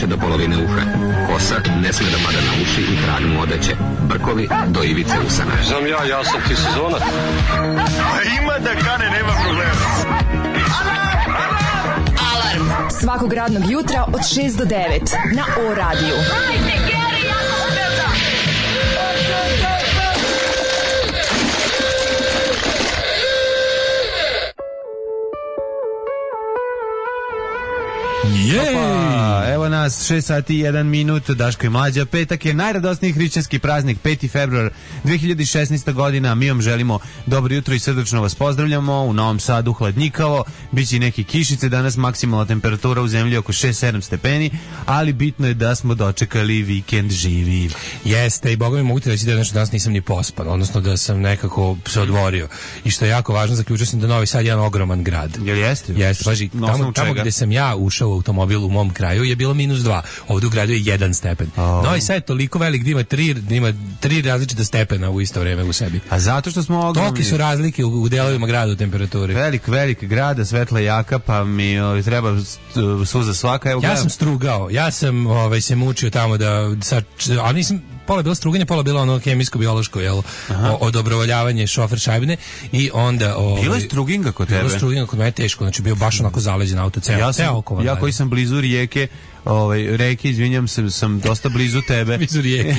više do polovine uha. Kosa ne sme da pada na uši i trag mu odeće. Brkovi do ivice usana. Znam ja sam ti sezonac. Ima da kane, nema problema. Alarm svakog radnog jutra od 6 do 9 na O-radiju. Opa, evo nas 6 sati i 1 minut, Daško i Mlađa. Petak je najradosniji hrišćanski praznik, 5. februar 2016. godina. Mi vam želimo dobro jutro i srdačno vas pozdravljamo. U Novom Sadu hladnjikavo, biće i neke kišice, danas maksimalna temperatura u zemlji oko 6-7 stepeni, ali bitno je da smo dočekali vikend živi. Jeste, i boga mi mogu ti reći da danas nisam ni pospan, odnosno da sam nekako se odvorio. I što je jako važno, zaključio sam da Novi Sad je jedan ogroman grad. Jel jeste? Jeste, paži, tamo gde sam ja ušao u automobil u mom kraju je bilo -2. Ovdje u gradu je 1 stepen. Novi Sad je toliko velik da ima tri različita stepena u isto vreme u sebi. A zato što smo ogromni. Tolike su razlike u delovima grada u temperaturi. Velik grada, svetla jaka, pa mi treba suza svaka. Evo, ja sam strugao, ja sam se mučio tamo a nisam, pola je bilo struganje, pola je bilo ono hemijsko-biološko, odobrovoljavanje šofer šajbine i onda... Bilo je struginga kod tebe? Bilo je struginga kod mene teško, znači bio baš onako zaleđen auto ceo. Ja koji sam blizu rijeke, reke, izvinjam se, sam dosta blizu tebe. Blizu rijeke.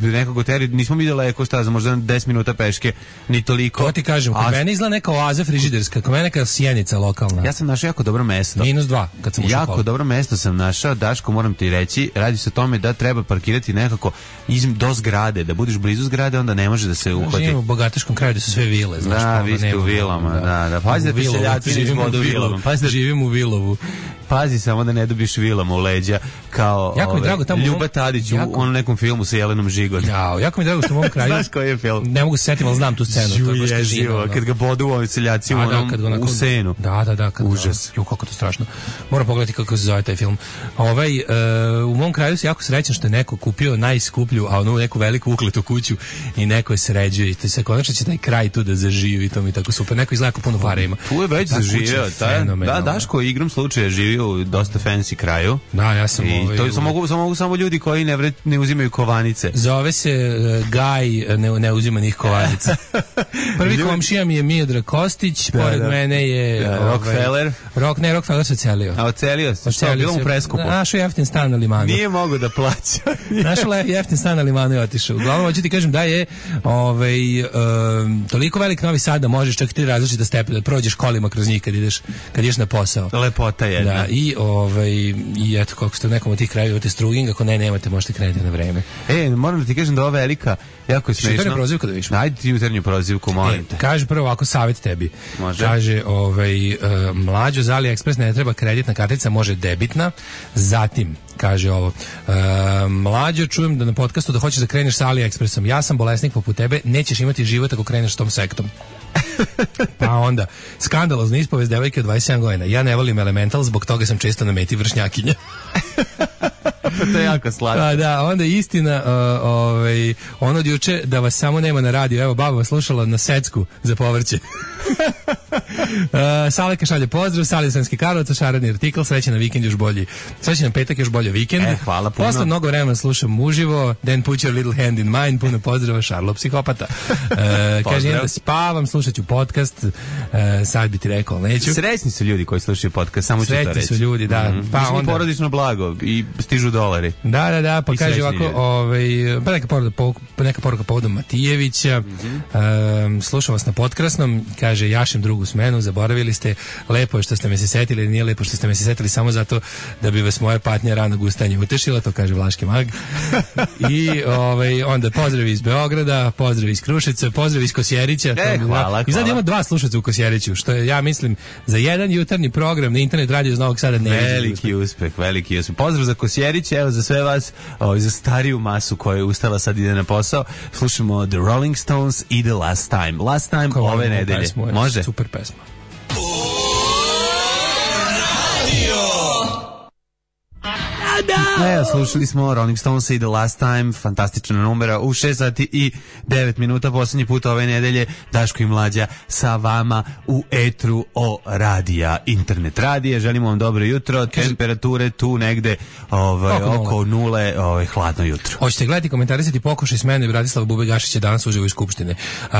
Nekako teri, nismo mi daleko, šta za možda 10 minuta peške, ni toliko. To ti kažem, kod mene izgleda neka oaza frižiderska, kod mene neka sjenica lokalna. Ja sam našao jako dobro mesto. -2, kad sam ušao. Jako dobro mesto sam našao, Daško, moram ti reći, radi se o tome da treba parkirati nekako do zgrade, da budeš blizu zgrade, onda ne može da se uhvati. Živimo u bogataškom kraju da su sve vile, znaš. Da, vi ste u vilama, da. Pazi da ti seljaci živimo u vilama. Živimo u Vilovu. Pazi samo da ne dobiš vilama u leđa kao Ljuba Tadić u onom nekom filmu sa Jelenom Žigon. Jako mi drago što u mom kraju. Znaš koji je film? Ne mogu se setiti, ali znam tu scenu. To je baš težina. Kad ga bodu ovi seljaci u senu. Da. Užas. Kako to strašno. Moram pogledati kako se zove taj film. U mom kraju se jako srećan što je neko kupio najskuplju, a onu neku veliku ukletu kuću i neko je sređuje. I se konačno će taj kraj tu da zaživi, to mi je tako super. Neko izgleda puno para ima. Tu je već zaživio. Da, Daško igrom slučaja živio u dosta fancy kraju. Da, ja sam to mogu samo ljudi koji ne uzimaju kovanice. Zove se Gaj neuzimanih kovanica. Prvi komšija mi je Miodrag Kostić, pored mene je Rockefeller. Rockefeller se ocelio. A ocelio se? Bilo mu preskupo. Našao jeftin stan na limanu. Nije mogo da plaća. Našao jeftin stan na limanu i otišao. Uglavnom, hoću ti kažem da je toliko velik Novi Sad da možeš čak 3 različita stepena da prođeš kolima kroz njih kad ideš na posao. Lepota jedna. Da, i eto, kako ste u nekom od tih krajeva imate struging, ako nemate, možete krenuti na vreme. Moram da ti kažem da ova velika, jako je smešno. Jutarnju prozivku da viš? Ajde ti jutarnju prozivku, molim te. Kaže prvo ovako savjet tebi. Može. Kaže, Mlađo, za AliExpress ne treba kreditna kartica, može debitna. Zatim, kaže ovo, Mlađo, čujem da na podcastu da hoćeš da kreneš sa AliExpressom. Ja sam bolesnik poput tebe, nećeš imati život ako kreneš s tom sektom. Pa onda, skandalozna ispovest devojke od 27 godina. Ja ne volim Elemental, zbog toga sam često na meti vršnjakinja. To je jako slatko. Da, onda istina, ono od juče da vas samo nema na radiju. Evo, baba vas slušala na secku za povrće. Saleka šalje pozdrav, Sali Sremski Karlovac, šaradni artikl, srećan na vikend još bolji. Srećan petak još bolje vikend. Hvala puno. Posle mnogo vremena slušam uživo, then put your little hand in mine, puno pozdrava, Šarlo psihopata. Kaže, da spavam, slušat ću podcast, sad bi ti rekao, neću. Srećni su ljudi koji slušaju podcast, samo ću to reći. Srećni su ljudi, da. Pa onda porodično blago i stižu dolari. Da, pa kaže ovako, neka poruka povodom Matijevića, slušam vas na potkrasnom, kaže, jašem drugu smenu, zaboravili ste, lepo je što ste me se setili, nije lepo što ste me se setili samo zato da bi vas moja patnja rano gustanje utešila, to kaže Vlaški mag. I onda pozdrav iz Beograda, pozdrav iz Kruševca, pozdrav iz Kosjerića. Hvala. I sad imamo 2 slušaca u Kosjeriću, što je, ja mislim, za jedan jutarnji program na internet radio iz Novog Sada veliki uspeh. Pozdrav za Kosjerića, evo za sve vas, za stariju masu koja je ustala sad ide na posao. Slušamo The Rolling Stones i The Last Time. Last Time ove nedelje. Može? Super pesma. Da! Evo, slušali smo Rolling Stones i The Last Time, fantastična numera u 6 sati i 9 minuta, posljednji put ove nedelje, Daško i Mlađa sa vama u etru o radija, internet radija. Želimo vam dobro jutro, temperature tu negde oko nule, hladno jutro. Hoćete gledati, komentarisati pokušaj smene Bratislava Bube Gašića danas uživo iz Skupštine.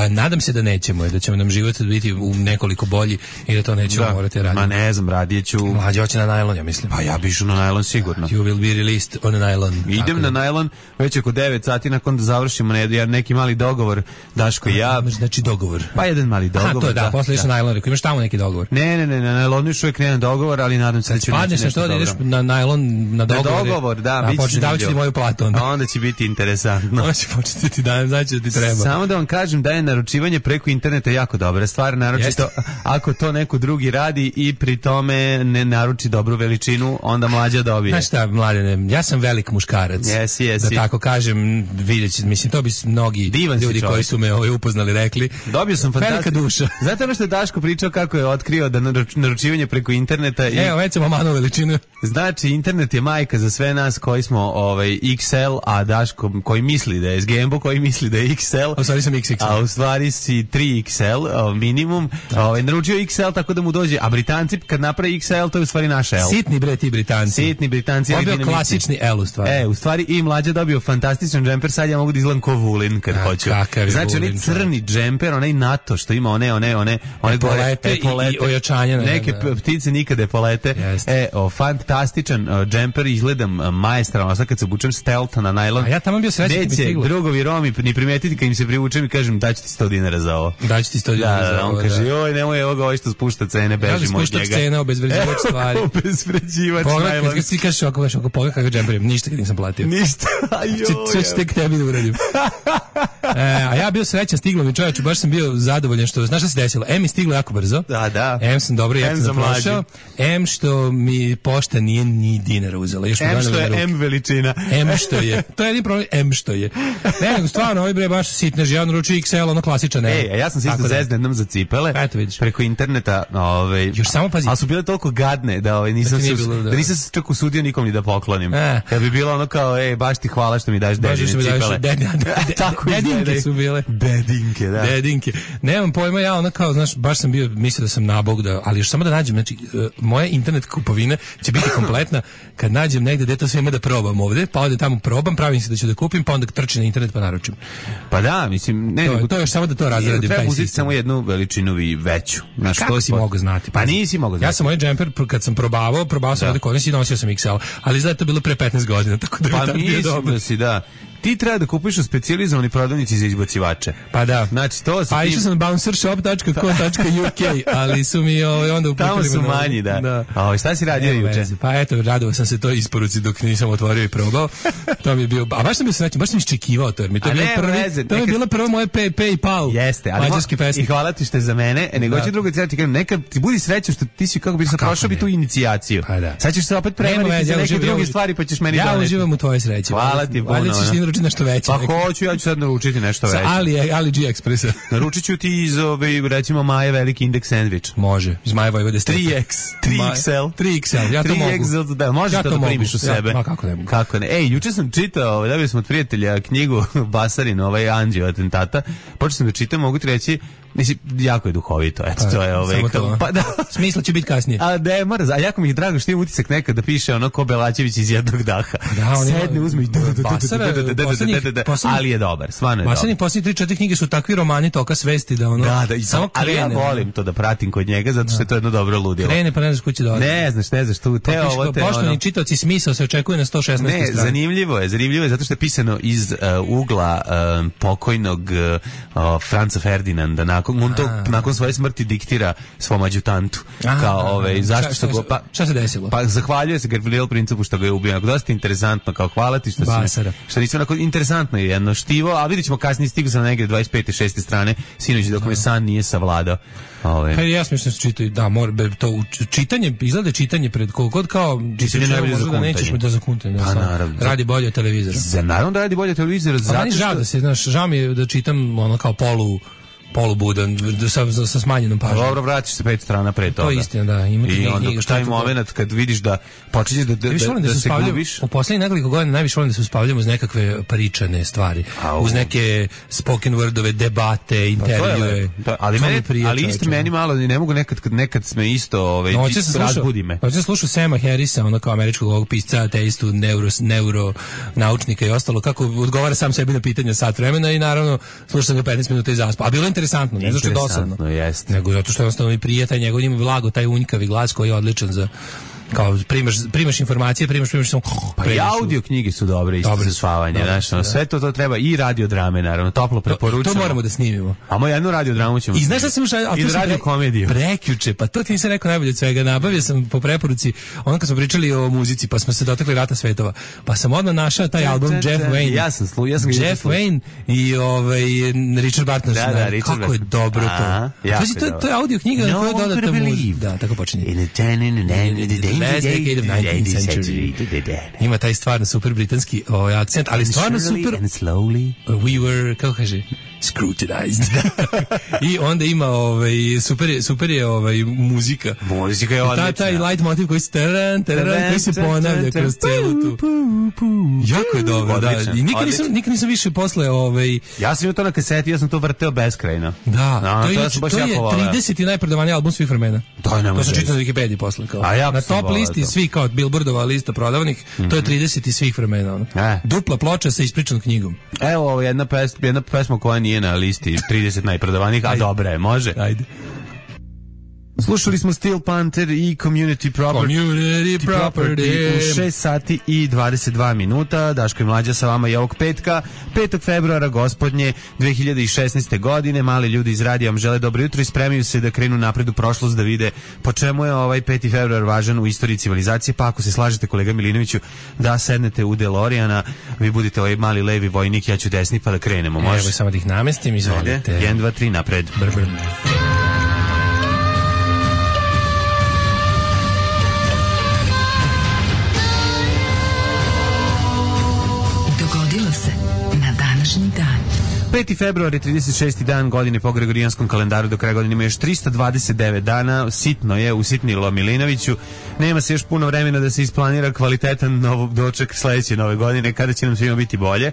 Nadam se da nećemo i da ćemo nam život biti u nekoliko bolji i da to nećemo morati raditi. Ma ne znam, radit ću... Mlađa hoće na najlon, ja mislim. Pa ja bi išao na najlon sigurno. You will be released on nylon. Idem na najlon već oko 9 sati nakon da završimo neki mali dogovor, Daško i ja. Znači dogovor. Pa jedan mali dogovor. To je da, posle išao najlon, imaš tamo neki dogovor. Ne, na najlonu još uvijek nema dogovor, ali nadam se da ću naći nešto dobro. Da ideš na najlon, na dogovor, da, početi davati ti moju platu onda. Onda će biti interesantno. Onda će početi ti dajem, znači da ti treba. Samo da vam kažem da je naručivanje preko interneta jako dobra stvar, naročito ako to neko drugi radi i pri tome ne naruči dobru veličinu, onda Mlađa dobije. Znaš šta, Mladene, ja sam velik muškarac. Da tako kažem, vidjet, mislim, to bi mnogi ljudi koji su me upoznali rekli. Dobio sam velika duša. Zato ono što je Daško pričao kako je otkrio da naručivanje preko interneta i... Evo, već sam omanu veličinu. Znači, internet je majka za sve nas koji smo XL, a Daško koji misli da je SGMBO, koji misli da je XL. A u stvari sam XXL. A u stvari si 3XL minimum. Naručio XL tako da mu dođe, a Britanci kad napravi XL, to je u stvari naš L. Sitni bre ti Britanci. Dobio klasični L u stvari. U stvari i Mlađa dobio fantastičan džemper, sad ja mogu da izgledam ko Vulin kad hoću. Znači, onaj crni džemper, onaj NATO što ima one epolete i ojačanja. Neke ptice nikada epolete. Fantastičan džemper, izgledam maestralno, sad kad se obučem stealth na najlon. A ja tamo bio srećan kad mi stiglo. Neće drugovi Romi ni primetiti kad im se privučem i kažem daću ti 100 dinara za ovo. Daću ti 100 dinara za ovo. On kaže, joj, nemoj evo ga ovo što spušta cene, bežimo od njega. Spušta cene, obezvređivač stvari. Obezvređivač najlon. Kad si kažeš ako pogled kakav džemper, ništa kad nisam platio. Ništa, sve ću tek tebi da uradim. A ja bio srećan, stiglo mi čovječe, baš sam bio zadovoljan što, znaš šta se desilo? Mi stiglo jako brzo. Da. Sam dobro jeftino prošao. Što mi pošta nije ni dinara uzela. Još što je M veličina. Što je. To je jedin problem, što je. Ne, nego stvarno, ovaj bre baš sitnež, ja naručio XL, ono klasičan. Ja sam se isto zezne jednom za cipele. Eto vidiš. Preko interneta, još samo pazi. Ali su bile toliko gadne da nisam se čak usudio nikom ni da poklonim. Kad bi bilo ono kao, baš ti hvala što mi daš dedine cipele. Dedinke su bile. Dedinke, da. Dedinke. Nemam pojma, ja ono kao, znaš, baš sam bio, mislio da sam nabog, ali još samo da nađem, znači, moja internet kupovina će biti kompletna kad nađem negde gde to sve ima da probam ovde, pa ovde tamo probam, pravim se da ću da kupim, pa onda trčim na internet pa naručim. Pa da, mislim, to je još samo da to razradim. Treba uzeti samo jednu veličinu veću. Kako si mogao znati? Pa nisi mogao znati. Ja sam moj džemper, kad sam probao sam ovde kod i nosio sam XL, ali izgleda to bilo pre 15 godina, tako da pa mislim da si, da. Ti treba da kupiš u specijalizovani prodavnici za izbacivače. Pa da. Znači, to se... Pa išao sam na bouncershop.co.uk, ali su mi onda uputili... Tamo su manji, da. Šta si radio juče? Pa eto, radovao sam se to isporuci dok nisam otvorio i probao. To mi je bio... A baš sam bio srećan, baš sam iščekivao to, jer mi to je bilo prvo moje PayPal. Jeste, ali i hvala ti što je za mene, nego ću drugo ti kažem, nekad ti budi srećan što ti si kako bi se prošao bi tu inicijaciju. Sad ćeš se opet prevariti za neke druge stvari, pa ćeš meni doneti. Ja uživam u tvojoj sreći. Hvala ti puno. Naručiti nešto veće. Pa hoću, ja ću sad naručiti nešto veće. Ali G Expressa. Naručit ću ti iz recimo Maje veliki indeks sandvič. Može, iz Maje Vojvode Stepe. 3XL. 3XL, ja to mogu. 3XL, da, možeš to da primiš u sebe. Ma kako ne mogu. Kako ne. Juče sam čitao, dobili smo od prijatelja knjigu Basarin, Anđeo atentata. Počeo sam da čitam, mogu ti reći, mislim, jako je duhovito, eto, to je pa da. Smisla će biti kasnije. A ne, a jako mi je drago što imam utisak nekad da piše ono ko Belačević iz jednog daha. Sedne, uzme i ali je dobar, stvarno je dobar. Basarni posljednji 3-4 knjige su takvi romani toka svesti da ono samo krene. Ali ja volim to da pratim kod njega zato što je to jedno dobro ludilo. Krene pa ne znaš kući dođe. Ne znaš tu te ovo te ono. Poštovani čitaoci, smisao se očekuje na 116. strani. Ne, zanimljivo je zato što je pisano iz ugla pokojnog Franca Ferdinanda nakon svoje smrti diktira svom adjutantu kao zašto što go šta se desilo? Pa zahvaljuje se Gavrilo Principu što ga je ubio. Dosta interesantno, kao hvala ti što nisi onako interesantno je jedno štivo, a vidjet ćemo kasnije, stigu sam na negdje 25. 6. strane sinoć dok me san nije savladao. Pa ja smišljam se čitaju, da, to čitanje, izgleda čitanje pred kod kao čitanje najbolje za kuntanje. Nećeš mi to za kuntanje. Pa naravno. Radi bolje od televizora. Naravno da radi bolje od televizora. Žao mi je da čitam ono kao polubudan, sa smanjenom pažnjom. Dobro, vratiš se 5 strana pre toga. To je istina, da. Ima i onda šta je moment kad vidiš da počinješ da se gubiš. U poslednjih nekoliko godina najviše volim da se uspavljamo uz nekakve pričane stvari, uz neke spoken wordove, debate, intervjue. Ali isto meni malo, ne mogu nekad sme isto razbudi me. Hoće slušao Sama Harrisa, ono kao američkog ovog pisca, ateistu, neuro naučnika i ostalo, kako odgovara sam sebi na pitanja sat vremena i naravno slušao sam ga 15 minuta i zaspao. A bilo je interesantno, ne zato što je dosadno, nego zato što jednostavno i prije taj njegov ima blago, taj unjkavi glas koji je odličan za kao primaš informacije, primaš samo pa i audio knjige su dobre isto za spavanje, znači sve to treba i radiodrame naravno, toplo preporučujem. To moramo da snimimo. A moju jednu radiodramu ćemo. I znaš šta sam i radio komediju. Prekjuče, pa to ti nisam rekao najbolje od svega, nabavio sam po preporuci, ono kad smo pričali o muzici, pa smo se dotakli Rata svetova. Pa sam odmah našao taj album Jeff Wayne. Ja sam Jeff Wayne i Richard Barton. Kako je dobro to. To je audio knjiga koja dodata muziku. Da, tako počinje. Last decade of 19th century. Ima taj stvarno super britanski akcent, ali stvarno super. And slowly. We were, kako kaže, scrutinized. I onda ima super je muzika. Muzika je odlična. Taj light motiv koji se ponavlja kroz celu tu. Jako je dobro, da. I nikad nisam više posle ja sam imao to na kaseti, ja sam to vrteo beskrajno. Da, to je 30. najprodavaniji album svih vremena. To sam čitao na Wikipediji posle. Na top listi svih, kao Billboardova lista prodavanih, to je 30. svih vremena. Dupla ploča sa ispričanom knjigom. Evo, jedna pesma koja nije na listi 30 najprodavanijih, a dobra je, može? Ajde. Slušali smo Steel Panther i Community Property u 6 sati i 22 minuta. Daško i Mlađa sa vama i ovog petka, 5. februara gospodnje 2016. godine. Mali ljudi iz radija vam žele dobro jutro i spremaju se da krenu napred u prošlost, da vide po čemu je ovaj 5. februar važan u istoriji civilizacije. Pa ako se slažete, kolega Milinoviću, da sednete u DeLoreana, vi budete ovaj mali levi vojnik, ja ću desni, pa da krenemo. Može? Evo samo da ih namestim, izvolite. 1, 2, 3, napred. Na današnji dan. 5. februar je 36. dan godine po Gregorijanskom kalendaru, do kraja godine ima još 329 dana, sitno je usitnilo Milinoviću, nema se još puno vremena da se isplanira kvalitetan doček sledeće nove godine, kada će nam svima biti bolje,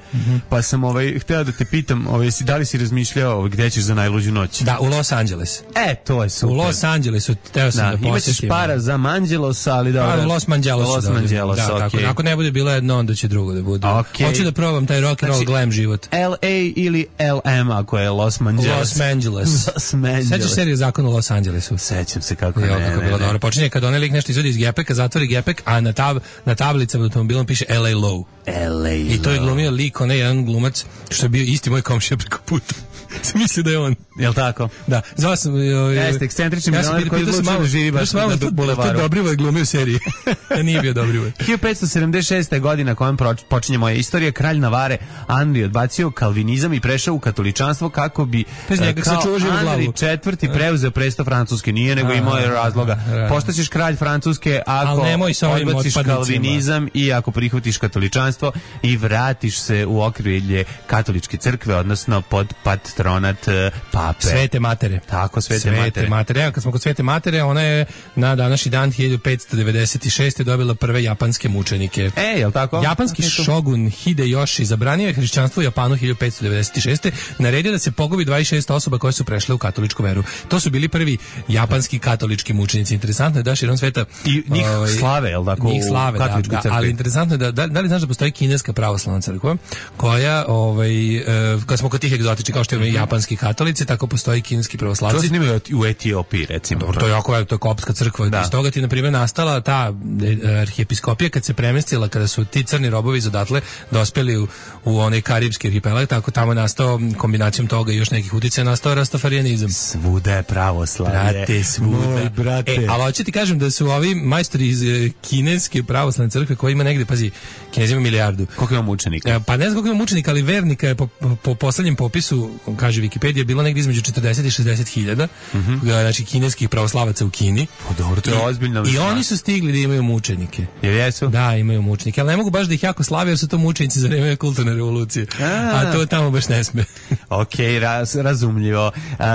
pa sam hteo da te pitam, da li si razmišljao gde ćeš za najluđu noć? Da, u Los Angeles. To je super. U Los Angelesu, teo sam da posjetim. Imaćeš para za Manđelosa, ali da... Los Manđelosa, okej. Ako ne bude bilo jedno, onda će drugo da bude. Hoću da probam taj rock and roll glam život. LA ili LM, ako je Los Angeles. Sećaš seriju Zakon u Los Angelesu? Sećam se kako ne. Kako bilo dobro. Počinje kad onaj lik nešto izvodi iz gepeka, zatvori gepek, a na tablicama automobilom piše LA Low. I to je glumio lik, onaj jedan glumac, što je bio isti moj komšija preko puta. Mislio da je on. Jel' tako? Da. Zvao sam... Jeste, ekscentrični milioner koji odlučio da živi baš na bulevaru. To Dobrivoje glumio u seriji. Nije bio Dobrivoje. 1576. godina kojom počinje moja istorija, kralj Navare Andri odbacio kalvinizam i prešao u katoličanstvo kako bi kao Andri IV. Preuzeo presto Francuske. Nije, nego imao je razloga. Postaćeš kralj Francuske ako odbaciš kalvinizam i ako prihvatiš katoličanstvo i vratiš se u okrilje katoličke crkve, odnosno pod patronat pape. Svete matere. Tako, Svete matere. Evo, kad smo kod Svete matere, ona je na današnji dan 1596. dobila prve japanske mučenike. Jel' tako? Japanski šogun Hideyoshi zabranio je hrišćanstvo u Japanu 1596. Naredio da se pogubi 26 osoba koje su prešle u katoličku veru. To su bili prvi japanski katolički mučenici. Interesantno je da širom sveta i njih slave, jel' tako? Njih slave, da, ali interesantno je da li znaš da postoji kineska pravoslavna crkva koja, kad smo kod tih egzotičnih, kao što je japanski katolici, tako postoji kineski pravoslavci. To se snimaju u Etiopiji, recimo. Dobro, to je jako, to je koptska crkva. Iz toga ti, na primjer, nastala ta arhijepiskopija kad se premestila, kada su ti crni robovi iz odatle dospeli u onaj karibski arhipelag, tako tamo je nastao, kombinacijom toga i još nekih uticaja, nastao rastafarijanizam. Svuda je pravoslavlje. Brate, svuda. Brate. Ali hoću ti kažem da su ovi majstori iz kineske pravoslavne crkve, koji ima negde, pazi, Kinezi ima milijardu. Koliko ima mučenika? Pa ne znam koliko ima mučenika, ali vernika je po poslednjem popisu, kaže Wikipedia, bilo negdje između 40 i 60 hiljada, znači kineskih pravoslavaca u Kini. Pa dobro, to je ozbiljno. I oni su stigli da imaju mučenike. Jer jesu? Da, imaju mučenike, ali ne mogu baš da ih jako slave, jer su to mučenici za vreme kulturne revolucije. A to tamo baš ne pesme. Ok, razumljivo.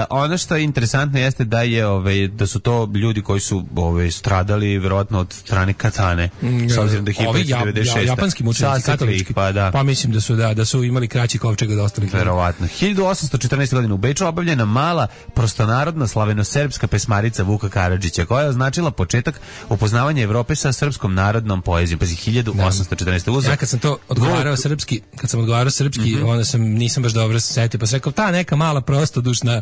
Ono što je interesantno jeste da je da su to ljudi koji su stradali verovatno od strane katane, s obzirom da je 1996. Japanski mučenici, katolički. Pa mislim da su imali kraći kovčeg od ostalih. Verovatno. 1814. godine u Beču obavljena mala prostonarodna slaveno-serbska pesmarica Vuka Karadžića, koja je označila početak upoznavanja Evrope sa srpskom narodnom poezijom. Pazi, 1814. Ja kad sam to odgovarao srpski, onda nisam baš dobro se setio, pa sam rekao, ta neka mala prostodušna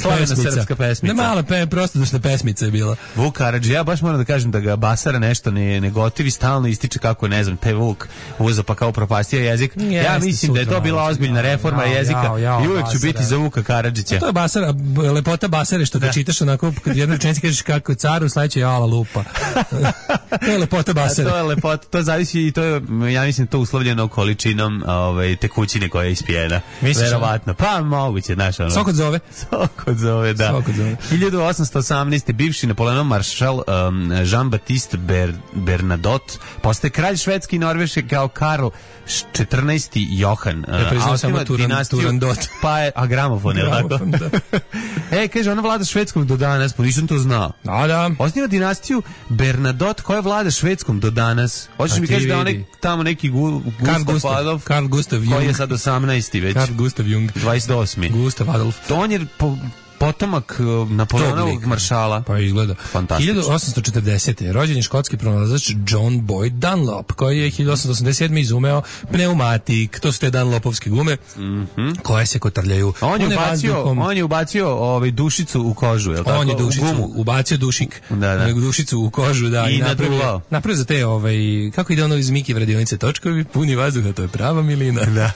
slaveno-srpska pesmica. Mala prostodušna pesmica je bila. Vuk Karadžić, ja baš moram da kažem da ga Basara nešto ne gotivi, stalno ističe kako, ne znam, te Vuk uzo pa kao propastio jezik. Ja mislim da je to bila ozbiljna reforma jezika i uvek ću biti za Vuka Karadžića. To je Basara, lepota Basare što ga čitaš onako, kad jednu rečenicu kažeš kako caru, sledeće je ala lupa. To je lepota Basare. To je lepota, to zavisi i to je, ja mislim, to uslovljeno količinom tekućine koja je ispijena. Verovatno. Pa moguće, znaš ono. Sok od zove, da. 1818. bivši Napoleonov maršal Jean-Baptiste Bernadotte postaje kralj Švedske i Norveške kao Karl 14. Johan. Pa je, a gramofon, je li tako? Kaže, ona vlada Švedskom do danas, pa nisam to znao. Da. Osniva dinastiju Bernadotte koja vlada Švedskom do danas. Hoćeš mi kaži da onaj tamo neki Gustav Adolf, Karl Gustav Jung, koji je sad 18. već. Karl Gustav Jung, 28. Gustav Adolf. To on je potomak Napoleonovog maršala. Pa izgleda. Fantastično. 1840. rođen je škotski pronalazač John Boyd Dunlop, koji je 1887. izumeo pneumatik. To su te Dunlopovske gume koje se kotrljaju. On je ubacio dušicu u kožu, je li tako? On je ubacio dušik. Dušicu u kožu, da. I napravio za te, kako ide ono iz Miki vredionice točkovi, puni vazduha, to je prava milina. Da.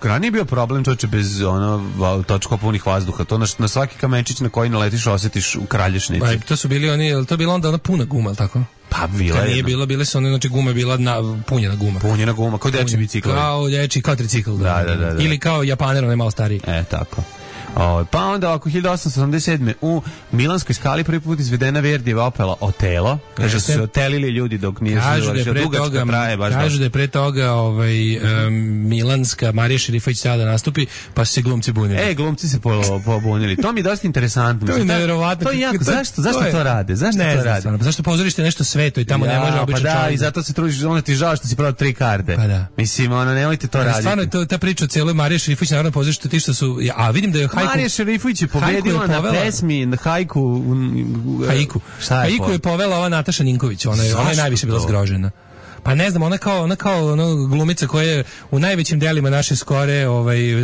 Ranije je bio problem čoče bez točko punih vazduha. To na svaki kamenčić na koji naletiš osjetiš u kralježnici. To su bili to bila onda ona puna guma, tako? Pa bila je. Nije bile su one, znači guma je bila punjena guma. Punjena guma, kao dečji bicikl. Kao tricikl, da. Ili kao Japaner, on je malo stariji. Tako. Pa onda oko 1887. u Milanskoj skali prvi put izvedena Verdijeva opera Otelo. Kaže su se otelili ljudi dok nije završio. Dugačka traje baš. Kažu da je pre toga Milanska Marija Šerifović tada da nastupi, pa su se glumci bunili. Glumci se pobunili. To mi je dosta interesantno. To je neverovatno. To je jako. Zašto to rade? Zašto pozorište nešto sveto i tamo ne može obično čovjek? Pa da, i zato se trudiš, onda ti žao što si prodao 3 karte. Pa da. Mislim, nemojte to raditi. Stvarno je ta priča o cijeloj Marija Šerifović narodno pozorište, ti što su, a vidim da je Marija Šerifović je pobedila na pesmi Haiku. Haiku je povela ova Nataša Ninković, ona je najviše bila zgrožena. Pa ne znam, ona kao glumica koja je u najvećim delima naše skore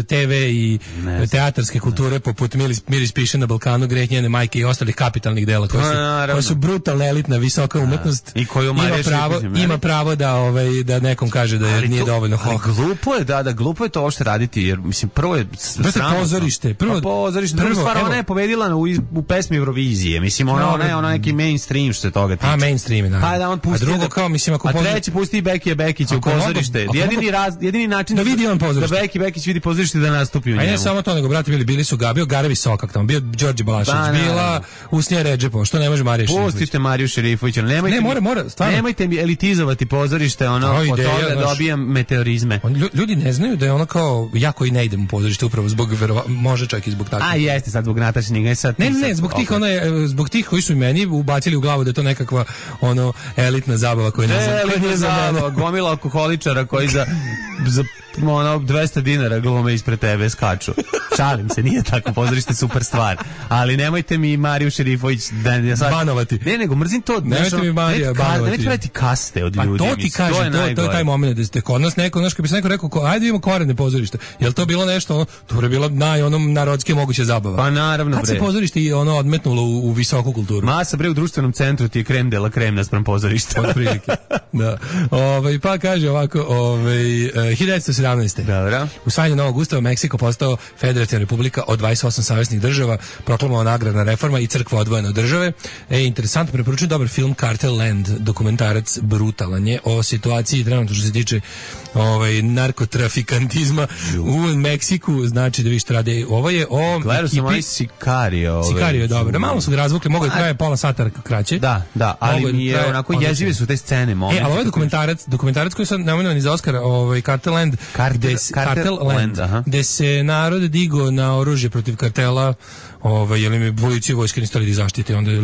TV i teatarske kulture poput Miris piše na Balkanu, Greh njene majke i ostalih kapitalnih dela koja su brutalna elitna visoka umetnost i koju ima pravo da nekom kaže da nije dovoljno hoh. Glupo je to uopšte raditi, jer mislim prvo je pozorište. Druga stvar, ona je pobedila u pesmi Eurovizije, mislim ona neki mainstream što se toga tiče. A mainstream, da. Pa da on pusti. A drugo kao mislim ako pusti Bekija Bekića u pozorište. Jedini način da vidi on pozorište. Da Beki Bekić vidi pozorište da nastupi u njemu. A ne samo to, nego brate bili su Gabio Garevi Sokak tamo, bio Đorđe Balašević, bila Usnija Redžepova, što ne može Marija Šerifović. Pustite Mariju Šerifović, mora, stvarno. Nemojte mi elitizovati pozorište, od toga dobijam meteorizme. Ljudi ne znaju da je ono kao, ja koji ne idem u pozorište upravo zbog, može čak i zbog takvih. A jeste sad zbog Nataše Ninković. Ne, zbog tih koji su meni ubacili u glavu da je to nekakva elitna zabava koja ne znam. Gomila alkoholičara koji za 200 dinara glume ispred tebe skaču. Šalim se, nije tako, pozorište super stvar. Ali nemojte mi Mariju Šerifović banovati. Ne, nego mrzim to. Nemojte mi Marija banovati. Nemojte raditi kaste od ljudi. Pa to ti kažem, to je taj moment da ste kod nas neko, kad bi se neko rekao, ajde imamo korene pozorište. Jel to bilo nešto, to je bilo narodske moguće zabava. Pa naravno, kad se pozorište odmetnulo u visoku kulturu. Masa u društvenom centru ti je krem de la krem naspram pozorišta. Od prilike. Da. Pa kaže ovako, 1917. Dobro. Usvajanje novog ustava Meksiko postao federativna republika od 28 saveznih država, proklamovana agrarna reforma i crkva odvojena od države. Interesantno, preporučujem dobar film Cartel Land, dokumentarac brutalan je o situaciji trenutno što se tiče narkotrafikantizma u Meksiku, znači da vi što rade. Ovo je o gledao sam ovaj Sicario. Sicario je dobro. Malo su ga razvukli, mogu da traje pola sata kraće. Da, ali mi je onako jezive su te scene. Ali ovo je dokumentarac koji sam nominovan za Oscara, Cartel Land, gde se narod digo na oružje protiv kartela, jer im je policija i vojska nistali da zaštite, onda je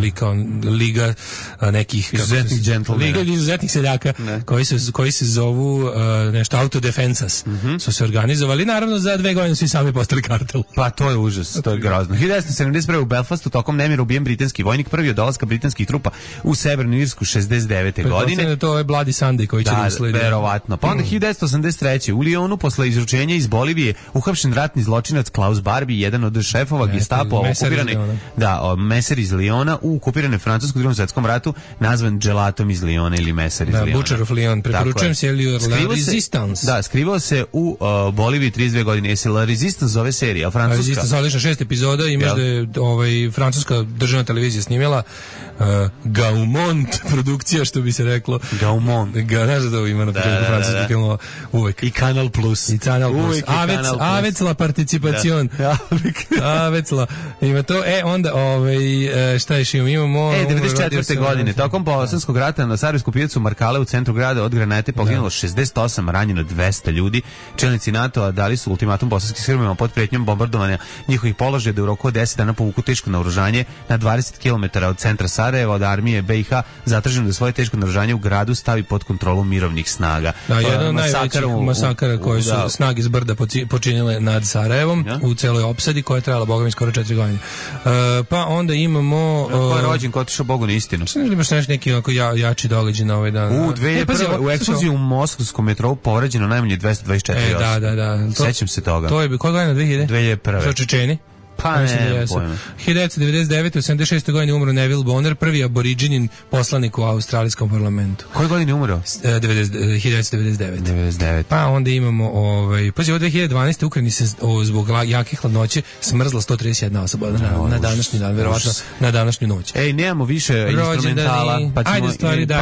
liga nekih izuzetnih džentlmena, liga izuzetnih seljaka koji se zovu nešto autodefensas, su se organizovali, naravno za 2 godine su i sami postali kartel. Pa to je užas, to je grozno. 1971. u Belfastu tokom nemira ubijen britanski vojnik, prvi od dolaska britanskih trupa u Severnu Irsku 69. godine. To je Bloody Sunday koji će da uslediti. Verovatno. Pa onda 1983. u Lyonu posle izručenja iz Bolivije uhapšen ratni zločinac Klaus Barbie, jedan od šefova Gestapo okupirane, meser iz Lyona u okupiranoj Francuskoj Drugom svetskom ratu, nazvan Gelatom iz Lyona ili meser iz Lyona. Butcher of Lyon, preporučujem se La Resistance. Da, skrivao se u Boliviji 32 godine. Jesi La Resistance zove serija, francuska? Resistance, odlična 6 epizoda, imaš da je francuska državna televizija snimila Gaumont produkcija, što bi se reklo. Gaumont. Znaš da to ima na početku francuskih filmova uvek. I Kanal Plus. I Kanal Plus. Avec la participacion. Avec la. Ima to. Onda, šta još imamo? 94. godine. Tokom Bosanskog rata na Sarajevsku pijacu Markale u centru grada od granate poginulo 68, ranjeno 200 ljudi. Čelnici NATO-a dali su ultimatum bosanskim Srbima pod pretnjom bombardovanja njihovih položaja da u roku od 10 dana povuku teško naoružanje na 20 km od centra Sarajeva, od armije BiH, zatraženo da svoje teško naoružanje u gradu stavi pod kontrolu mirovnih snaga. Da, jedan od najvećih masakara koje su snage iz brda počinile nad Sarajevom u celoj opsadi koja je trajala, boga mi, skoro 4 godine. Pa onda imamo... Ko je rođen, ko otišao Bogu na istinu? Što ne imaš neki jači događaj na ovaj dan? U eksploziji u moskvskom metrou povređeno najmanje 224 osobe. Da. Sećam se toga. To je, koja godina 2001? Što Čečeni? Pa ne, pojma. 1999. u 76. godini umro Neville Bonner, prvi aboriđinin poslanik u australijskom parlamentu. Koje godine umro? 1999. Pa onda imamo, pazi, od 2012. u Ukrajini se zbog jake hladnoće smrzla 131 osoba na današnji dan, verovatno na današnju noć. Nemamo više instrumentala, pa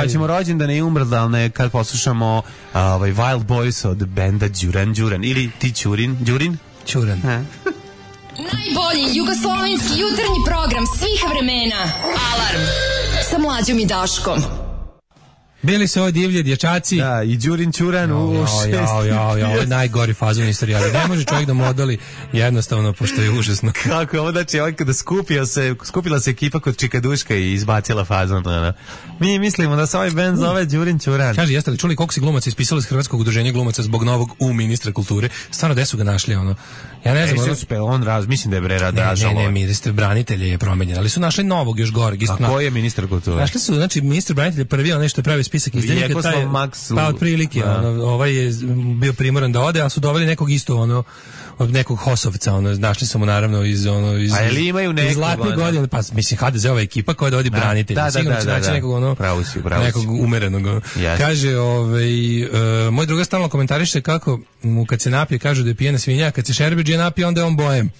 ćemo rođendane i umrdalne kad poslušamo Wild Boys od benda Đuran ili ti Đurin? Najbolji jugoslovenski jutarnji program svih vremena. Alarm sa Mlađom i Daškom. Bili su ovo divlje dječaci. Da, i Đurin Ćuran u 6. Ovo je najgori fazon istorije, ali ne može čovjek da modeli jednostavno, pošto je užasno. Kako je ovo, znači, kada skupila se ekipa kod Čikaduška i izbacila fazon. Mi mislimo da se ovaj band zove Đurin Ćuran. Kaže, jeste li čuli koliko si glumaca ispisali iz Hrvatskog udruženja glumaca zbog novog ministra kulture? Stvarno, gde su ga našli, Ja ne znam. Mislim da je ražalo. Ne, ministar branitelja je promenjen, ali su našli novog još gore. A ko je ministar kulture? Našli su, znači, ministar branitelja prvi, onaj što je pravi spisak izdelnika, pa otprilike, ovaj je bio primoran da ode, a su doveli nekog isto, od nekog Hosovca, našli smo naravno iz zlatnih godina, pa mislim HDZ-ova ekipa koja dovodi branitelja, sigurno će naći nekog nekog umerenog. Kaže, moj druga stalno komentariše kako mu kad se napije kažu da je pijena svinja, kad se Šerbedžija napije onda je on bojem.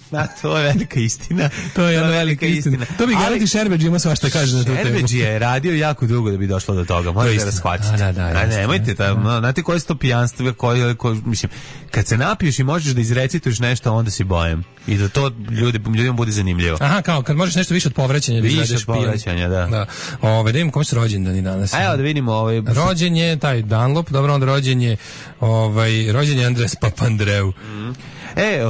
To je velika istina. To je jedna velika istina. To bi garanti Šerbedžija ima svašta kaže na tu temu. Šerbedžija je radio jako dugo da bi došlo do toga, možete da shvatite. Nemojte, znate koje su to pijanstvo, mislim, kad se napiješ i možeš da izrecituješ nešto, onda si bojem. I da to ljudima bude zanimljivo. Aha, kao kad možeš nešto više od povraćanja da izvedeš pijan. Više od povraćanja, da. Da vidimo kome su rođendani danas. Evo da vidimo. Rođen je taj Dunlop, dobro, onda rođen je Andres Papandreou.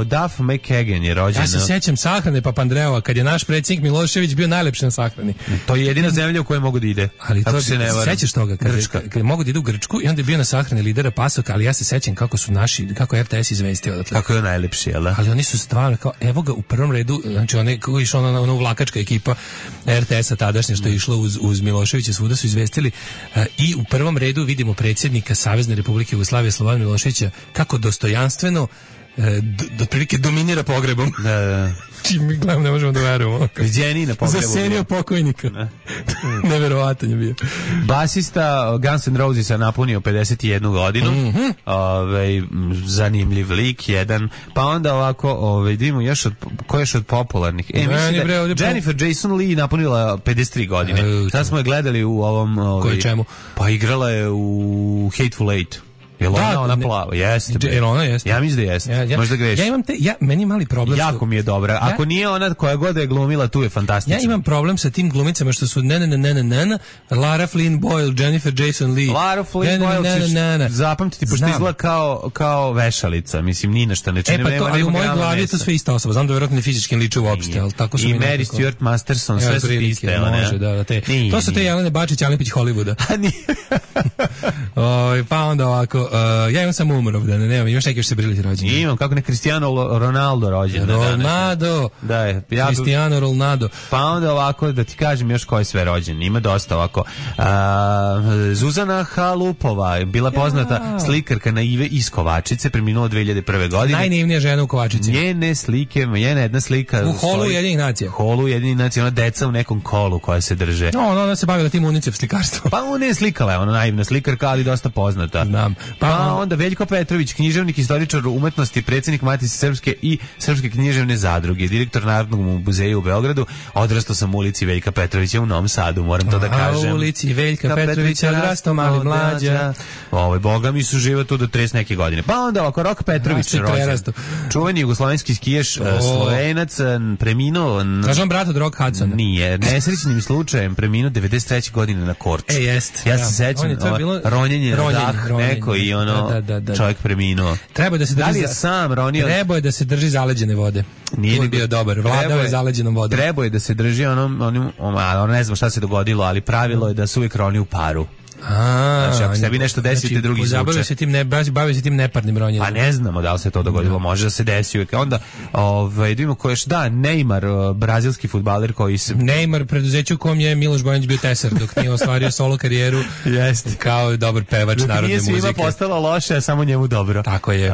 Duff McKagan je rođen. Ja se sećam sahrane Papandreova, kad je naš predsjednik Milošević bio najlepši na sahrani. To je jedina zemlja u kojoj mogu da ide. Ali to se ne varam. Sećaš toga kad mogu da idu u Grčku i onda je bio na sahrani lidera Pasoka, ali ja se sećam kako je RTS izvestio odatle. Kako je najlepši, jel da? Ali oni su stvarno kao, evo ga u prvom redu, znači oni koji išla ona uvlakačka ekipa RTS-a tadašnje što je išlo uz Miloševića, svuda su izvestili i u prvom redu vidimo predsjednika Savezne Republike Jugoslavije Slobodana Miloševića kako dostojanstveno otprilike dominira pogrebom. Da. Čim mi gledam, ne možemo da verujemo. Viđeni na pogrebu. Zasenio pokojnika. Neverovatan je bio. Basista Guns N' Rosesa napunio 51 godinu. Zanimljiv lik, jedan. Pa onda ovako, vidimo ko je još od popularnih. Mislim da Jennifer Jason Leigh napunila 53 godine. Sad smo je gledali u ovom... Koje čemu? Pa igrala je u Hateful Eight. Jel ona plava? Jeste. Jel ona jeste? Ja mislim da jeste. Možda grešim. Ja imam meni je mali problem. Jako mi je dobra. Ako nije ona koja god je glumila, tu je fantastična. Ja imam problem sa tim glumicama što su Lara Flynn Boyle, Jennifer Jason Leigh. Lara Flynn Boyle zapamtiti, pošto izgleda kao vešalica. Mislim, ni na šta ne čini. Ali u mojoj glavi je to sve ista osoba. Znam da verovatno ne fizički liče uopšte, al tako su mi. I Mary Stuart Masterson, sve su iste. To su te Jelene Bačić, Alipić Hollywooda. Pa onda ovako, ja imam samo umrov, nemam, imaš neki još se briliti rođeni. Imam, kako ne Cristiano Ronaldo rođen. Ronaldo. Da je. Cristiano Ronaldo. Pa onda ovako, da ti kažem još ko je sve rođen. Ima dosta ovako. Zuzana Halupova, bila poznata slikarka na Ive iz Kovačice, preminula 2001. godine. Najnaivnija žena u Kovačici. Njene slike, njena jedna slika. U holu Jedinih nacija. Holu Jedinih nacija, ona deca u nekom kolu koja se drže. Ona se bavila tim UNICEF slikarstvom. Pa ona je slikala, ona naivna slikarka, ali dosta poznata. Znam. Pa onda Veljko Petrović, književnik, istoričar umetnosti, predsjednik Matice Srpske i Srpske književne zadruge, direktor Narodnog muzeja u Beogradu. Odrastao sam u ulici Veljka Petrovića u Novom Sadu, moram to da kažem. U ulici Veljka Petrovića odrastao mali mlađa. Boga mi su živa tu do 30 neke godine. Pa onda ovako Rok Petrović rođen. Čuveni jugoslovenski skijaš, Slovenac, preminuo. Kažem brat od Rock Hudsona. Nije, nesrećnim slučajem preminuo 93. godine na Korču. Jest. Ja se sećam, ronjenje na dah neko i čovjek preminuo. Treba da se drži. Da li je sam ronio? Treba je da se drži zaleđene vode. Nije ni bio dobar. Vladao je zaleđenom vodom. Treba je da se drži onom ne znam šta se dogodilo, ali pravilo je da se uvijek roni u paru. Znači, ako sebi nešto desite, drugi slučaj. Bavi se tim neparnim ronjenjem. Pa ne znamo da li se to dogodilo, može da se desi uvijek. Onda, vidimo ko još, Neymar, brazilski fudbaler koji se... Neymar, preduzeću u kom je Miloš Bojanić bio tesar, dok nije ostvario solo karijeru kao dobar pevač narodne muzike. Nije svima postalo loše, a samo njemu dobro. Tako je.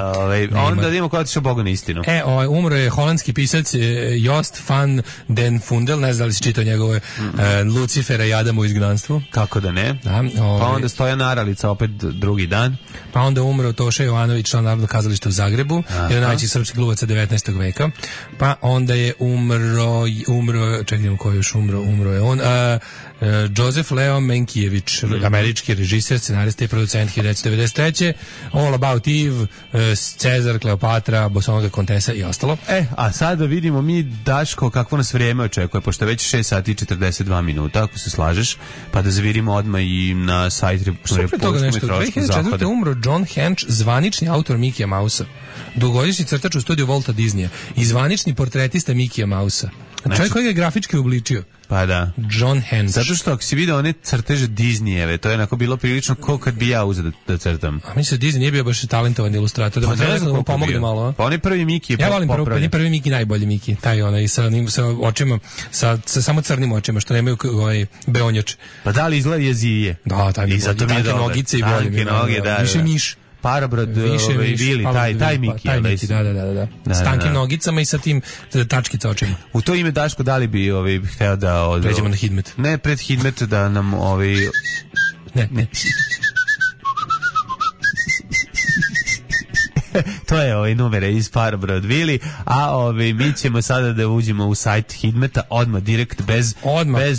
Onda vidimo ko je otišao Bogu na istinu. Umro je holandski pisac Jost van den Fundel, ne znam da li si čitao njegove Lucifera i Adamu u izgnanstvu. Kako da ne? Pa onda Stojan Aralica opet drugi dan. Pa onda umro Toša Jovanović, član Narodnog kazališta u Zagrebu, jedan od najvećih srpskih glumaca 19. veka. Pa onda je umro, čekajmo ko je još umro je on, Joseph Leo Menkijević, američki režiser, scenarista i producent 1993. All About Eve, Cezar, Kleopatra, Bosonga Kontesa i ostalo. A sada vidimo mi, Daško, kakvo nas vrijeme očekuje, pošto već 6 sati i 42 minuta, ako se slažeš, pa da zavirimo odmah i na sajt Republičkog meteorološkog zahoda. 2004. umro John Hench, zvanični autor Mikija Mausa, dugogodišnji crtač u studiju Walta Disneya i zvanični portretista Mikija Mausa. Čovjek koji ga je grafički obličio. Pa da. John Hench. Zato što ako si vidio one crteže Disneyjeve, to je onako bilo prilično ko kad bi ja uzeo da crtam. A mislim da Disney nije bio baš talentovan ilustrator, da treba da mu pomogne malo. Pa on je prvi Miki. Ja volim prvi Miki, najbolji Miki, taj onaj sa očima, sa samo crnim očima, što nemaju beonjače. Pa da li izgleda jezije? Da, taj mi je tanke nogice i bolje. Tanke noge, da. Više miš. Parabrod, Vili, taj Miki. Taj Miki, da. S tankim nogicama i sa tim tačkica očima. U to ime, Daško, da li bi hteo da... Pređemo na Hidmet. Ne, pred Hidmet da nam Ne. To je numere iz Parabrod Vili, a mi ćemo sada da uđemo u sajt Hidmeta odmah direkt bez numere.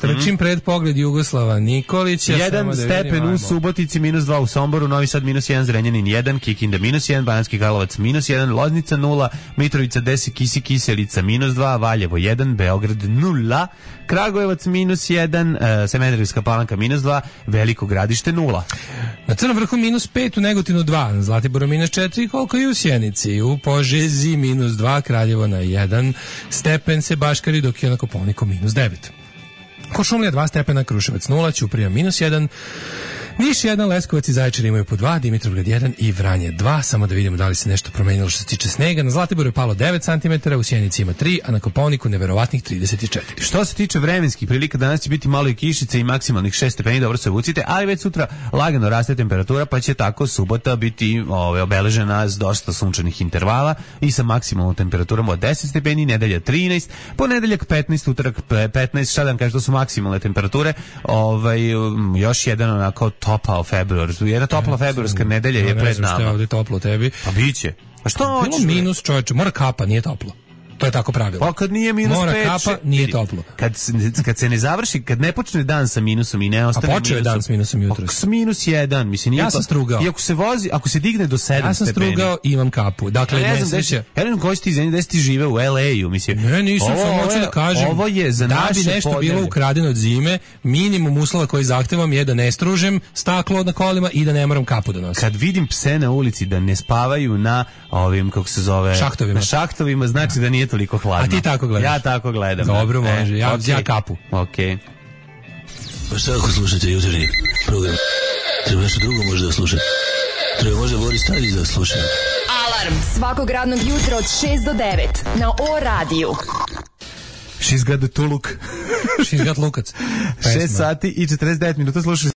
Trčim pred pogled Jugoslava Nikolića. 1 stepen u Subotici, -2 u Somboru, Novi Sad -1, Zrenjanin 1, Kikinda -1, Banatski Karlovac -1, Loznica 0, Mitrovica 10, Kiselica -2, Valjevo 1, Beograd 0, Kragujevac -1, Smederevska Palanka -2, Veliko Gradište 0. Na Crnom vrhu -5, u Negotinu 2, Zlatiboru -4, koliko i u Sjenici, u Požezi -2, Kraljevo na 1 stepen se baškari, dok je na Kopaoniku -9. Košumlija 2 stepena, Kruševac 0, Ćuprija -1, Niš 1, Leskovac i Zaječar imaju po 2, Dimitrovgrad 1 i Vranje 2. Samo da vidimo da li se nešto promenilo što se tiče snega. Na Zlatiboru je palo 9 cm, u Sjenici ima 3, a na Kopaoniku neverovatnih 34. Što se tiče vremenskih prilika, danas će biti malo i kišice i maksimalnih 6 stepeni, dobro se obucite, ali već sutra lagano raste temperatura, pa će tako subota biti obeležena s dosta sunčanih intervala i sa maksimalnom temperaturom od 10 stepeni, nedelja 13, ponedeljak 15, utorak 15, šta da vam kažem, to su maksimalne temperature, još jedan onako topao februar. Jedna topla februarska nedelja je pred nama. Ne znam što je ovdje toplo tebi. Pa biće. A što hoćeš? Bilo minus, čovječe, mora kapa, nije toplo. To je tako pravilo. Pa kad nije minus 5... Mora kapa, nije toplo. Kad se ne završi, kad ne počne dan sa minusom i ne ostane minusom... A počeo je dan s minusom jutros. S minus 1, mislim... Ja sam strugao. I ako se digne do 7 stepeni... Ja sam strugao i imam kapu. Dakle, ne znam, ja ne znam koji si ti zemlji, da si ti žive u LA-u, mislim... Ne, nisam, sam hoću da kažem... Ovo je za naše da bi nešto podnevlje. bilo ukradeno od zime, minimum uslova koji zahtevam je da ne stružem staklo na kolima i da ne moram kapu da nosim. Kad vidim pse na ulici da ne spavaju na ovim, kako se zove... Šahtovima. Na šahtovima, znači da nije toliko hladno. A ti tako gledaš? Ja tako gledam. Dobro, može. Ja kapu. Okej. Pa šta ako slušate jutarnji program? Treba nešto drugo možda da slušate. Treba možda Boris Tadić da sluša. Alarm svakog radnog jutra od 6 do 9 na O radiju. She's got the tuluk. She's got lukac. 6 sati i 49 minuta slušali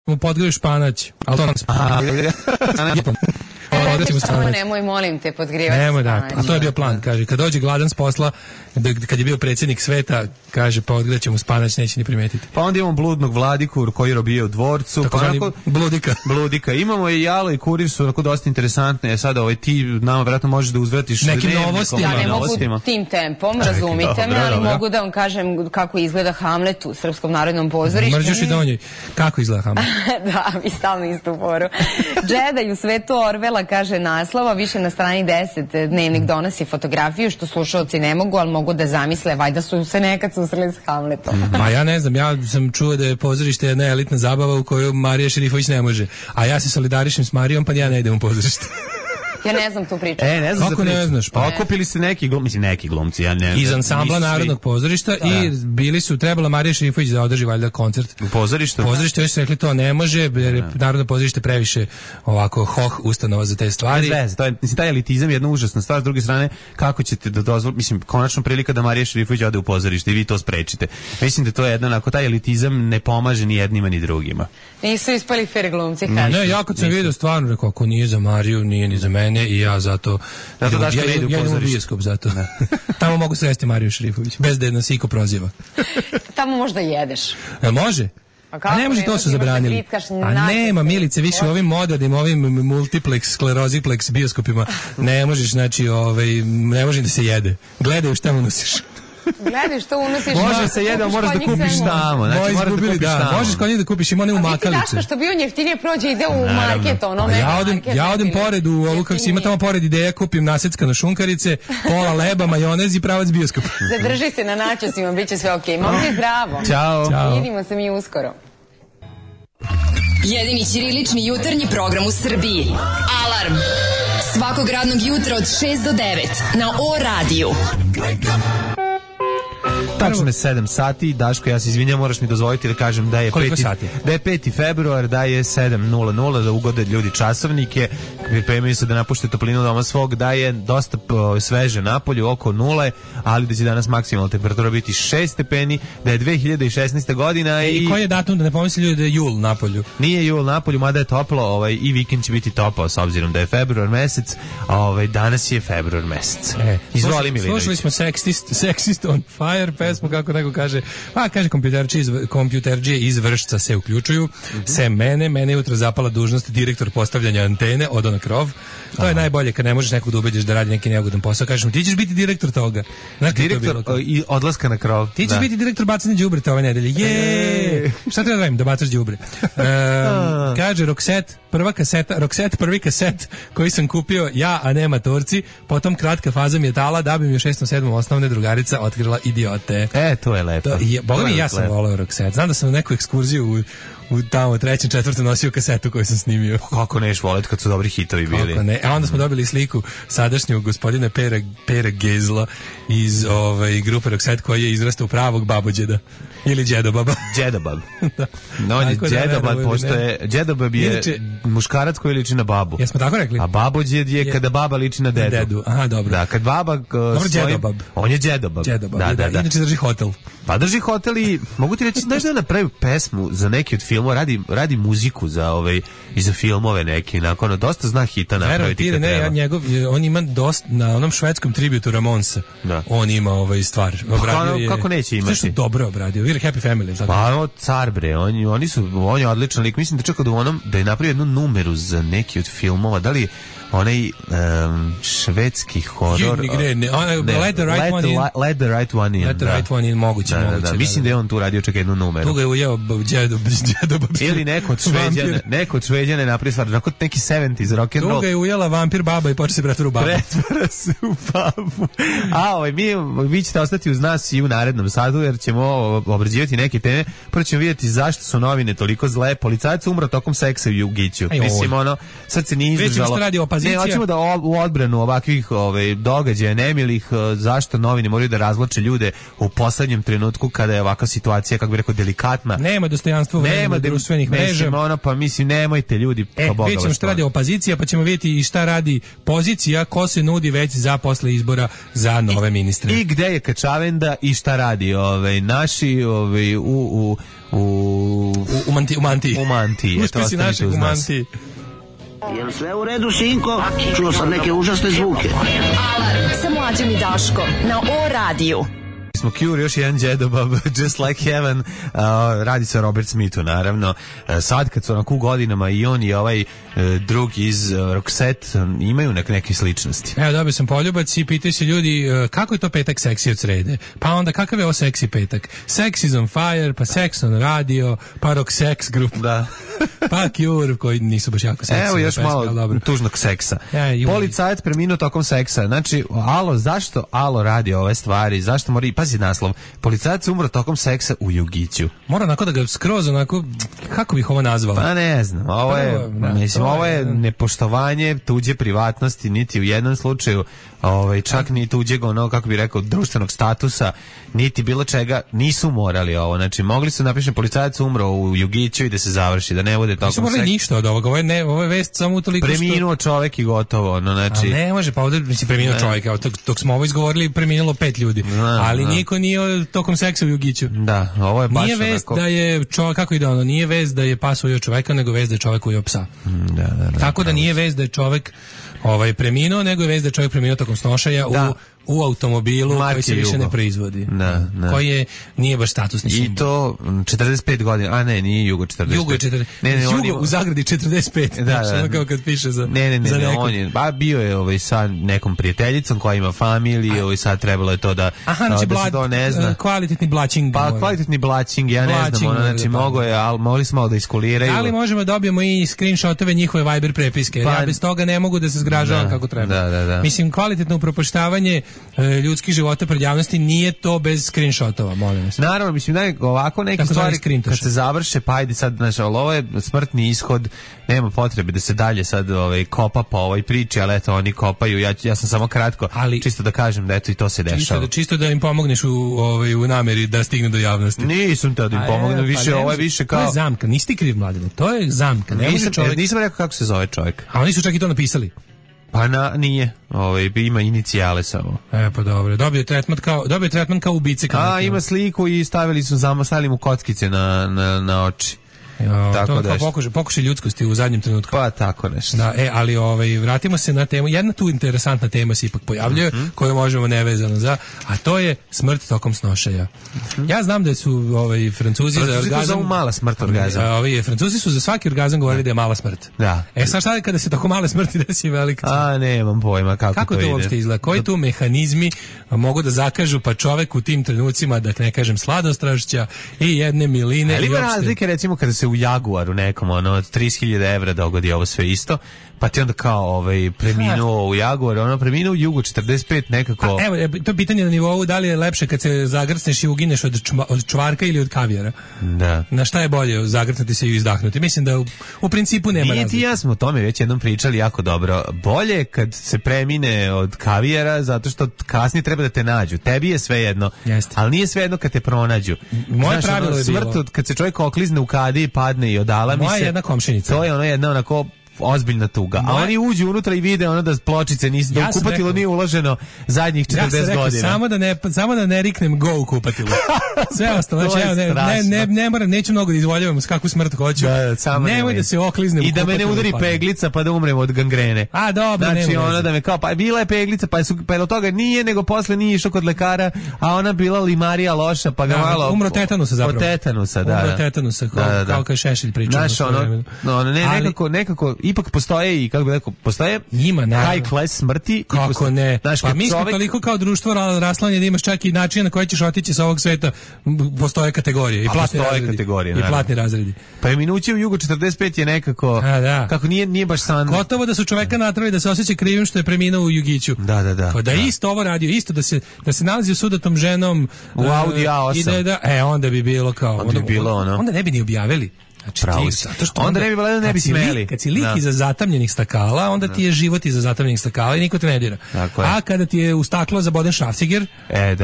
mu podgriju španać. Ali to nam se... Nemoj, molim te, podgrivati Nemoj, da. A to je bio plan, kaže. Kad dođe gladan s posla, kad je bio predsjednik sveta, kaže, pa odgledat ćemo spanać, neće ni primetiti. Pa onda imamo bludnog Vladiku koji robije u dvorcu. Tako zvani bludika. Imamo i Jalo i Kurir su onako dosta interesantne. Sada ti nama vjerojatno možeš da uzvratiš nekim novostima. Ja ne mogu tim tempom, razumite me, ali mogu da vam kažem kako izgleda Hamlet u Srpskom narodnom pozorištu. Mrđuš i donjoj. Kako izgleda Hamlet? Da, mi stalno istu foru. Džedaj u svetu Orvela, kaže naslova, više na strani 10 Dnevnik donosi fotografiju, što slušalci ne mogu, ali mogu da zamisle, valjda su se nekad susreli s Hamletom. Ma ja ne znam, ja sam čuo da je pozorište jedna elitna zabava u kojoj Marija Šerifović ne može, a ja se solidarišem s Marijom, pa ja ne idem u pozorište. Ja ne znam tu priču. Ne znam. Kako ne znaš? Pa okupili se neki glumci, ja ne. Iz ansambla Narodnog pozorišta i bili su, trebala Marija Šerifović da održi valjda koncert. U pozorištu? Pozorište još su rekli to ne može, jer Narodno pozorište previše ovako ustanova za te stvari. To je, taj elitizam je jedna užasna stvar, s druge strane, kako ćete da dozvolite, mislim, konačno prilika da Marija Šerifović ode u pozorište i vi to sprečite. Mislim da to je jedna, ako taj elitizam ne pomaže ni jednima ni drugima. Nisu ispali fair glumci, kaže. Ne, ja kad sam vidio stvarno, rekao, ako nije za Mariju, nije ni za mene i ja zato ja idem u bioskop zato. Tamo mogu sresti Mariju Šerifović, bez da nas iko proziva. Tamo možda jedeš. Može? A ne može, to su zabranili. A nema, Milice, više u ovim modernim, ovim multiplex, skleroziplex bioskopima ne možeš, znači, ne može da se jede. Gledaj šta unosiš. Gledaj što unosiš. Može se jede, ali moraš da kupiš tamo. Znači, moraš da kupiš tamo. Možeš kod njih da kupiš, ima one u makalice. A vi što bi on jeftinije prođe, ide u market, ono ja odem pored u ovu, kako si ima tamo pored Ideja, kupim naseckano šunkarice, pola leba, majonez i pravac bioskopa. Zadrži se na načosima, bit će sve okej. Momci, zdravo. Ćao. Vidimo se mi uskoro. Jedini ćirilični jutarnji program u Srbiji. Alarm. Svakog radnog jutra od 6 do 9 na O-radiju. Tačno je 7 sati, Daško, ja se izvinjam, moraš mi dozvoliti da kažem da je 5. februar, da je 7:00, da ugode ljudi časovnike, pripremaju se da napušte toplinu doma svog, da je dosta sveže napolju, oko 0, ali da će danas maksimalna temperatura biti 6 stepeni, da je 2016. godina i koji je datum, da ne pomisli ljudi da je jul napolju? Nije jul napolju, mada je toplo, i vikend će biti topao, s obzirom da je februar mesec, danas je februar mesec. Izvoli, Milinović. Slušali smo Sexist on Fire pesmu, kako neko kaže, kaže kompjuterđije iz Vršca se uključuju, sem mene jutro zapala dužnost direktor postavljanja antene, odo na krov. To je najbolje kad ne možeš nekog da ubediš da radi neki neugodan posao, kažeš mu ti ćeš biti direktor toga. Direktor i odlaska na krov. Ti ćeš biti direktor bacanja đubreta ove nedelje. Šta treba da radim? Da bacaš đubre. Kaže Roxette, prvi kaset koji sam kupio ja, a ne matorci, potom kratka faza metala da bi mi u 6. 7. osnovne drugarica otkrila idiote. To je lepo. Boga mi, ja sam volao Roxette. Znam da sam na neku ekskurziju u tamo 3. 4. nosio kasetu koju sam snimio. Kako neš voleti kad su dobri hitovi bili? Kako ne? A onda smo dobili sliku sadašnjeg gospodina Pera Gezla iz grupe Roxette koji je izrastao pravog babođeda. Ili džedobaba. Džedobab. No, on je džedobab, pošto je džedobab je muškarac koji liči na babu. Jesmo tako rekli? A babođed je kada baba liči na dedu. Aha, dobro. Da, kad baba džedobab. On je džedobab. Da. Inače drži hotel. Pa drži hotel i mogu ti reći, znaš da napravi pesmu za neki od filmova, radi muziku za filmove neki, nakon dosta zna hita napraviti kad treba. On ima dosta, na onom švedskom tributu Ramonsa, on ima stvar. Kako neće imati? Zašto dobro obradio? Ili Happy Family. Pa car bre, on je odličan lik. Mislim da čekao da je napravio jednu numeru za neki od filmova, da li onaj švedski horor. Let the right one in. Moguće. Mislim da je on tu radio čak jednu numeru. Tu ga je ujeo džedobab. Ili neko od Šveđana napravi stvar, neki 70s rock and roll. Tu ga je ujela vampir baba i počeo se pretvara u babu. Pretvara se u babu. A vi ćete ostati uz nas i u narednom satu, jer ćemo obrađivati neke teme. Prvo ćemo vidjeti zašto su novine toliko zle. Policajac umro tokom seksa u Jugiću. Mislim, sad se nije izdržalo. Ne, hoćemo da u odbranu ovakvih događaja nemilih, zašto novine moraju da razvlače ljude u poslednjem trenutku trenutku kada je ovakva situacija, kako bih rekao, delikatna. Nema dostojanstva u vremenu društvenih mreža. Mislim, nemojte ljudi, po Boga. Vidjet ćemo šta radi opozicija, pa ćemo vidjeti i šta radi pozicija, ko se nudi već za posle izbora za nove ministre. I gde je Kačavenda i šta radi naši u Mantiji. U Mantiji. Uspio si našeg u Mantiji. Jel sve u redu, sinko? Čuo sam neke užasne zvuke. Alarm sa Mlađom i Daškom na O-radiju. Smo Cure, još jedan džedobab, Just Like Heaven, radi se o Robert Smithu, naravno. Sad kad su onako u godinama i on i ovaj drugi iz Roxette imaju neke sličnosti. Evo, dobio sam poljubac i pitaju se ljudi kako je to petak seksi od srede? Pa onda kakav je ovo seksi petak? Sex is on fire, pa Sex on radio, pa Roxette grup. Da. Pa Cure, koji nisu baš jako seksi. Evo još malo tužnog seksa. Policajac preminuo tokom seksa. Znači, zašto Alo radi ove stvari? Zašto mora... Pazi naslov. Policajac umro tokom seksa u Jugiću. Mora onako da ga skroz onako, kako bih ovo nazvao? Pa ne znam, ovo je nepoštovanje tuđe privatnosti, niti u jednom slučaju, čak ni tuđeg kako bih rekao, društvenog statusa, niti bilo čega, nisu morali ovo. Znači, mogli su napišati policajac umro u Jugiću i da se završi, da ne bude tokom seksa. Nisu morali ništa od ovoga, ovo je vest samo utoliko što... Preminuo čovek i gotovo, znači... A ne može, pa ovdje preminuo čovjek, dok smo ovo izgovorili, preminulo 5 ljudi, ali niko nije tokom seksa u Jugiću. Da, ovo je baš nije vest da je čovjek, kako ide ono, nije vest da je pas ujeo čovjeka, nego vest da je čovjek ujeo psa. Tako da nije vest da je čovjek preminuo, nego je vest da je čovjek preminuo tokom snošaja u automobilu koji se više ne proizvodi. Koji nije baš statusni simbol. I to 45 godina, a ne, nije Jugo 45. Jugo je 45. Jugo u zagradi 45. Da. Kao kad piše za Ne, on je, bio je sa nekom prijateljicom koja ima familiju i sad trebalo je to da se to ne zna. Kvalitetni blačing. Pa kvalitetni blačing, ja ne znam, znači mogli smo malo da iskuliraju. Ali možemo da dobijemo i screenshotove njihove Viber prepiske, jer ja bez toga ne mogu da se zgražavam kako treba. Mislim, kvalitetno upropaštavanje ljudskih života pred javnosti nije to bez screenshotova, molim vas. Naravno, mislim da je ovako neke stvari kad se završe, pa ajde sad, znači, ovo je smrtni ishod, nema potrebe da se dalje sad kopa po ovoj priči, ali eto, oni kopaju, ja sam samo kratko, čisto da kažem da eto i to se dešava. Čisto da im pomogneš u nameri da stigne do javnosti. Nisam te da im pomognem, više, ovo je više kao... To je zamka, nisi ti kriv, Mladine, to je zamka. Nisam rekao kako se zove čovjek. A oni su čak i to napisali. Pa nije, ima inicijale samo. Pa dobro, dobio je tretman kao ubice. Ima sliku i stavili mu kockice na oči. Tako da pokušaj ljudskosti u zadnjem trenutku. Pa tako nešto. Da, ali vratimo se na temu. Jedna tu interesantna tema se ipak pojavljuje, koju možemo nevezano za, a to je smrt tokom snošaja. Ja znam da su Francuzi za orgazam... to mala smrt orgazam. Francuzi su za svaki orgazam govorili da je mala smrt. Da. Sad šta je kada se tako male smrti desi velika smrt? Nemam pojma kako to ide. Uopšte izgleda? Koji tu mehanizmi mogu da zakažu pa čovek u tim trenucima, da ne kažem sladostrašća i jedne miline. Ali ima razlike, recimo kada se u Jaguaru nekom od 30.000 evra dogodi ovo sve isto, pa ti onda kao preminuo u Jaguaru, preminuo u Jugu 45 nekako. Evo, to je pitanje na nivou da li je lepše kad se zagrcneš i ugineš od čvarka ili od kavijara. Da. Na šta je bolje, zagrcnuti se i izdahnuti? Mislim da u principu nema razlike. Nije ti ja smo o tome već jednom pričali jako dobro. Bolje kad se premine od kavijara, zato što kasnije treba da te nađu. Tebi je sve jedno, ali nije sve jedno kad te pronađu. Moje pravilo je bilo. Smrt, kad se čovjek oklizne u kadi i padne i odala mi se. Moja jedna komšinica. To je jedna onako ozbiljna tuga. A oni uđu unutra i vide da pločice nisu, da u kupatilo nije uloženo zadnjih 40 godina. Ja sam rekao, samo da ne riknem go u kupatilo. Sve ostalo, znači ne moram, neću mnogo da izvoljavam s kakvu smrt hoću. Nemoj da se okliznem u kupatilo. I da me ne udari peglica pa da umrem od gangrene. A dobro, znači da me kao, pa bila je peglica, pa od toga nije, nego posle nije išao kod lekara, a ona bila limarija loša, pa ga malo... Umro tetanusa zapravo. Od tetanusa, da. Umro tetanusa, kao kad Šešelj pričao. Nekako ipak postoje i kako bih rekao, postoje high class smrti. Kako ne? Pa mi smo toliko kao društvo raslanje da imaš čak i način na koji ćeš otići sa ovog sveta. Postoje kategorije i platni razredi. Pa je minuće u Jugu 45 je nekako, kako nije baš san. Gotovo da su čoveka natrali da se osjeća krivim što je preminuo u Jugiću. Da. Da isto ovo radio, isto da se nalazi u sudatom ženom u Audi A8. Onda bi bilo kao... Onda ne bi ni objavili. Pravo si. Onda ne bi valjda ne bi smeli. Kad si lik iza zatamljenih stakala, onda ti je život iza zatamljenih stakala i niko te ne dira. A kada ti je u staklo zaboden šrafciger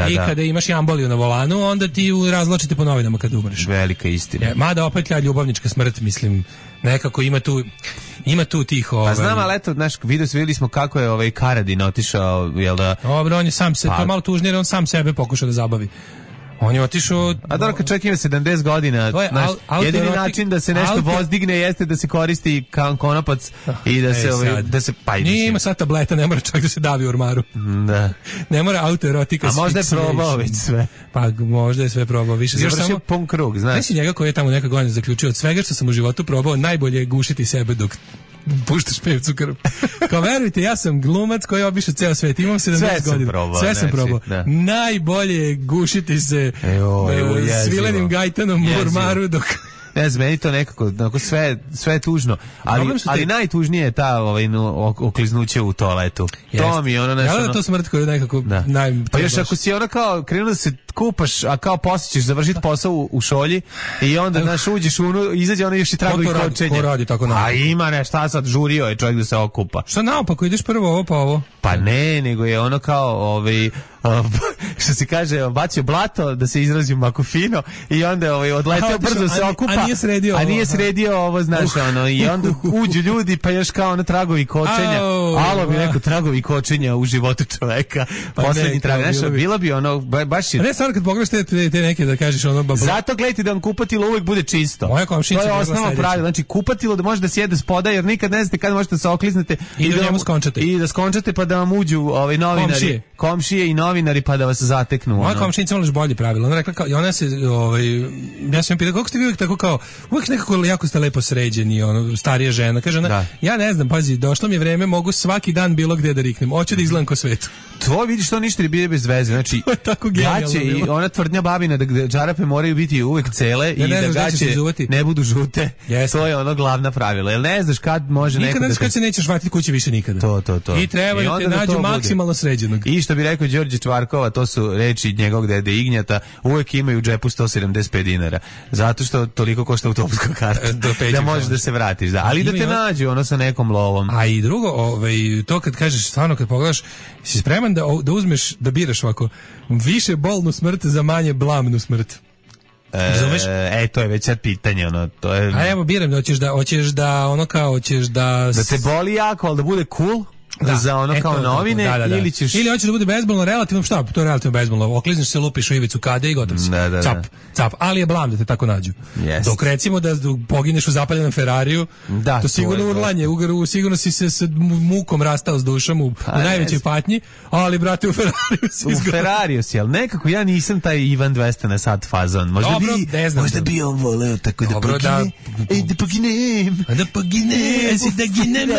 i kada imaš jamboliju na volanu, onda ti razločite po novinama kad umreš. Velika istina. Mada opet ljubavnička smrt, mislim, nekako ima tu tih Pa znam, ali eto, znaš, videli smo kako je Karadin otišao, jel da... Dobro, on je sam se, to malo tužnije, on sam sebe pokušao da zabavi. On je otišao... A dobro, kad čovjek ima 70 godina, jedini način da se nešto vozdigne jeste da se koristi konopac i da se... Nije ima sad tableta, ne mora čovjek da se davi u ormaru. Da. Ne mora autoerotika. A možda je probao već sve. Pa možda je sve probao više. Završio pun krug, znaš. Nesi njega koji je tamo neka godina zaključio od svega što sam u životu probao, najbolje je gušiti sebe dok puštaš pevcu krv. Kao verujte, ja sam glumac koji je obišao ceo svet, imam 70 godina. Sve sam probao. Najbolje je gušiti se svilenim gajtanom u ormaru dok... Ne znam, meni to nekako sve je tužno, ali najtužnije je ta okliznuće u toaletu. To mi je ono nešto... Ja da to smrt koja je nekako... Pa još ako si ono kao krenuo da se kupaš, a kao poslije ćeš završiti posao u šolji i onda uđeš izađe ono još i tragovi kočenja. Ko radi tako naopako? A ima ne, šta sad, žurio je čovjek da se okupa. Šta naopako, ideš prvo ovo pa ovo? Pa ne, nego je ono kao što se kaže, bacio blato, da se izrazi makufino i onda odleteo brzo se okupa, a nije sredio ovo, znaš, i onda uđu ljudi, pa još kao ono tragovi kočenja. Alo bi neko tragovi kočenja u životu čoveka, poslednji trag, znaš, bilo bi ono, baš je... Ne, stvarno kad pogledaš te neke da kažeš ono... Zato gledajte da vam kupatilo uvek bude čisto. Moja komšinica je osnovno pravilo, znači kupatilo da može da sjede spoda, jer nikad ne znate kada možete da se okliznete i da njemu skončate. I da skončate pa da vam uđu novinari, komšije i novinari pa da vas zateknu. Moja komšinica imala još bolje pravilo. Ona rekla kao, i ona se, ja sam pitao, kako ste vi uvijek tako kao, uvijek nekako jako ste lepo sređeni, starija žena. Kaže ona, ja ne znam, pazi, došlo mi je vreme, mogu svaki dan bilo gde da riknem. Hoću da izgledam ko svetu. To vidiš, to ništa ne bide bez veze. Znači, gaće i ona tvrdnja babina da džarape moraju biti uvek cele i da gaće ne budu žute. To je ono glavna pravila. Jel ne znaš kad može nikad neko ne znaš kad se nećeš vratiti kući više nikada. To. I treba da te nađu maksimalno sređenog. I što bi rekao Đorđe Čvarkova, to su reči njegovog dede Ignjata, uvek imaju u džepu 175 dinara. Zato što toliko košta autobuska karta. Da možeš da se vratiš. Da. Ali da te nađu ono sa nekom lovom. A i drugo, to kad kažeš, stvarno kad pogledaš, si spreman da uzmeš, da biraš ovako, više bolnu smrt za manje blamnu smrt. Razumeš? To je već sad pitanje, to je... A evo biram, hoćeš da te boli jako, ali da bude cool? Za ono kao novine ili ćeš... Ili hoćeš da bude bezbolno, relativno šta? To je relativno bezbolno. Oklizneš se, lupiš u ivicu kade i gotov si. Cap. Ali je blam da te tako nađu. Dok recimo da pogineš u zapaljenom Ferrariju, to sigurno urlanje, sigurno si se s mukom rastao s dušom u najvećoj patnji, ali brate u Ferrariju si izgledao. U Ferrariju si, ali nekako ja nisam taj Ivan 200 na sat fazon. Možda bi on voleo tako da pogine. Da poginem. Da ginem.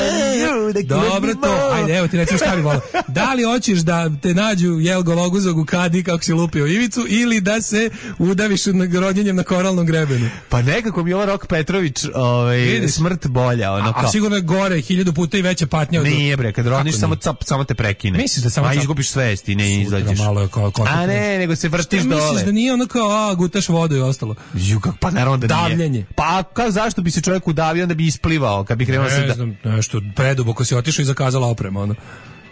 Dobro to. Ajde, evo ti recimo šta bi volao. Da li hoćeš da te nađu gologuzog u kadi kako si lupio ivicu ili da se udaviš rodjenjem na koralnom grebenu? Pa nekako mi je ovo Rok Petrović smrt bolja. A sigurno je gore 1000 puta i veća patnja. Nije bre, kad rodiš samo te prekine. Misliš da samo izgubiš svest i ne izađeš. A ne, nego se vrtiš dole. Misliš da nije ono kao gutaš vodu i ostalo? Pa naravno da nije. Davljenje. Pa zašto bi se čovjek udavio, onda bi isplivao kad bi krenuo se da... Ne znam, nešto preduboko si otišao i zakazala oprema,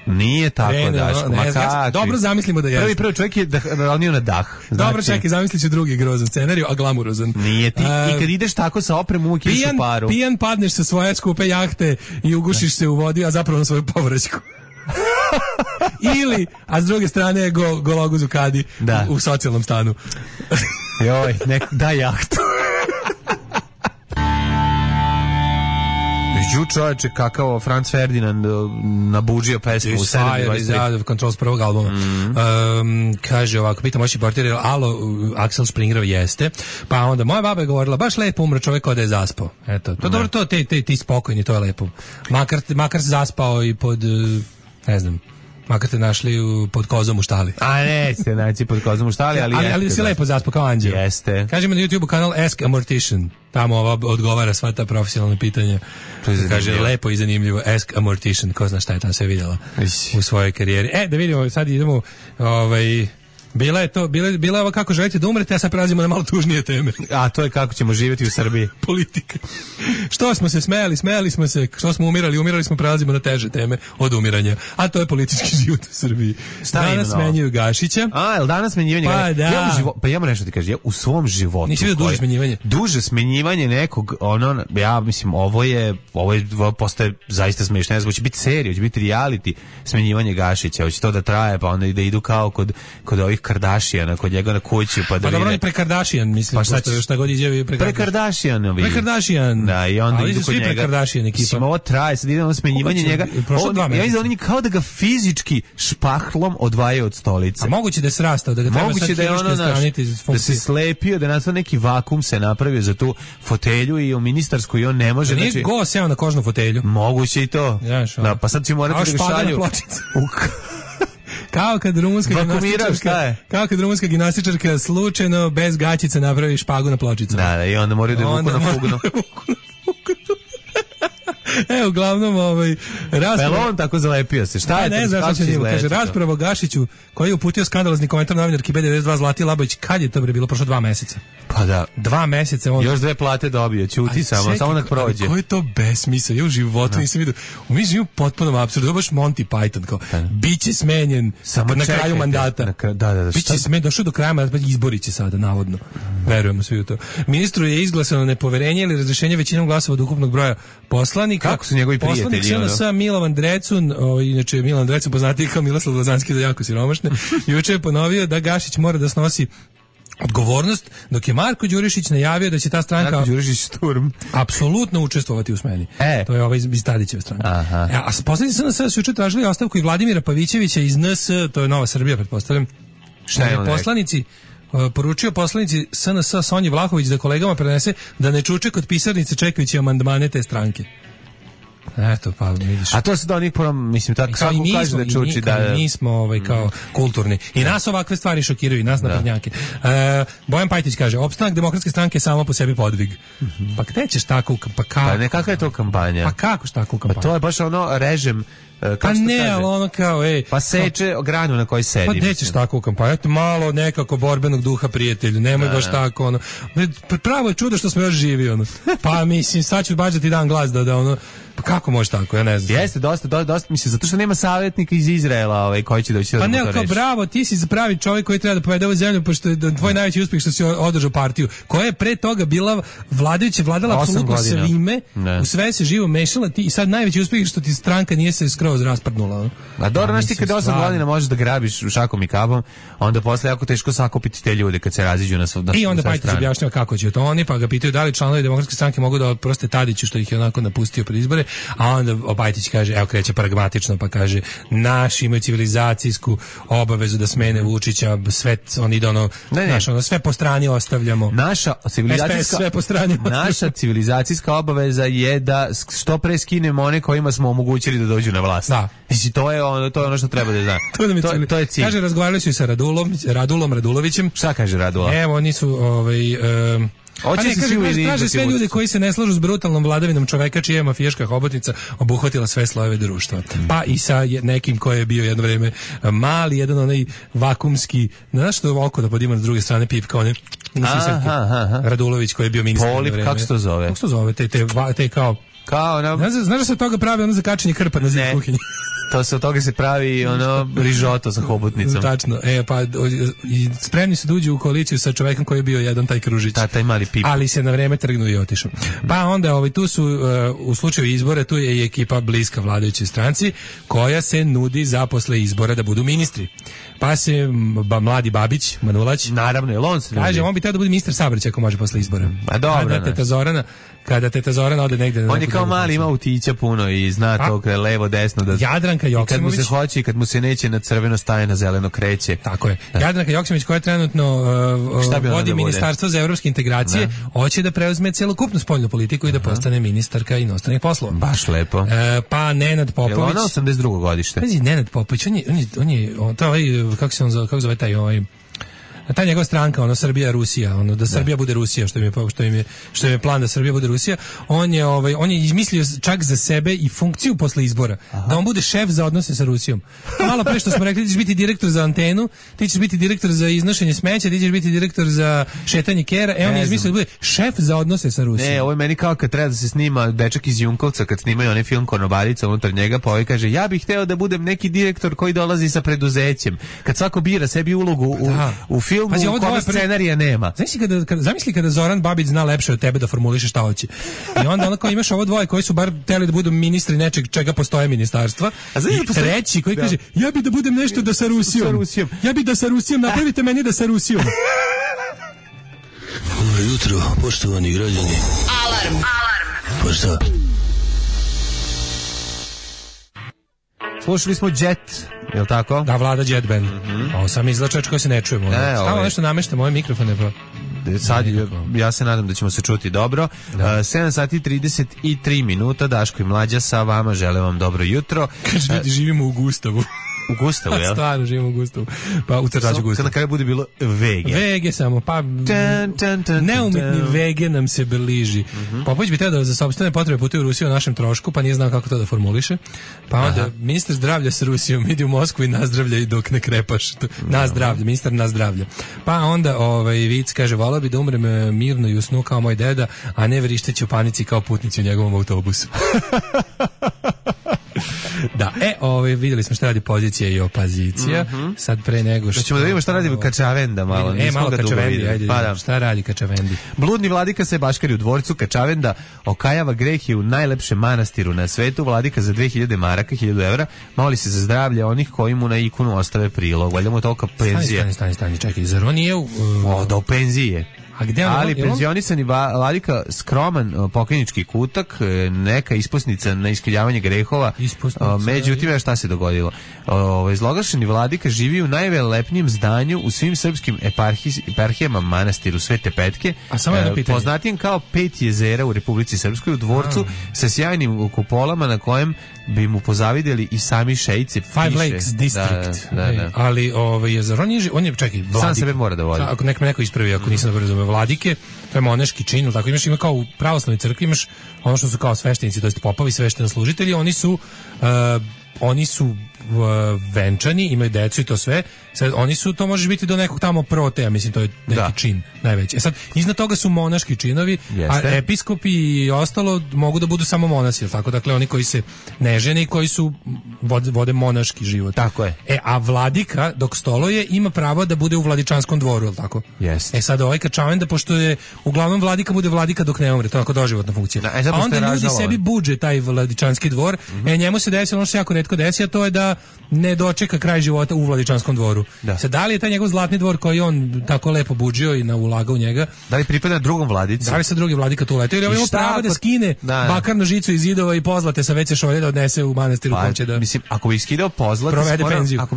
Nije tako, Daško, dobro, zamislimo da jeste. Prvi čovjek je ronio na dah. Dobro, čekaj, zamislit ću drugi grozan scenariju, a glamurozan. Nije ti, i kad ideš tako sa opremom uvijek ideš u paru. Pijan padneš sa svoje skupe jahte i ugušiš se u vodi, a zapravo na svoju povraćku. Ili, a s druge strane je gologuz u kadi u socijalnom stanu. Joj, daj jahtu. Čovječe, kakao Franz Ferdinand nabuđio pesmu u 7.23. Control s prvog albuma. Kaže ovako, pitam moći portir, alo, Axel Springerov jeste. Pa onda moja baba je govorila, baš lepo umro čovjek kao da je zaspao. Eto, to dobro, to ti spokojni, to je lepo. Makar se zaspao i pod, ne znam, makar te našli pod kozom u štali. A ne, ste naći pod kozom u štali, ali si lepo zaspao kao anđeo. Jeste. Kažemo na YouTube kanal Ask a Mortician. Tamo odgovara sva ta profesionalna pitanja. Kaže, lepo i zanimljivo. Ask a Mortician. Ko zna šta je tamo sve vidjela u svojoj karijeri. Da vidimo, sad idemo Bila je ovo kako želite da umrete, a sad prelazimo na malo tužnije teme. A to je kako ćemo živjeti u Srbiji. Politika. Što smo se smejali smo se, što smo umirali smo, prelazimo na teže teme od umiranja. A to je politički život u Srbiji. Danas smenjuju Gašića. Jel danas smenjivanje? Pa da. Pa ja moram nešto ti kažem, ja u svom životu... Nisi vidio duže smenjivanje? Duže smenjivanje nekog, ja mislim, ovo postaje zaista smiješno. Ne znam, će biti serija, će biti reality smenjivanje Gašića, hoće to da traje, pa onda da idu kao kod ovih Kardashiana, kod njega na kuću, pa da vide. Pa dobro, on je pre Kardashian, mislim, šta god iđe pre Kardashian. Da, i onda idu kod njega. Pre Kardashian ekipa. Mislim, ovo traje, sad ide smenjivanje njega. Ja mislim, oni kao da ga fizički špahlom odvajaju od stolice. A moguće da je srastao, da ga treba sad hiruške straniti iz funkcije. Da se slepio, da nastao neki vakum se napravio za tu fotelju i u ministarsku i on ne može. Nije go seo na kožnu fotelju. Moguće i to. Da, pa sad će morati da ga šalju. Kao kad rumunska gimnastičarka slučajno bez gaćice napravi špagu na pločicu. Da, i onda moraju da je vuku na fugno. Uglavnom, rasprava... Pa on tako zalepio se, šta je to? Ne znam šta će njemu, kaže, rasprava o Gašiću, koji je uputio skandalozni komentar novinarki B92 Zlati Labović, kad je to bilo prošlo 2 meseca? Pa da. 2 meseca on... Još 2 plate dobio, ćuti samo nek prođe. Koji je to besmisao, ja u životu nisam vidio. Mi živimo potpuno apsurdu, to baš Monty Python, kao, biće smenjen na kraju mandata. Biće smenjen, došao do kraja mandata, izborit će sada, navodno. Verujemo svi u to. Ministru je izglasano nepoverenje ili razrešenje većinom glasova od ukupnog broja poslanika. Kako su njegovi prijatelji? Poslanik sa Milovan Drecun, inače Milovan Drecun poznati kao Miroslav Lazanski da jako siromašne, juče je ponovio da Gašić mora da snosi odgovornost, dok je Marko Đurišić najavio da će ta stranka Marko Đurišić Sturm apsolutno učestvovati u smeni. To je iz Tadićeve stranke. A poslanici SNS su juče tražili ostavku i Vladimira Pavićevića iz NS, to je Nova Srbija, pretpostavljam. Šta je poslanici poručio poslanici SNS Sonji Vlahović da kolegama prenese da ne čuče kod pisarnice čekajući amandmane te stranke. Eto, pa vidiš. A to se da onih mislim tako kako kaže da čuči da mi smo kao kulturni. I nas ovakve stvari šokiraju, i nas naprednjake. Bojan Pajtić kaže: "Opstanak demokratske stranke je samo po sebi podvig." Pa gde ćeš tako Pa ne, kakva je to kampanja? Pa kako šta takvu kampanju? Pa to je baš režim. Pa ne, ali ono kao, pa seče granu na kojoj sedi. Pa nećeš tako u kampanju, malo nekako borbenog duha, prijatelju, nemoj baš tako, ono. Pravo je čudo što smo još živi, pa mislim, sad ću baš da ti dam glas da ono, pa kako može tako, ja ne znam. Jeste, dosta, mislim, zato što nema savjetnika iz Izraela koji će doći da to reši. Pa ne, kao bravo, ti si pravi čovjek koji treba da povede ovu zemlju, pošto je tvoj najveći uspjeh što si održao partiju, koja je pre toga bila vladajuća, vladala apsolutno svime, u sve se živo mešala, ti i sad najveći uspjeh što ti stranka nije se skroz raspadnula. A dobro, znaš ti kad 8 godina možeš da grabiš šakom i kapom, onda posle jako teško sakupiti te ljude kad se raziđu na sve strane. I onda Pajtić objašnjava kako će to oni, pa ga pitaju da li članovi demokratske stranke mogu da oproste Tadiću što ih je onako napustio pred izbore, a onda Pajtić kaže, evo kreće pragmatično, pa kaže, naši imaju civilizacijsku obavezu da smene Vučića, sve on ide sve po strani ostavljamo. Naša civilizacijska obaveza je da što pre skinemo one kojima smo omogućili da dođu na vlast. Da. Znači, to je ono što treba da zna. To je cilj. Kaže, razgovarali su i sa Radulom Radulovićem. Šta kaže Radula? Evo, oni su traže sve ljude koji se ne slažu s brutalnom vladavinom čoveka čija je mafijaška hobotnica obuhvatila sve slojeve društva. Pa i sa nekim koji je bio jedno vreme mali, jedan onaj vakumski, znaš što oko da podima s druge strane pipka, one Radulović koji je bio ministar. Polip, kako se to zove? Kako se to zove? Te kao znaš da se od toga pravi ono za kačenje krpa na zid kuhinji? To se od toga se pravi rižoto sa hobotnicom. Tačno. Pa i spremni su da uđu u koaliciju sa čovekom koji je bio jedan taj Kružić. Taj mali pip. Ali se na vreme trgnuo i otišao. Pa onda tu su u slučaju izbora tu je i ekipa bliska vladajućoj stranci koja se nudi za posle izbora da budu ministri. Pa se mladi Babić, Manulać, naravno, je on se kaže, on bi trebao da bude ministar saobraćaja ako može posle izbora. A dobro. Kada teta Zorana ode negde. On je kao mali, ima utića puno i zna to levo, desno. Jadranka Joksimović. Kad mu se hoće i kad mu se neće na crveno staje, na zeleno kreće. Tako je. Jadranka Joksimović koja trenutno vodi ministarstvo za evropske integracije, hoće da preuzme celokupnu spoljnu politiku i da postane ministarka inostranih poslova. Baš lepo. Pa Nenad Popović. Je ona 82. godište? Pazi, Nenad Popović, on je kako se zove taj ta njegova stranka, ono Srbija Rusija, ono da Srbija bude Rusija, što im je plan da Srbija bude Rusija. On je izmislio čak za sebe i funkciju posle izbora, da on bude šef za odnose sa Rusijom. Malo pre što smo rekli, ti ćeš biti direktor za antenu, ti ćeš biti direktor za iznošenje smeća, ti ćeš biti direktor za šetanje kera, on je izmislio da bude šef za odnose sa Rusijom. Ne, ovo je meni kao kad treba da se snima dečak iz Junkovca, kad snimaju onaj film Konobarica unutar njega, pa ovaj kaže, ja bih hteo da budem neki direktor koji dolazi sa preduzećem. Kad svako bira sebi ulogu u filmu, u kome scenarija nema. Zamisli kada Zoran Babić zna lepše od tebe da formuliše šta hoće. I onda onako imaš ovo dvoje koji su bar hteli da budu ministri nečeg čega postoje ministarstva. I treći koji kaže, ja bi da budem nešto da sa Rusijom. Ja bi da sa Rusijom, napravite meni da sa Rusijom. Dobro jutro, poštovani građani. Alarm. Pa šta? Slušali smo Jet, je li tako? Da, Vlada Jet Band. Ovo sam izlačač koji se ne čujemo. Stavno nešto namešta moje mikrofone, pa... Sad, ja se nadam da ćemo se čuti dobro. 7 sati 33 minuta, Daško i Mlađa sa vama, želim vam dobro jutro. Kaže, ljudi, živimo u Gustavu. U Gustavu, jel? Stvarno živimo u Gustavu. Pa u Crtaću Gustavu. Kad na kraju bude bilo Vege. Vege samo, pa neumitni Vege nam se bliži. Popović bi trebao da za sopstvene potrebe putuje u Rusiju o našem trošku, pa nije znao kako to da formuliše. Pa onda, ministar zdravlja s Rusijom ide u Moskvu i nazdravlja i dok ne krepaš. Nazdravlja, ministar nazdravlja. Pa onda Vic kaže, volao bi da umrem mirno i u snu kao moj deda, a ne vrišteći u panici kao putnici u njegovom autobusu. Da, vidjeli smo šta radi pozicija i opozicija. Sad pre nego što... Ćemo da vidimo šta radi Kačavenda malo. Malo Kačavendi, ajde, šta radi Kačavendi. Bludni vladika se baškari u dvorcu Kačavenda, okajava greh je u najlepšem manastiru na svetu. Vladika za 2000 maraka, 1000 evra, moli se za zdravlje onih koji mu na ikonu ostave prilog. Valjda mu je tolika penzija. Stani, čekaj, zar on nije da u penziji je. Ali penzionisani vladika skroman pokojnički kutak, neka ispusnica na iskrivljavanje grehova. Međutim, šta se dogodilo? Zloglašeni vladika živi u najvelepnijem zdanju u svim srpskim eparhijama manastiru Svete Petke, poznatijem kao 5 jezera u Republici Srpskoj, u dvorcu sa sjajnim kupolama na kojem bi mu pozavidjeli i sami šejci. Five Lakes District. Da. Ali zar on je čekaj, vladik. Sam sebe mora da vodi. Ako me neko ispravi, ako nisam dobro razumeo, vladike, to je monaški čin, tako ima kao u pravoslavnoj crkvi, imaš ono što su kao sveštenici, to jest popovi, sveštenoslужitelji, oni su venčani, imaju decu i to sve. Sad, oni su, to može biti do nekog tamo proteja, mislim, to je neki čin najveći. Sad, iznad toga su monaški činovi, a episkopi i ostalo mogu da budu samo monasi, tako? Dakle, oni koji se ne žene i koji su vode monaški život. Tako je. A vladika, dok stoluje, ima pravo da bude u vladičanskom dvoru, je li tako? Jeste. Sad, Kačavenda, pošto je uglavnom vladika, bude vladika dok ne umre, to je onako doživotna funkcija. A onda ljudi sebi budže taj vladičanski dvor, njemu se desi ono što se jako retko desi, a to je da ne dočeka kraj života u vladičanskom dvoru. Sad, da li je taj njegov zlatni dvor koji on tako lepo budžio i ulagao u njega? Da li pripada drugom vladici? Da li se drugi vladika tu letao? Ili ima pravo da skine bakarnu žicu iz zidova i pozlate sa veće šolje da odnese u manastiru kom će da... Mislim, ako bi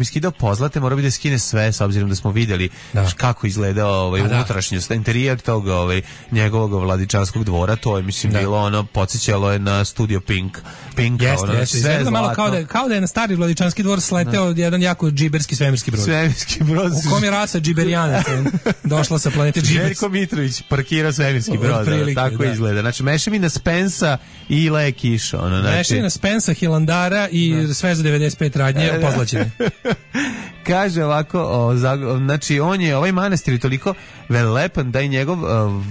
skidao pozlate, mora bi da skine sve, s obzirom da smo vidjeli kako izgledao unutrašnjost, interijer tog njegovog vladičanskog dvora, to je, mislim, bilo podsjećalo je na Studio Pink. Jeste. Sve malo kao da je na stari vladičanski dvor sleteo jedan jako džiberski svemirski brod. U kom je rasa džiberijanaca došla sa planete Džibers. Željko Mitrović parkirao svemirski brod. Tako izgleda. Znači, mešavina Spensa i Le Kiša. Mešavina Spensa, Hilandara i sve za 95 radnje pozlaćene. Kaže ovako, znači on je, ovaj manastir je toliko velepan da je njegov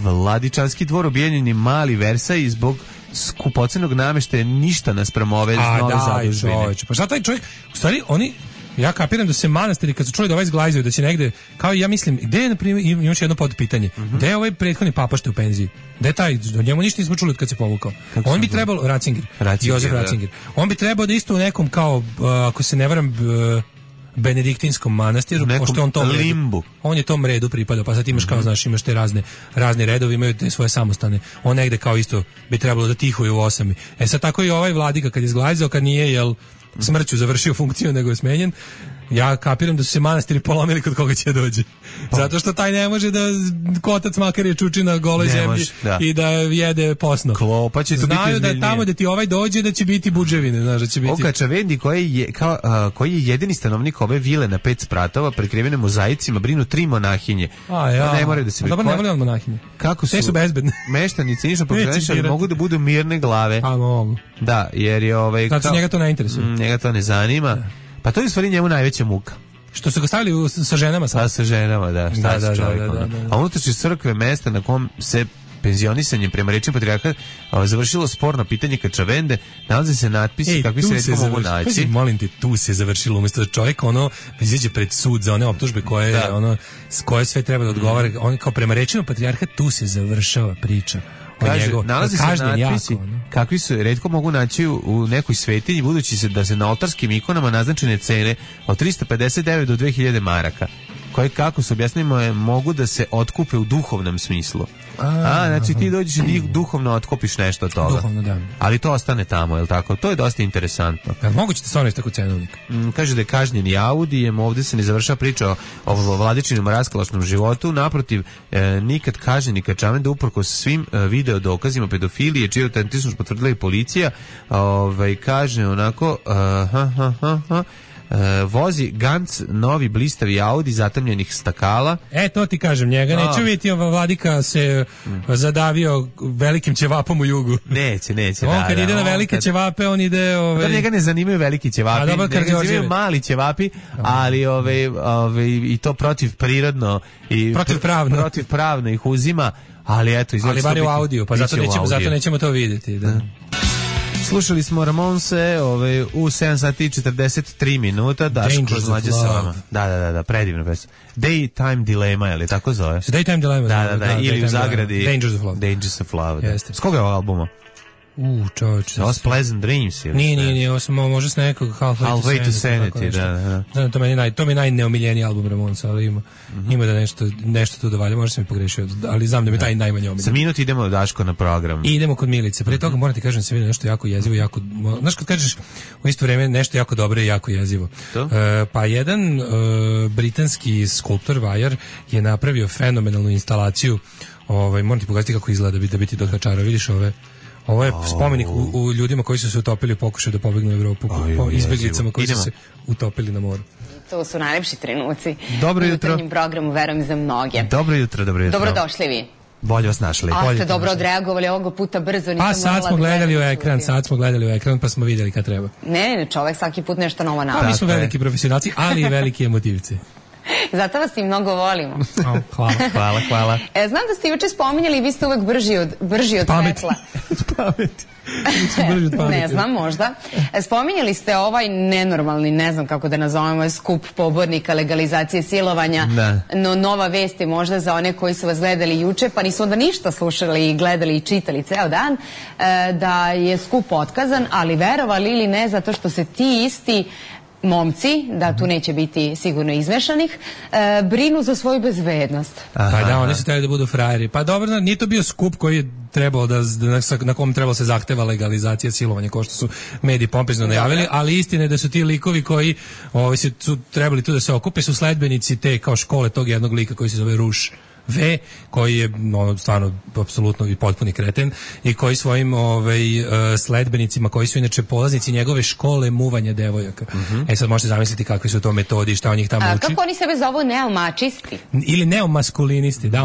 vladičanski dvor obijenjen je mali Versaj zbog skupocenog nameštaja ništa naspram ove nove zadužbine. Pa šta taj čovjek, u stvari ja kapiram da se manastiri kad su čuli da ovaj zglajzaju, da će negde, kao ja mislim, gde je, na primjer, imam još jedno podpitanje, gde je ovaj prethodni papašte u penziji? Gde je taj, o njemu ništa nismo čuli od kad se povukao. On bi trebalo, Josef Ratzinger, on bi trebao da isto u nekom kao, ako se ne varam, benediktinskom manastiru, pošto on tom limbu. On je tom redu pripadao, pa sad imaš kao, znaš, imaš te razne redove, imaju te svoje samostane. On negde kao isto bi trebalo da tihuje u 8. Sad tako i ovaj vladika kad je zglajzao, kad nije, smrću završio funkciju, nego je smenjen, Ja kapiram da su se manastiri polomili kod koga će dođe. Zato što taj ne može da kotac makar je čuči na goloj zemlji i da jede posno. Klopa će to biti znaju da tamo da ti ovaj dođe da će biti budževine, znaš, da će biti. Oka Čavendi koji je jedini stanovnik ove vile na 5 spratova prekrivene mozaicima brinu 3 monahinje. Ne moraju da se dobro, ne vole monahinje. Kako su? Te su bezbedne. Meštanici ništa pogrešili, mogu da budu mirne glave. Mogu. Da, jer je znači njega to ne interesuje. Njega to ne zanima. Pa to je u stvari njemu najveća muka. Što su ga stavili sa ženama sad? Sa ženama, da. Šta se čovjek? A unutrašnje crkve mesta na kom se penzionisanjem prema rečima patrijarha završilo sporno pitanje Kačavende, nalaze se natpisi kakvi se retko mogu naći. Molim te, tu se završilo, umjesto da čovjek izađe pred sud za one optužbe koje sve treba da odgovara, on kao prema rečima patrijarha tu se završava priča. Kaže, nalazi se natpisi kakvi su retko mogu naći u nekoj svetinji, budući da se na oltarskim ikonama naznačene cene od 359 do 2000 maraka, koje, kako se objasnimo, mogu da se otkupe u duhovnom smislu. Znači ti dođeš i duhovno otkupiš nešto od toga. Duhovno, da. Ali to ostane tamo, je li tako? To je dosta interesantno. Moguće da stvarno je tako cenovnik. Kaže da je kažnjeni Audijem, ovdje se ne završava priča o Vladičinom raskalašnom životu, naprotiv, nikad kažnjeni Kačavenda uprkos svim video dokazima pedofilije, čiju autentičnost potvrdila i policija, kaže onako, vozi Gantz novi blistavi Audi zatamljenih stakala. To ti kažem, njega neću vidjeti, Vladika se zadavio velikim ćevapom u jugu. Neće. On kad ide na velike ćevape, on ide... Da njega ne zanimaju veliki ćevapi, njega zanimaju mali ćevapi, ali i to protivprirodno i protivpravno ih uzima, ali eto... Ali bar je u Audiju, pa zato nećemo to vidjeti, da. Slušali smo Ramonse u 7 sati i 43 minuta. Dangerous of Love. Da, predivna pesma. Daytime Dilemma, je li tako zove? Daytime Dilemma. Da, ili u zagradi Dangerous of Love. S koga je ovog albuma? Čovječe. Ovo je Pleasant Dreams ili? Nije, ovo samo može s nekog Halfway to Sanity, da. Znam, to mi je najneomiljeniji album Ramonsa, ali ima da nešto tu dovalja, možda sam mi pogrešio, ali znam da mi je taj najmanje omiljen. Za minut idemo Daško na program. I idemo kod Milice. Pre toga moram ti kažem da se vidi nešto jako jezivo, znaš kad kažeš u isto vreme nešto jako dobro i jako jezivo. Pa jedan britanski skulptor Vajar je napravio fenomenalnu instalaciju, moram ti pogledati kako izgleda da bi ti dokačarao, vidiš ovo je spomenik u ljudima koji su se utopili u pokušaju da pobegnu u Evropu, po izbjeglicama koji su se utopili na moru. To su najlepši trenuci. Dobro jutro. U jutarnjem programu, verujem za mnoge. Dobro jutro. Dobrodošli vi. Bolje vas našli. A ste dobro odreagovali ovoga puta brzo. Pa sad smo gledali u ekran, pa smo vidjeli kad treba. Ne, čovek svaki put nešto novo napravi. Mi smo veliki profesionalci, ali i veliki emotivci. Zato vas i mnogo volimo. Hvala. Znam da ste juče spominjali, vi ste uvek brži od svetla. Pameti. Ne znam, možda. Spominjali ste ovaj nenormalni, ne znam kako da nazovemo, skup pobornika legalizacije silovanja, no nova vest je možda za one koji su vas gledali juče, pa nisu onda ništa slušali i gledali i čitali ceo dan, da je skup otkazan, ali verovali ili ne, zato što se ti isti momci, da tu neće biti sigurno izmešanih, brinu za svoju bezbednost. Pa da, oni su trebali da budu frajeri. Pa dobro, nije to bio skup koji je trebao na kom trebalo se zahteva legalizacija silovanja, kao što su mediji pompezno najavili, ali istina je da su ti likovi koji su trebali tu da se okupe, su sledbenici te kao škole tog jednog lika koji se zove Ruš V, koji je stvarno apsolutno i potpuni kreten i koji svojim sledbenicima, koji su inače polaznici njegove škole muvanja devojaka. Sad možete zamisliti kakvi su to metodi, šta on ih tamo uči. Kako oni sebe zovu, neomačisti? Ili neomaskulinisti, da,